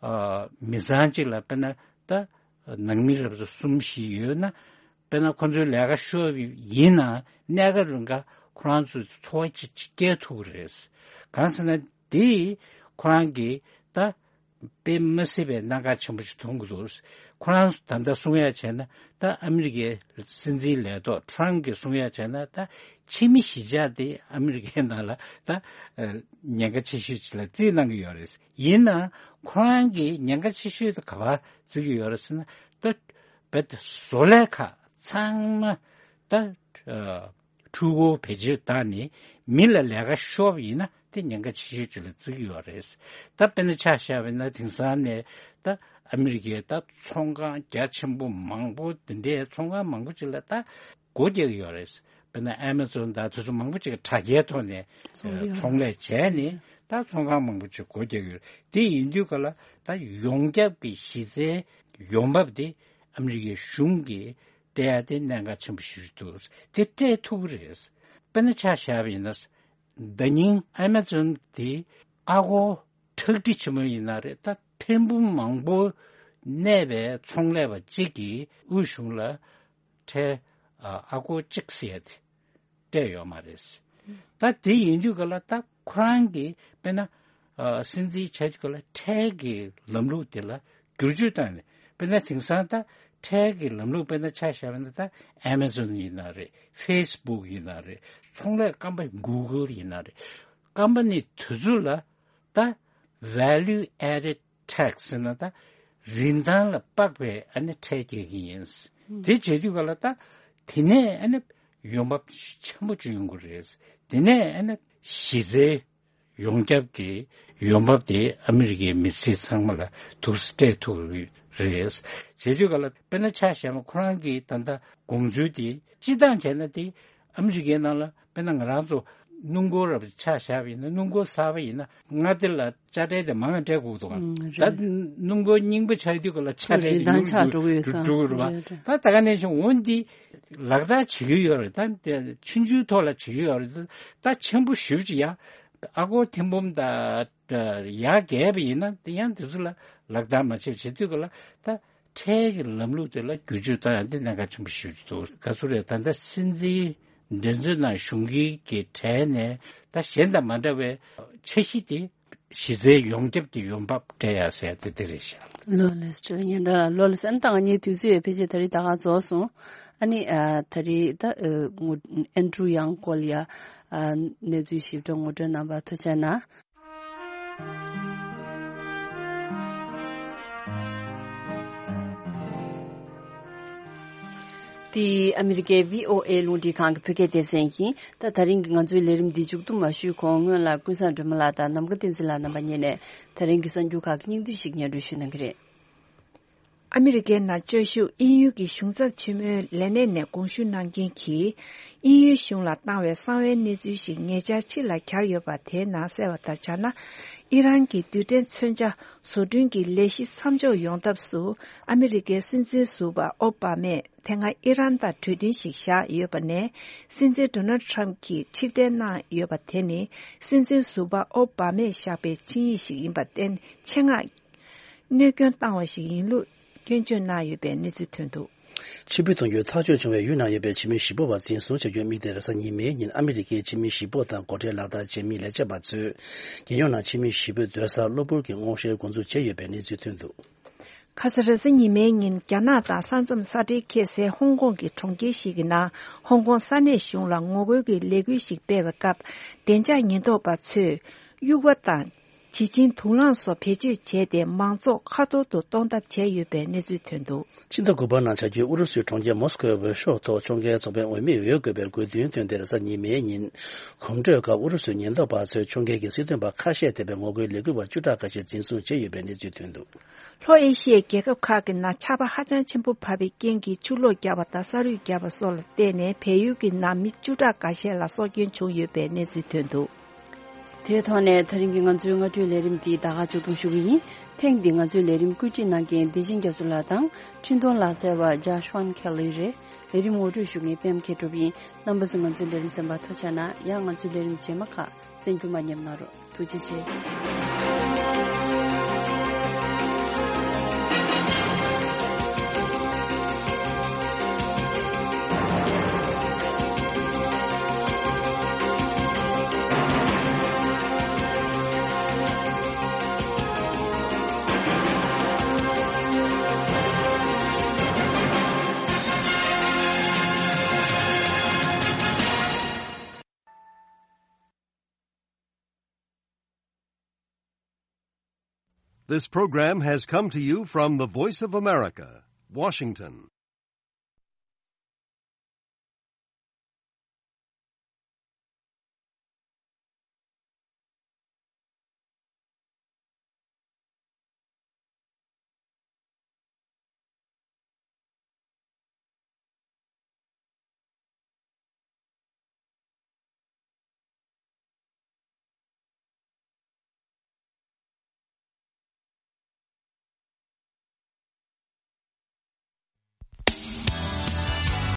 ཨ་མི་ཚང་གཅིག་ལ་དཔེར་ན་ད་ནང་མི་རབས་གསུམ་བཞི་ཡོད་ན། དཔེར་ན་ཁོང་ཚོའི་ལས་ཀ་ཤོར་ཡིན་ན་གནས་སྐབས་རིང་ག་ཁོ་རང་ཚོའི་འཚོ་བ་ཅིག་ཅིག་སྐྱེལ་ཐུབ་ཀྱི་རེད། གང་ཟེར་ན་དེ་ཁོ་རང་གིས་ད་དཔེ་མི་སྲིད་པའི་གནད་འགག་ཆེན་པོ་ཞིག་མཐོང་གི་འདུག་ཁོ་རང་ད་ལྟ་གསུང་ཡ་བྱས་ན་ད་ཨ་མི་རི་ཀའི་སྲིད་འཛིན་ལས་ཐོག་ཊརམ་གྱིས་གསུང་ཡ་བྱས་ན་ད་ཕྱི་མི་གཞིས་ཆགས་དེ་ཨ་མི་རི་ཀའི་ནང་ལ་ད་ཉེན་ཁ་ཆེ་ཤོས་ཅིག་ལ་རྩིས་གནང་གི་ཡོད་རེད། ཡིན་ནའང་ཁོ་རང་གིས་ཉེན་ཁ་ཆེ་ཤོས་དེ་ག་པར་བརྩི་གི་ཡོད་རེད་ཟེར་ན། ད་རྦད་དེ་བཟོ་ལས་ཁག་ ཚང་མ་ད་ཨ་འཕྲུལ་འཁོར་བེད་སྤྱོད་བཏང་ནས་མི་ལ་ལས་ཀ་ཤོར་བ་ཡིན་ན་དེ་ཉེན་ཁ་ཆེ་ཤོས་ཅིག་ལ་བརྩི་གི་ཡོད་རེད། ད་དཔེར་ན་ཆ་བཞག་པ་ཡིན་ན་དེང་སང་ནས་ད་ཨ་མི་རི་ཀའི་ད་ཚོང་ཁང་རྒྱ་ཆེན་པོ་མང་པོ་དེ་འདྲའི་ཚོང་ཁང་མང་པོ་ཅིག་ལ་ད་སྒོ་རྒྱག་གི་ཡོད་རེད། དཔེར་ན་ཨེ་མ་ཛོན་དང་དེ་ཚོ་མང་པོ་ཅིག་གིས་དྲ་རྒྱའི་ཐོག་ནས་ཚོང་ལས་ཚོང་ལས་བྱས་ནས་ད་ཚོང་ཁང་མང་པོ་ཅིག་སྒོ་རྒྱག་གི་ཡོད་རེད། དེ་ཡིན་དུས་ག་ལ་ད་ཡོངས་ཁྱབ་ཀྱི་གཞི་རྩའི་ཡོང་འབབ་དེ་ཨ་མི་རི་ཀའི་གཞུང་གིས་སྤྲད་ཡ་དེ་གནད་འགག་ཆེན་པོ་ཞིག་འདུག་དེ་སྤྲད་ཐུབ་ཀྱི་རེད། དཔེར་ན་ཆ་བཞག་པ་ཡིན་ན། ཟླ་ཉིན་ཨེ་མ་ཛོན་དེ་ཨ་སྒོར་ཁྲག་ཁྲིག་ཆེན་མོ་ཡིན་ན་རེད། ད་ཐེར་འབུམ་མང་པོ་གནས་པའི་ཚོང་ལས་པ་གཅིག་གིས་དབུས་གཞུང་ལ་ཁྲལ་ཨ་སྒོར་གཅིག་ཟེར་ཡ་དེ་སྤྲད་ཡོད་མ་རེད། ད་དེ་ཡིན་དུས་ག་ལ་ད་ཁོ་རང་གིས་དཔེར་ན་ཨ་སྲིད་འཛིན་བྱས་དུས་ག་ལ་ཁྲལ་གྱི་ལམ་ལུགས་དེ་ལ་བསྒྱུར་བཅོས་བཏང་ནས། དཔེར་ན་དེང་སང་ད་ཁྲལ་གྱི་ལམ་ལུགས་དཔེར་ན་ཆ་བཞག་པ་ན་ད་ཨེ་མ་ཛོན་ཡིན་ན་རེད། ཕེ་སི་བུག་ཡིན་ན་རེད། ཚོང་ལས་ཀམ་པ་གུ་གལ་ཡིན་ན་རེད། ཀམ་པ་ནི་དེ་ཚོ་ལ་ད་value added tax ཟེར་ན་ད་རིན་ཐང་ལ་དཔག་པའི་ཨ་ནི་ཁྲལ་རྒྱག་གི་ཡིན། དེ་བྱེད་དུས་ག་ལ་ད་དེ་ནས་ཨ་ནི་ཡོང་འབབ་ཆེན་པོ་ཅིག་ཡོང་གི་རེད། དེ་ནས་ཨ་ནི་གཞི་རྩའི་ཡོངས་ཁྱབ་ཀྱི་ཡོང་འབབ་དེ་ཨ་མི་རི་ཀའི་མི་སེར་ཚང་མ་ལ་ཐུགས་སྤྲད་ཐུབ་ཀྱི་རེད། བྱེད་དུས་ག་ལ་དཔེར་ན་ཆ་བཞག་ན་ཁོ་རང་གིས་ད་ལྟ་དགོངས་ཚུལ་དེ་སྤྱི་བཏང་བྱས་ན་དེ་ཨ་མི་རི་ཀའི་ནང་ལ་དཔེར་ན་ང་རང་ཚོ་སྣུམ་འཁོར་རབ་ཆ་བཞག་པ་ཡིན་ན། སྣུམ་འཁོར་གསར་པ་ཡིན་ན་མངའ་སྡེ་ལ་དཔྱ་ཁྲལ་དེ་མང་ང་སྤྲད་དགོས་འདུག་ག་ཨང་། ད་རེད། སྣུམ་འཁོར་རྙིང་པ་ཆགས་དུས་ག་ལ་ཆ་ཁྲལ་རིན་ཐང་ཆག་འགྲོ་གི་ཡོད་ཙང་། འགྲོ་གི་རེད་པ། རེད་རེད། ད་ད་ག་ནང་བཞིན་འོ་འདི་ལག་བསྟར་བྱེད་ཀྱི་ཡོད་རེད། ད་དེ་ཆུང་ཆུང་ཐོག་ལ་བྱེད་ཀྱི་ཡོད་རེད། ད་ཆེན་པོ་ཞེ་པོ་ཅིག་ཡ་ཨ་སྒོར་ཐེར་འབུམ་དང་ཡར་བརྒལ་བ་ཡིན་ན་དེ་ཡང་དེ་ཚོ་ལ་ལག་བསྟར་མ་བྱས། བྱེད་དུས་ག་ལ་ད་ཁྲལ་གྱི་ལམ་ལུགས་དེ་ལ་བསྒྱུར་བཅོས་བཏང་ཡ་དེ་གནད་འགག་ཆེན་པོ་ཞིག་འདུག་ག་ཚོད་རེད། ད་ལྟ་སྲིད་འཛིན་འགྲན་རྩོད་ནང་ཞུགས་མཁན་གྱི་གྲས་ནས་ད་གཞན་དང་མ་འདྲ་བའི་འཆར་གཞི་དེ་གཞི་རྩའི་ཡོངས་ཁྱབ་ཀྱི་ཡོང་འབབ་སྤྲད་ཡ་ཟེར་ཡ་དེ་དེ་རེད་ཤག་ལོ་ལེགས་སྤྲོད་ཉན་འདྲ་ལོ་ལེགས་ཨན་དང་ངའི་དུས་ཚོད་ཡོད་ཕལ་ཆེར་ད་རེས་ད་ག་རྫོགས་སོང་། ཨ་ནི་ཨ་ད་རེས་ད་ཨ་ངོ་ཨན་ཌྲུ་ཡང་ཀོལ་ཡ་ཨ་གནས་ཚུལ་ཞིབ་ཕྲ་ངོ་སྤྲོད་གནང་བར་ཐུགས་རྗེ་གནང་། འདི་ཨ་མི་རི་ཀའི་བྷི་ཨོ་ཨེ་རླུང་འཕྲིན་ཁང་གི་བོད་སྐད་སྡེ་ཚན་ཡིན། ད་ད་རིང་གི་ང་ཚོའི་ལས་རིམ་འདི་མཇུག་བསྡོམས་མ་ཞུས་གོང་སྔོན་ལ་ཀུན་བཟང་སྒྲོལ་མ་ལགས་དང་ནམ་མཁའ་བསྟན་འཛིན་ལགས་རྣམ་པ་གཉིས་ནས་ད་རིང་གི་གསར་འགྱུར་ཁག་གི་སྙིང་བསྡུས་ཤིག་སྙན་སྒྲོན་ཞུ་གནང་གི་རེད། ཨ་མི་རི་ཀའི་ནང་བཅའ་བཞུགས་དབྱིན་ཡུལ་གྱི་གཞུང་ཚབ་ཆེན་མོའི་ལས་གནས་ནས་དགོངས་ཞུ་གནང་མཁན་གྱིས། དབྱིན་ཡུལ་གཞུང་ལ་བཏང་བའི་གསང་བའི་གནས་ཚུལ་ཞིག་ཉེ་ཆར་ཕྱི་ལ་གྱར་ཡོད་པ་དེའི་ནང་གསལ་བ་ལྟར་ཆགས་ན། ཨི་རན་གྱི་རྡུལ་ཕྲན་མཚོན་ཆ་བཟོ་སྐྲུན་གྱི་ལས་གཞི་མཚམས་འཇོག་ཡོང་ཐབས་སུ་ཨ་མི་རི་ཀའི་སྲིད་འཛིན་ཟུར་པ་ཨོ་བྷ་མས་དེ་སྔ་ཨི་རན་དང་གྲོས་མཐུན་ཞིག་བཞག་ཡོད་པ་ནས། སྲིད་འཛིན་ཌོ་ནལ་ཊམ་གྱིས་ཕྱིར་འཐེན་གནང་ཡོད་པ་དེ་ནི་སྲིད་འཛིན་ཟུར་པ་ཨོ་བྷ་མས་བཞག་པའི་ཆིངས་ཡིག་ཞིག་ཡིན་པར་བརྟེན། ཆེད་མངགས་གནོད་སྐྱོན་བཏང་བ་ཞིག་ཡིན་ལུགས་སྐྱོན་བརྗོད་གནང་ཡོད་པའི་གནས་ཚུལ་ཐོན་འདུག་ཕྱིར་འབུད་གཏོང་རྒྱུའི་ཐག་གཅོད་བྱུང་བའི་ཡུལ་ནང་ཡོད་པའི་ཕྱི་མི་བཞི་པོ་བ་འཛིན་བཟུང་བྱ་རྒྱུའི་དམིགས་གཏད་རེས་གཟའ་ཉི་མའི་ཉིན་ཨ་མི་རི་ཀའི་ཕྱི་མི་བཞི་པོ་དང་འགོ་ཁྲིད་ལག་བསྟར་བྱེད་མི་ལས་བྱེད་པ་ཚོས་རྒྱལ་ཡོངས་ནང་ཕྱི་མི་བཞི་པོའི་སྡོད་སར་གློ་བུར་གྱི་སྔོག་བཤེར་འགོ་འཛུགས་བྱས་ཡོད་པའི་གནས་ཚུལ་ཐོན་འདུག་ཁ་ས་རེས་གཟའ་ཉི་མའི་ཉིན་རྒྱ་ནག་དང་ས་མཚམས་ས་འབྲེལ་ཁེལ་སའི་ཧོང་ཀོང་གི་གྲོང་ཁྱེར་ཞིག་གི་ནང་ཧོང་ཀོང་ས་གནས་གཞུང་ལ་ངོ་རྒོལ་གྱི་ལས་འགུལ་ཞིག་སྤེལ་བའི་སྐབས། བདེ་འཇགས་ཉེན་རྟོག་པ་ཚོས་དབྱུག་པ་དང་། བྱི་ཆིང་དུག་རླངས་སོགས་བེད་སྤྱོད་བྱས་ཏེ། མང་ཚོགས་ཁ་ཐོར་དུ་གཏོང་ཐབས་བྱས་ཡོད་པའི་གནས་ཚུལ་ཐོན་འདུག་ཕྱི་ཟླ་དགུ་པའི་ནང་བྱ་རྒྱུའི་ཨུ་རུ་སུའི་གྲོང་ཁྱེར་མོ་སི་ཀོའི་འོས་ཤོག་ཐོག་ཕྱོགས་འགལ་ཚོགས་པའི་འོས་མིར་འོས་དགོས་པའི་དགོས་འདུན་བཏོན་ཏེ་རེས་གཟའ་ཉི་མའི་ཉིན་གོམ་བགྲོད་སྐབས་ཨུ་རུ་སུའི་ཉེན་རྟོག་པ་ཚོས་ཕྱོགས་འགལ་གྱི་སྲིད་དོན་པ་ཁ་ཤས་ཐེ་བའི་ངོ་རྒོལ་ལས་འགུལ་བ་བཅུ་ཕྲག་ཁ་ཤས་འཛིན་བཟུང་བྱས་ཡོད་པའི་གནས་ཚུལ་ཐོན་འདུག་ལྷོ་ཨེ་ཤི་ཡའི་རྒྱལ་ཁབ་ཁག་གི་ནང་ཆར་པ་ཧ་ཅང་ཆེན་པོ་བབས་པའི་རྐྱེན་གྱིས་ཆུ་ལོག་བརྒྱབ་པ་དང་ས་རུད་བརྒྱབ་པ་སོགས་ལ་བརྟེན་ནས་བལ་ཡུལ་གྱི་ནང་མི་བཅུ་ཕྲག་འགའ་ཤས་ལ་སྲོག་སྐྱོན་བྱུང་ཡོད་པའི་གནས་ཚུལ་ཐོན་འདུག་དེའི་ཐོག་ནས་ད་རིང་གི་ང་ཚོའི་སྔ་དྲོའི་ལས་རིམ་འདི་ད་ག་མཇུག་བསྡོམས་ཞུ་གི་ཡིན། ཐེངས་འདིའི་ང་ཚོའི་ལས་རིམ་བཀོད་སྒྲིག་གནང་མཁན་བདེ་ཆེན་རྒྱ་མཚོ་ལགས་དང་འཕྲིན་གཏོང་ལག་རྩལ་བ་ཇཱ་ཤ་ཝན་ཁེ་ལི་རེད། ལས་རིམ་ངོ་སྤྲོད་ཞུ་མཁན་པད་མ་མཁས་གྲུབ་ཡིན། རྣམ་པ་ཚོས་ང་ཚོའི་ལས་རིམ་གསན་པར་ཐུགས་རྗེ་གནང་། ཡང་ང་ཚོའི་ལས་རིམ་རྗེས་མ་ཁག་གསན་རྒྱུ་མ་ཉམས་གནང་རོགས། ཐུགས་རྗེ་ཆེ། This program has come to you from the Voice of America, Washington.